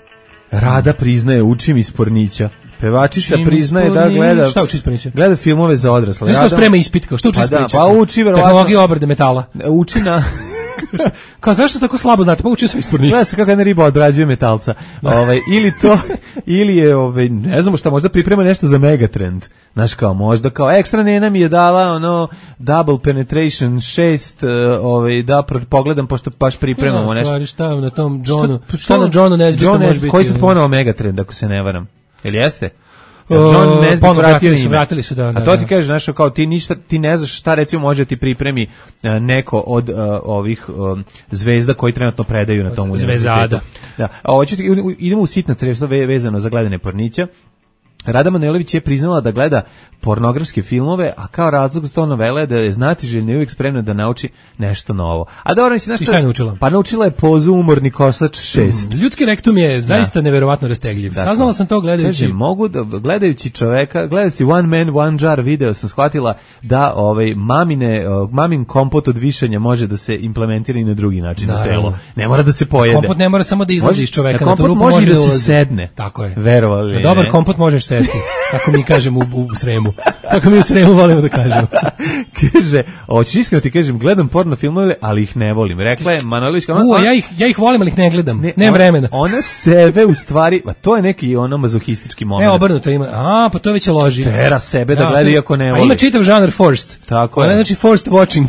Rada priznaje učim iz pornića. Pevačica priznaje da gleda... Šta uči iz pornića? Gleda filmove za odrasle. Znaš kao sprema ispit, kao što uči iz pornića? Pa uči verovatno... Tehnologija obrade metala. Uči na... Kao zašto tako slabo znate? Pa učio sam iz pornića. Gleda se kako jedna riba odrađuje metalca. Ili to, ili je, ne znamo šta, možda priprema nešto za Megatrend. Znaš kao, možda kao, ekstra nena mi je dala double penetration 6, da pogledam pošto baš pripremamo nešto. Ja, šta na tom Johnu, šta na Johnu Nesbitu može biti? Koji sad ponovo Megatrend, ako se ne varam? Ili jeste? John Nesbitt vratili su, da. A to ti kažeš, znaš, kao ti ne znaš šta recimo može ti pripremi neko od ovih zvezda koji trenutno predaju na tom univerzitetu. Zvezada. Da. Idemo u sitna crevstva vezano za gledanje pornića. Rada Manojlović je priznala da gleda pornografske filmove, a kao razlog za to novela je da je znatiželjna i uvijek spremna da nauči nešto novo. A dobro, mislim, šta je naučila? Pa naučila je pozu Umorni kosač 6. Ljudski rektum je zaista neverovatno rastegljiv. Dakle, saznala sam to gledajući. Kaže, mogu da, gledajući čoveka, gledajući One Man, One Jar video, sam shvatila da mamin kompot od višanja može da se implementira i na drugi način u telo. Ne mora da se pojede. Kompot ne mora samo da izlazi iz čoveka. Kompot može da se sedne. Tako je. Verovali. Dobar kompot možeš sesti, tako mi kažemo u Sremu. Tako mi u Sremu volimo da kažemo. Kaže, hoćeš iskreno ti kažem, gledam porno filmove, ali ih ne volim. Rekla je Manojlović kao... ja ih volim, ali ih ne gledam. Nemam vremena. Ona sebe u stvari, to je neki mazohistički moment. Obrnuto ima. Pa to već je loži. Tera sebe da gleda iako ne voli. A ima čitav žanr forced. Tako je. Znači forced watching.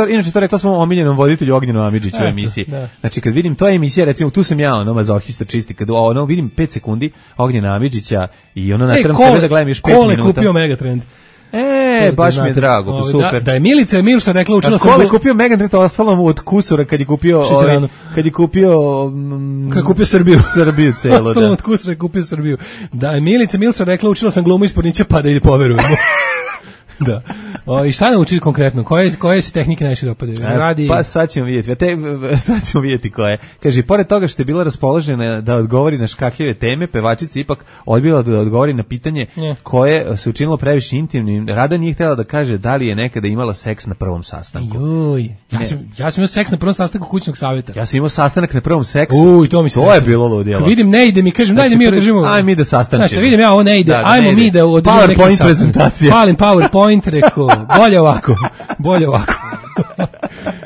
Inače to rekla svom omiljenom voditelju Ognjenu Amidžiću u emisiji. Znači kad vidim, to je emisija, recimo tu sam ja mazohista čisti, kad vidim 5 sekundi Ognjena Amidžića i natram sebe da gledam još 5 minuta. Kole kupio Megatrend. Baš mi je drago, super. Da je Milica Milša rekla, učila sam... Kole kupio Megatrend, ostalo mu od kusura kad je kupio Srbiju. Srbiju celo, ostalo mu od kusura je kupio Srbiju. Da je Milica Milša rekla, učila sam glumu iz pornića, pa da je poverujemo. Da. I šta naučiti konkretno? Koje se tehnike najviše dopadaju? Pa sad ćemo vidjeti koje. Kaže, pored toga što je bila raspoložena da odgovori na škakljive teme, pevačica ipak odbila da odgovori na pitanje koje se učinilo previše intimnim. Rada nije htjela da kaže da li je nekada imala seks na prvom sastanku. Ja sam imao seks na prvom sastanku kućnog savjeta. Ja sam imao sastanak na prvom seksu. To je bilo ludilo. Vidim, ne ide mi, kažem, daj da mi održimo. Ajmo mi da sastančimo. Znaš, vidim ja, ovo ne ide. Ajmo mi da održimo neki sastanak. Palim PowerPoint, rekao, bolje ovako.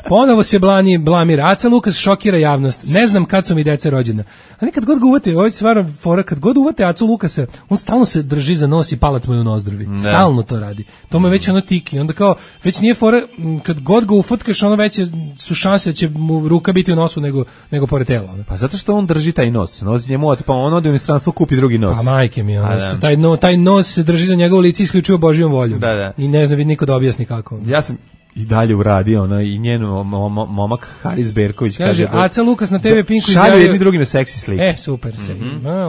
Ponovo se blamira. Aca Lukas šokira javnost. Ne znam kad su mi deca rođena. A nekad god ga uvate, ovo je stvarno fora, kad god uvate Acu Lukasa, on stalno se drži za nos i palac mu je u nozdrovi. Stalno to radi. To mu je već tiki. Onda kao, već nije fora, kad god ga ufatkaš, veće su šanse da će mu ruka biti u nosu nego pored tela. Pa zato što on drži taj nos. Pa on ode u inostranstvo, kupi drugi nos. Pa majke mi, taj nos se drži za njegovo lice isključivo Božjom voljom. I ne znam niko da objasni kako. Ja sam i dalje uradio, i njen momak Haris Berković kaže Aca Lukas na TV Pinku šalju jedni drugima seksi slike. Super,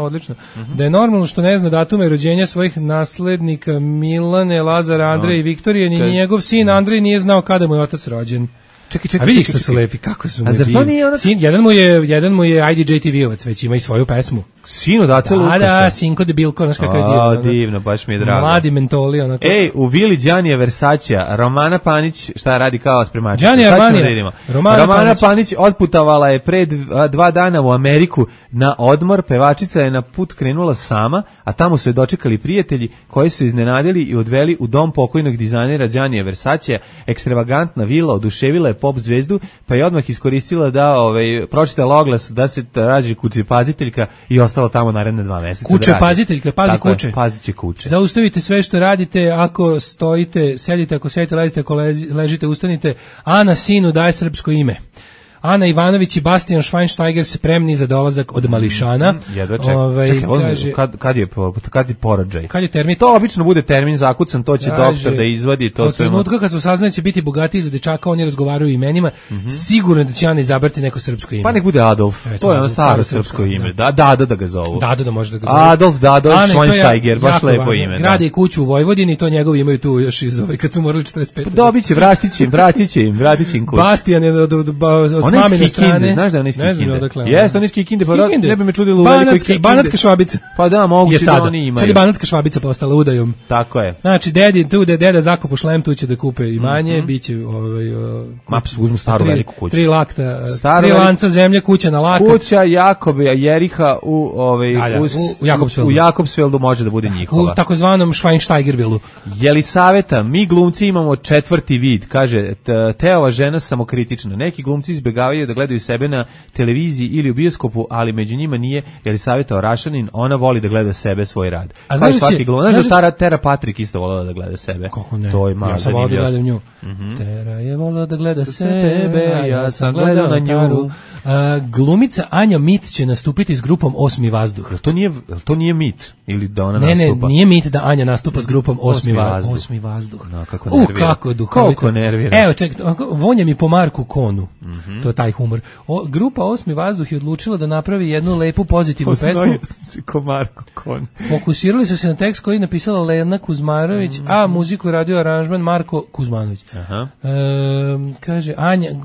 odlično. Da je normalno što ne zna datume rođenja svojih naslednika Milane, Lazara, Andreja i Viktorije, ni njegov sin Andrej nije znao kada mu je otac rođen. Čekaj. A vidi što su lepi, kako su mu divni. Jedan mu je IDJ TV-ovac, već ima i svoju pesmu. Sin od Ace Lukasa. Da, sinko debilko, znaš kako je divno. Divno, baš mi je drago. Mladi mentoli, onako. U Vili Đanija Versacija, Romana Panić, šta radi kao spremačica? Romana Panić otputovala je pre 2 dana u Ameriku na odmor, pevačica je na put krenula sama, a tamo su je dočekali prijatelji koji su iznenadili i odveli u dom pokojnog dizajnera Đanija Versacija. Ekstravagantna vila oduševila je pop zvezdu, pa je odmah iskoristila da pročitala oglas da se rađe kućepaziteljka i ostala tamo naredne 2 meseca. Kućepaziteljka, pazi kuće. Pazit će kuće. Zaustavite sve što radite, ako stojite, sedite, ako sedite, ležite, ako ležite, ustanite. Ana sinu daje srpsko ime. Ana Ivanović i Bastian Schweinsteiger spremni za dolazak od mališana. Jedva čekaj, kad je porođaj? Kad je termin? To obično bude termin zakucan, to će doktor da izvadi. Od trenutka kad su saznali će biti bogatiji za dečaka, oni razgovaraju imenima, sigurno da će Ana izabrati neko srpsko ime. Pa nek bude Adolf, to je ono staro srpsko ime. Dado da ga zovu. Dado da može da ga zovu. Adolf Dado Schweinsteiger, baš lepo ime. Grade i kuću u Vojvodini, to njegovi imaju tu još iz kad su morali 45. Dobit će, vratit će im kuću. Bastian je od mamine strane. Znaš da on iz Kikinde? Jeste, on iz Kikinde, pa ne bi me čudilo u velikoj Kikinde. Banatska Švabica. Pa da, moguće da oni imaju. Sad je Banatska Švabica postala udajom. Tako je. Znači, deda zakupu šlem, tu će da kupe imanje, biće Maps, uzmu staru veliku kuću. 3 lakta, 3 lanca zemlje, kuća na lakat. Kuća Jakobe Jeriha u Jakobsveldu može da bude njihova. U takozvanom Schweinsteigervilu. Jelisaveta, mi glumci imamo 4. vid, kaže Teova žena samokritična. Neki glumci izbegavaju da gledaju sebe na televiziji ili u bioskopu, ali među njima nije Jelisaveta Orašanin, ona voli da gleda sebe, svoj rad. A znaš svaki glumac, znaš da Tera Patrik isto volila da gleda sebe. Kako ne? To je malo zanimljivo. Ja sam volila da gledam nju. Tera je volila da gleda sebe, a ja sam gledao na nju. Glumica Anja Mit će nastupiti s grupom Osmi vazduh. To nije mit ili da ona nastupa? Ne, nije mit da Anja nastupa s grupom Osmi vazduh. No, kako nervira. Kako duhovito. Koliko nervira. Evo, čekaj, vonja mi po Marku Konu. To je taj humor. Grupa Osmi vazduh je odlučila da napravi jednu lepu pozitivnu pesmu. Ko Marko Kon. Fokusirali su se na tekst koji je napisala Lena Kuzmarović, a muziku radio aranžman Marko Kuzmanović. Kaže,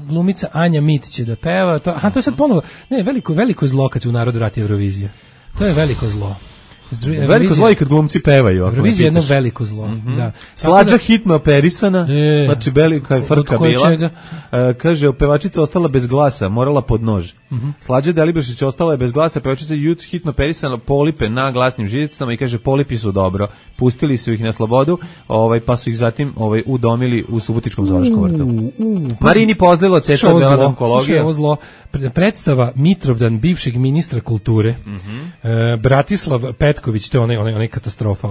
glumica Anja Mit će da peva. To je sad ponovo, ne, veliko zlo kad se u narodu vrati Eurovizija. To je veliko zlo. Veliko zlo i kad glumci pevaju. Eurovizija je jedno veliko zlo. Da. Slađa hitno operisana, znači velika je frka bila. Kaže, pevačica ostala bez glasa, morala pod nož. Slađa Delibašić ostala je bez glasa, pevačica hitno operisana, polipe na glasnim žicama i kaže, polipi su dobro. Pustili su ih na slobodu, pa su ih zatim udomili u Subotičkom zoološkom vrtu. Marini Pozlilo, testa od onkologije. Ovo zlo. Predstava Mitrovdan bivšeg ministra kulture, Bratislav Petković, to je onaj katastrofa,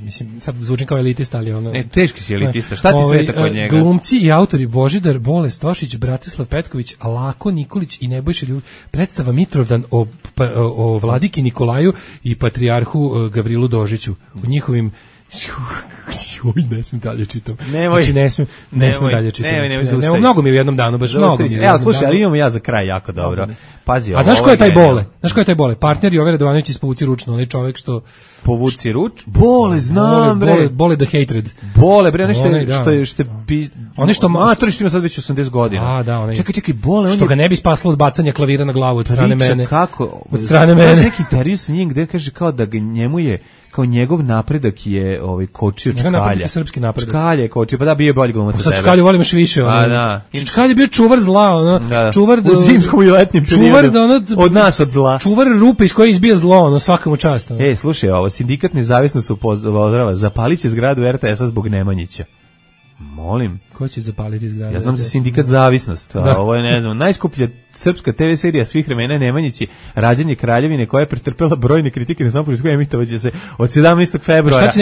mislim, sad zvučim kao elitista, ali ono... Teški si elitista, šta ti sveta kod njega? Glumci i autori Božidar Bole Stošić, Bratislav Petković, Lako Nikolić i Nebojša Ljubić. Predstava Mitrovdan o vladiki Nikolaju i patrijarhu Gavrilu Dožiću, u njihovim... ne smijem dalje čitam. Nemoj dalje čitam. Mnogo mi je u jednom danu, baš mnogo mi je. Evo, slušaj, ali imamo ja za kraj jako dobro. Pazi, a znaš ko je taj Bole? Znaš ko je taj Bole? Partner Jove Radovanović iz Povuci ručno, onaj čovjek što... Povuci ruč? Bole, znam, bre. Bole the hatred. Bole, bre, što je... Oni što... Matori što ima sad već 80 godina. A, da, onaj... Čekaj, Bole... Što ga ne bi spaslo od bacanja klavira na glavu od strane mene. Kako? Od strane mene. Neki intervju sa njim gde kaže kao da njemu je kao njegov napredak je kočio Čkalja. Napredak je srpski napredak. Čkalja je kočio, pa da bio je bolji glumac od tebe. Sad Čkalju volim još više. Čkalja je bio čuvar zla, čuvar u zimskom i letnjem periodu. Od nas od zla. Čuvar rupe iz koje izbija zlo, svakamu čast. Slušaj, sindikat Nezavisnost upozorava, zapalit će zgradu RTS-a zbog Nemanjića. Molim. Ko će zapaliti zgradu? Ja znam za sindikat Zavisnost, a ovo je, ne znam, najskuplja srpska TV serija svih vremena je Nemanjići, Rađanje kraljevine, koja je pretrpela brojne kritike na samopolju, emitovaće se od 17. februara. Šta će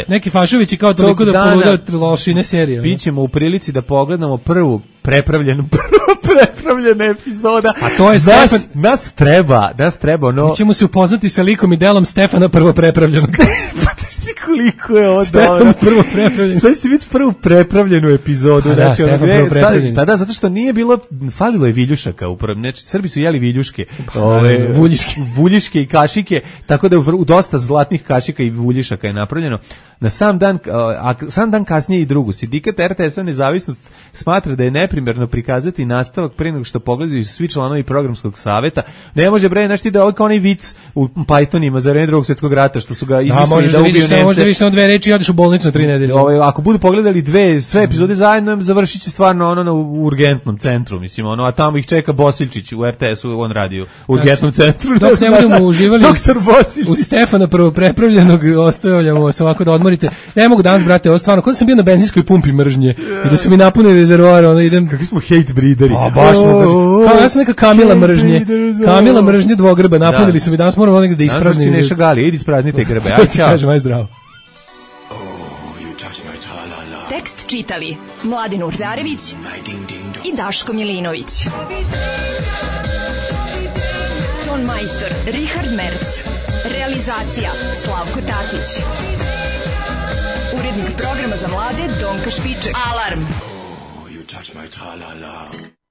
neki fašovići kao toliko da poludaju lošine serije? Bićemo u prilici da pogledamo prvu prepravljena epizoda. A to je nas treba ono... Mi ćemo se upoznati sa likom i delom Stefana prvo prepravljenog. Koliko je ovo dobro. Prvo prepravljeno. Sad ćete vidjeti prvu prepravljenu epizodu. Da, Stefan prvo prepravljeni. Da, zato što nije bilo, falilo je viljušaka. Srbi su jeli viljuške. Vuljiške i kašike, tako da u dosta zlatnih kašika i vuljišaka je napravljeno. Na sam dan kasnije i drugu. Sindikat RTS-a Nezavisnost smatra da je neprimjerno prikazati nastavak pre nego što pogledaju svi članovi programskog saveta. Ne može bre, znaš ti da ovo kao onaj vic u Pythonima za vreme Drugog svjetskog rata što su ga izmislili da ubiju Nemce. Možda vidiš samo 2 reči i odeš u bolnicu na 3 nedelje. Ako budu pogledali sve epizode zajedno, završit će stvarno ono na urgentnom centru, mislim, a tamo ih čeka Bosiljčić u RTS-u, on radi u urgentnom centru. Dok ne budemo uživali u Stefana prvo prepravljenog, ostavljamo se ovako da odmorite. Ne mogu danas, brate, ovo stvarno, kod sam bio na benzinskoj pumpi mržnje i da su mi napunili rezervoar, onda idem... Kakvi smo hate breederi. Baš smo, kao ja sam neka Kamila mržnje dvogrba, napunili su mi, danas moramo negdje da ispraznim. Znaš da si Neša Gali, idi ispraznite grbe, aj čao. Kažem, aj zdravo. Tekst tekst čitali Mladin Urdarević i Daško Milinović. Ton majstor Richard Merc. Realizacija Slavko Tatić. Urednik programa za mlade Donka Špiček. Alarm! You touch my tra-la-la.